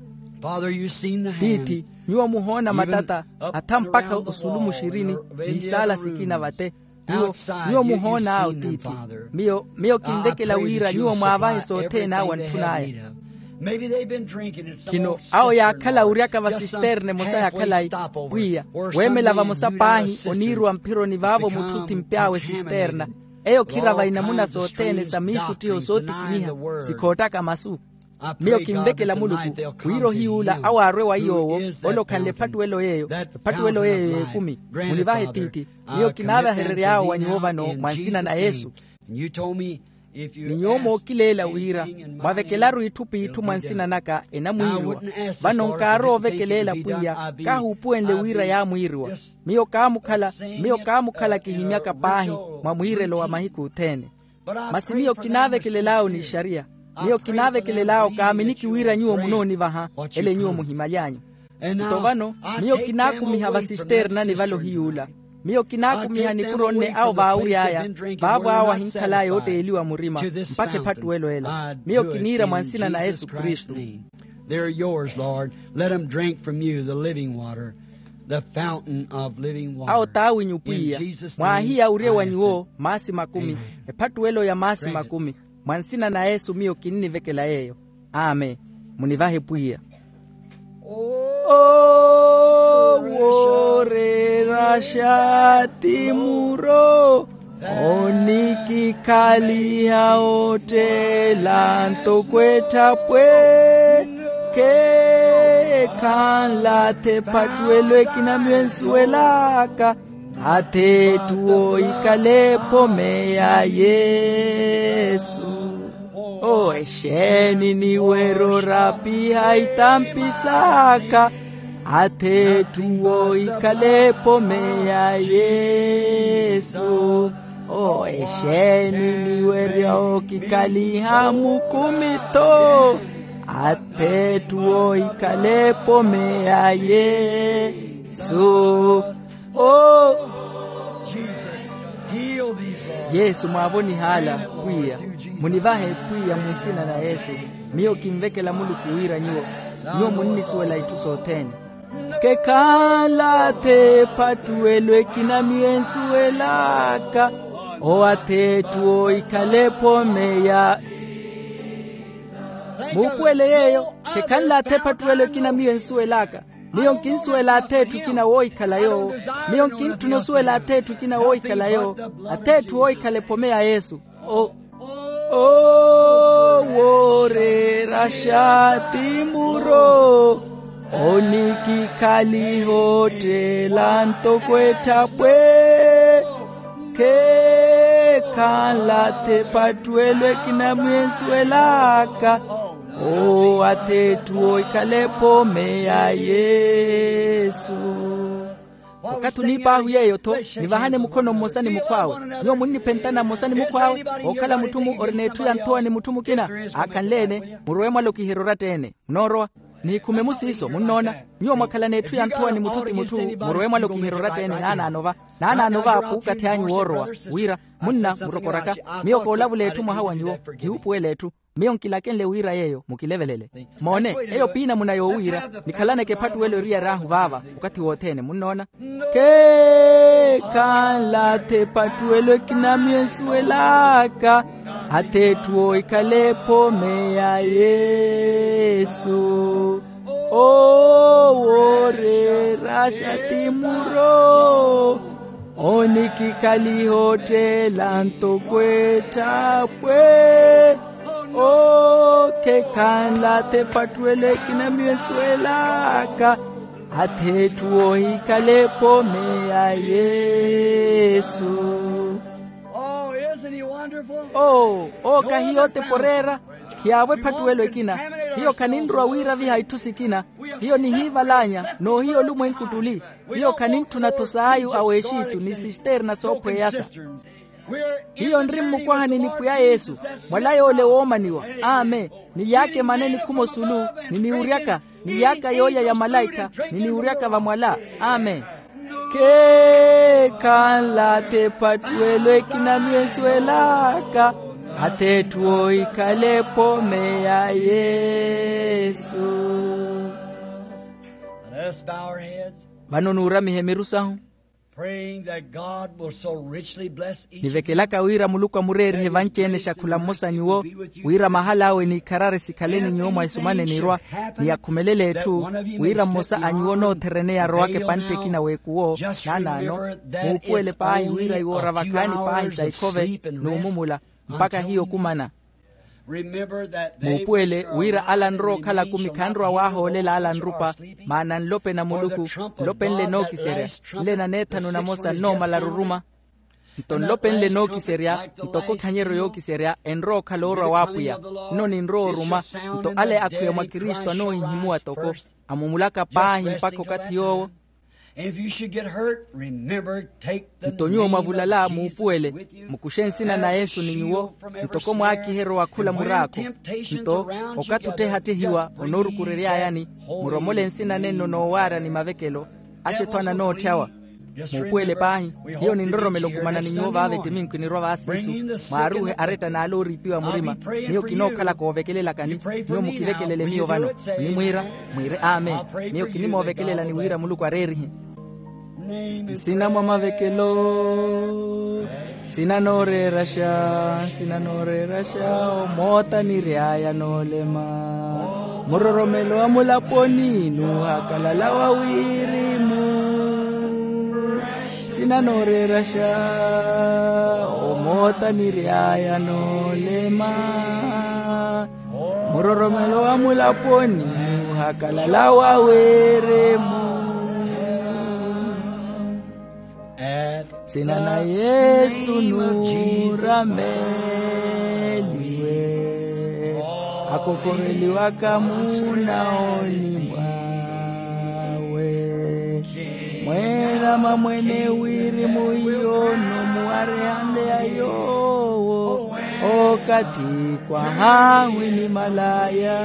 Tiithi, nyuwo muhoona matata, atha mpakha osulu muxirini, n'isaala sikina vate. Nyuwo, nyuwo muhoon'awo tiithi. Miyo, miyo kinvekela wira nyuwo mwaavahe sothene awo antthun'aya. Khino awo yaakhala wuryaka vasisterne emosa ya khalayi. Pwiya, weemela vamosa paahi oniiruwa mphironi vaavo mutthu thimpy'awe sisterna. Eyo khirava inamuna sothene sa miixuttiho sootikiniha, sikhoottaka masu. Miyo kinvekela muluku, wira ohiy'ula awo aarwe wa iy'owo, ole okhanle ephattuwelo yeeyo. Ephattuwelo yeeyo y'ekumi. Munivahe tiithi. Miyo kinaavaherery'awo wa nyuwo vano mwa nsina na yesu. Ni nyuwo mookileela wira, mwavekelaru itthu p'itthu mwa nsina naka enamwiiriwa. Vano nkaarowa ovekeleela pwiya, kaahuupuwenle wira yaamwiiriwa. Miyo kaamukhala, miyo kaamukhala kihimyaka paahi mwa mwiirelo wa mahiku othene. Masi miyo kinaavekelel'awo n'ixariya. Miyo kinaavekelel'awo kaaminiki wira nyuwo munoonivaha, ele nyuwo muhimaly'anyu. Nto vano, miyo kinaakumiha vasisternani vale ohiy'ula. Miyo kinaakumiha nipuro nne awo vaawury'aya, vaavo awo ahinkhal'aya ootteeliwa murima, mpakha ephattuwelo ela. Miyo kiniira mwa nsina na yesu kristu. They're yours, Lord. Let them drink from you the living water, the fountain of living water. Awo t'awinyu pwiya. Mwaahiya awurye wa nyuwo maasi makumi. Ephattuwelo ya maasi makumi. Mwa nsina na yesu miyo kinnivekela yeeyo. Amen. Munivahe pwiya. Owo oreeraxa ti muro onikikhaliha otteela ntoko etthapwe. Kheekhanla athe ephattuwelo ekina miyo ensuwel'aka. Atheetthu woohikhala ephome ya yesu. Owo exeeni niwerya orapiha itampi saka. Atheetthu woohikhala ephome ya yesu. Owo exeeni niwerya okikhaliha mukumi tho. Atheetthu woohikhala ephome ya yesu. O yesu mwaavonihala. Pwiya, munivahe pwiya mu nsina na yesu. Miyo kinvekela muluku wira nyuwo, nyuwo munnisuwela itthu sothene. Kekhala athe ephattuwelo ekina miyo ensuwelaka. O atheetthu woohikhala ephome ya muupuwele yeeyo. Khekhanle athe ephattuwelo ekina miyo ensuwel'aka. Miyo nkinsuwela atheetthu ekina woohikhala yoowo. Miyo nkintthuna osuwela atheetthu ekina woohikhala yoowo. Atheetthu woohikhala ephome ya yesu. Owo oreeraxa ti muro onikikhaliha otteela ntoko etthapwe. Kheekhanla athe ephattuwelo ekina miyo ensuwel'aka. Owo atheetthu woohikhala ephome ya yesu. Okathi oniip'ahu yeeyo-tho, nivahane mukhono mmosa ni mukhw'awe. Nyuwo munniphentana mmosa ni mukhw'awe. Ookhala mutthu-mu orina etthu ya nthowa ni mutthu mukina. Aakhanle-ene, murowe mwalokiherye oratta-ene. Munoorowa. Nihikhumemu siiso munnoona. Nyuwo mwakhalana etthu ya nthuwa ni mutthu ti mutthu. Murowe mwalokiherya oratta-ene naanaano va, naanaano va kuukathi anyu woorowa, wira, munna murokoraka, miyo koolavula etthu mwaha wa nyuwo, kihuupuwela etthu. Miyo nkilakenle wira yeeyo mukilevelele. Moone, eyo piinamuna yoowiira. Nikhalaneke ephattuwelo eriyaryahu vaava okathi wothene munnoona. Keekhanlatha ephattuwelo ekina miyo ensuwelaka, ath'etthu ohikhala ephome ya yesu. Owo oreeraxa ti muro onikikhaliha otteela ntoko etthapwe. Owo keekhanlatha ephattuwelo ekina miyo ensuwelaka, ath'etthu ohikhala ephome ya yesu. Owo kahiyo otepa oreera. Khiyaavo ephattuwelo ekina. Hiyo khaninrowa wiiraviha itthu sikina. Hiyo nihiivalanya noohiya olumwenku ttuli. Hiyo khanintthuna-tho saayu a wexitu ni sisterna soophweyasa. Hiyo nri mmukwahani ni pwiya yesu, mwala yoole woomaniwa. Amen. Nily'aka emana enikhuma osulu, niniwuryaka, nily'aka yoolya ya malaikha, niniwuryaka vamwala. Amen. Keekhanlatha ephattuwelo ekina miyo ensuwelaka, ath'etthu ohikhala ephome ya yesu. Vano nuuramihe miru sahu. Nivekelaka wira muluku amureerihe vanci-ene xa khula mmosa a nyuwo, wira mahal'awe n'ikharari sikhale ni nyuwo mwa esumana enirwa, ni akhumelele etthu, wira mmosa a nyuwo noothereneya arowaka epantte ekina w'ekuwo. Naanaano, muupuwele paahi wira iwo oravakhaani paahi sa ikhove n'umumula, mpakha hiyo okumana. Muupuwele wira ala anrowa okhala akumi khanrowa waahoolela ala anrupa. Maana nlopeni a muluku, nlopeni nle nookiserya, nle naneethanu namosa nnoomala aruruma. Nto nlopeni nle nookiserya, ntoko khanyeryo yookiserya enrowa okhala oorwa w'apwiya. Nno ninrowa oruma. Nto ale akhwiya mwa kristu anoohihimuwa toko, amumulaka paahi mpakha okathi yoowo. Nto nyuwo mwavulala muupuwele, mukuxe nsina na yesu ni nyuwo, ntoko mwaakiherya owakhula muraakho. Nto okathi ottehattehiwa onoorukurery'ayani, muromole nsina nenno noowaarya ni mavekelo. Axe-tho ananootthyawa. Muupuwele paahi. Hiyo ninroromela okumana ni nyuwo vaava ettiminku enirwa vaasiisu, mwaaruuhe aretta n'ale ooriipiwa murima. Miyo kinookhalaka oovekelelakani. Nyuwo mukivekelele miyo vano. Nimwiira, mwiire amen. Miyo kinimoovekelelani wira muluku areerihe. Nsina mwa mavekelo, nsina nooreeraxa, nsina nooreeraxa omoota niry'aya noolema. Muroromelo wa mulaponi nuuhakalala wa wirimu. Nsina nooreeraxa omoota niry'aya noolema. Muroromelo wa mulaponi nuuhakalala wa wirimu. Nsina na yesu nuurameliwe, akokhoreliwaka munaoni mwawe. Mweerama mwene wirimu hiyo nomuwarehanle ya yoowo, okathi kwahaahu inimalaya.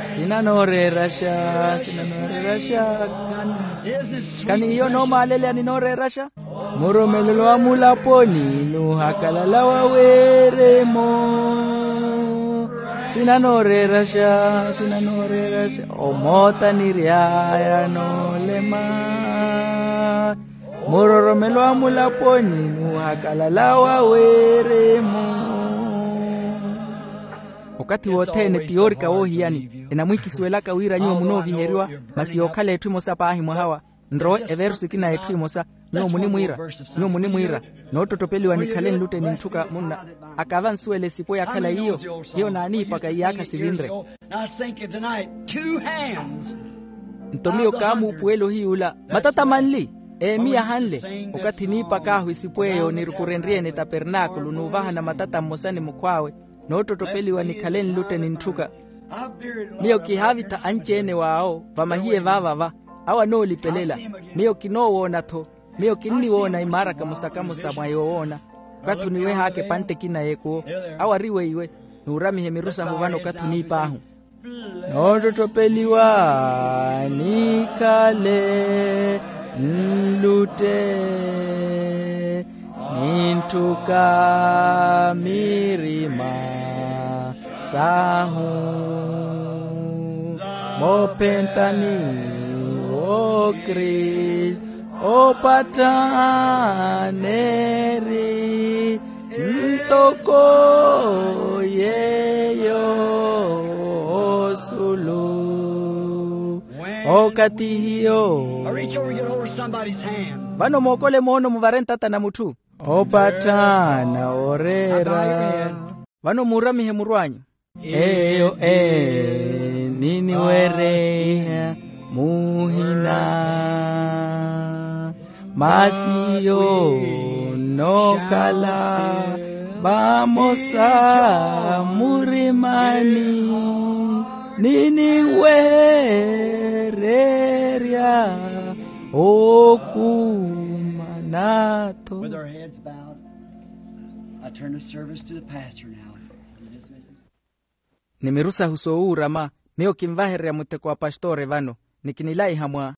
Nsina nooreeraxa, nsina nooreeraxa. Khani, khani hiyo noomaaleleya ni nooreeraxa. Muromelelo wa mulaponi nuuhakalala wa wirimu. Nsina nooreeraxa, nsina nooreeraxa omoota niry'aya noolema. Muroromelo wa mulaponi nuuhakalala wa wirimu. Okathi wothene ti yoorika woohiyani. Enamwiikisuwelaka wira nyuwo munooviheriwa, masi yookhala etthu emosa paahi mwaha wa. Nrowe eversu ekina ya etthu emosa. Nyuwo munimwiira, nyuwo munimwiira, noottottopeliwa nikhale nlutte ni ntthuka munna. Akava nsuwela esipo yakhala iyo. Hiyo naaniipaka iyaakha sivinre. Nto miyo kaamuupuwela ohiy'ula matata manli, eemi yahanle. Okathi niipak'ahu esipo eyo nirukurenrye-ene tapernaakulu nuuvahana matata mmosa ni mukhw'awe, noottottopeliwa nikhale nlutte ni ntthuka. Miyo kihaavitha anci-ene w'awo vamahiye vaavava. Awo anoolipelela. Miyo kinoowoona-tho. Miyo kinniwoona imaara kamosa-kamosa mwa yoowoona. Okathi oniweh'aka epantte ekina y'ekuwo, awo ari weiwe. Nuuramihe miru sahu vano okathi oniip'ahu. Noottotthopeliwa nikhale nlutte nintthuka mirima sahu moophentani wokristu opatthaneri ntoko yeyo osulu okathi hiyo. Reach over and get hold of somebody's hand. Vano mookole moono muvare ntata na mutthu opatthana oreera. Vano muuramihe muru anyu. Eyo e niniwereiha muhina masi yo nnokhala vamosa murimani niniwererya okumanatho. With our heads bowed, I turn the service to the pastor now. Ni miru sahu soowuurama miyo kinvahererya mutteko wa pastore vano ni kinilaiha mwa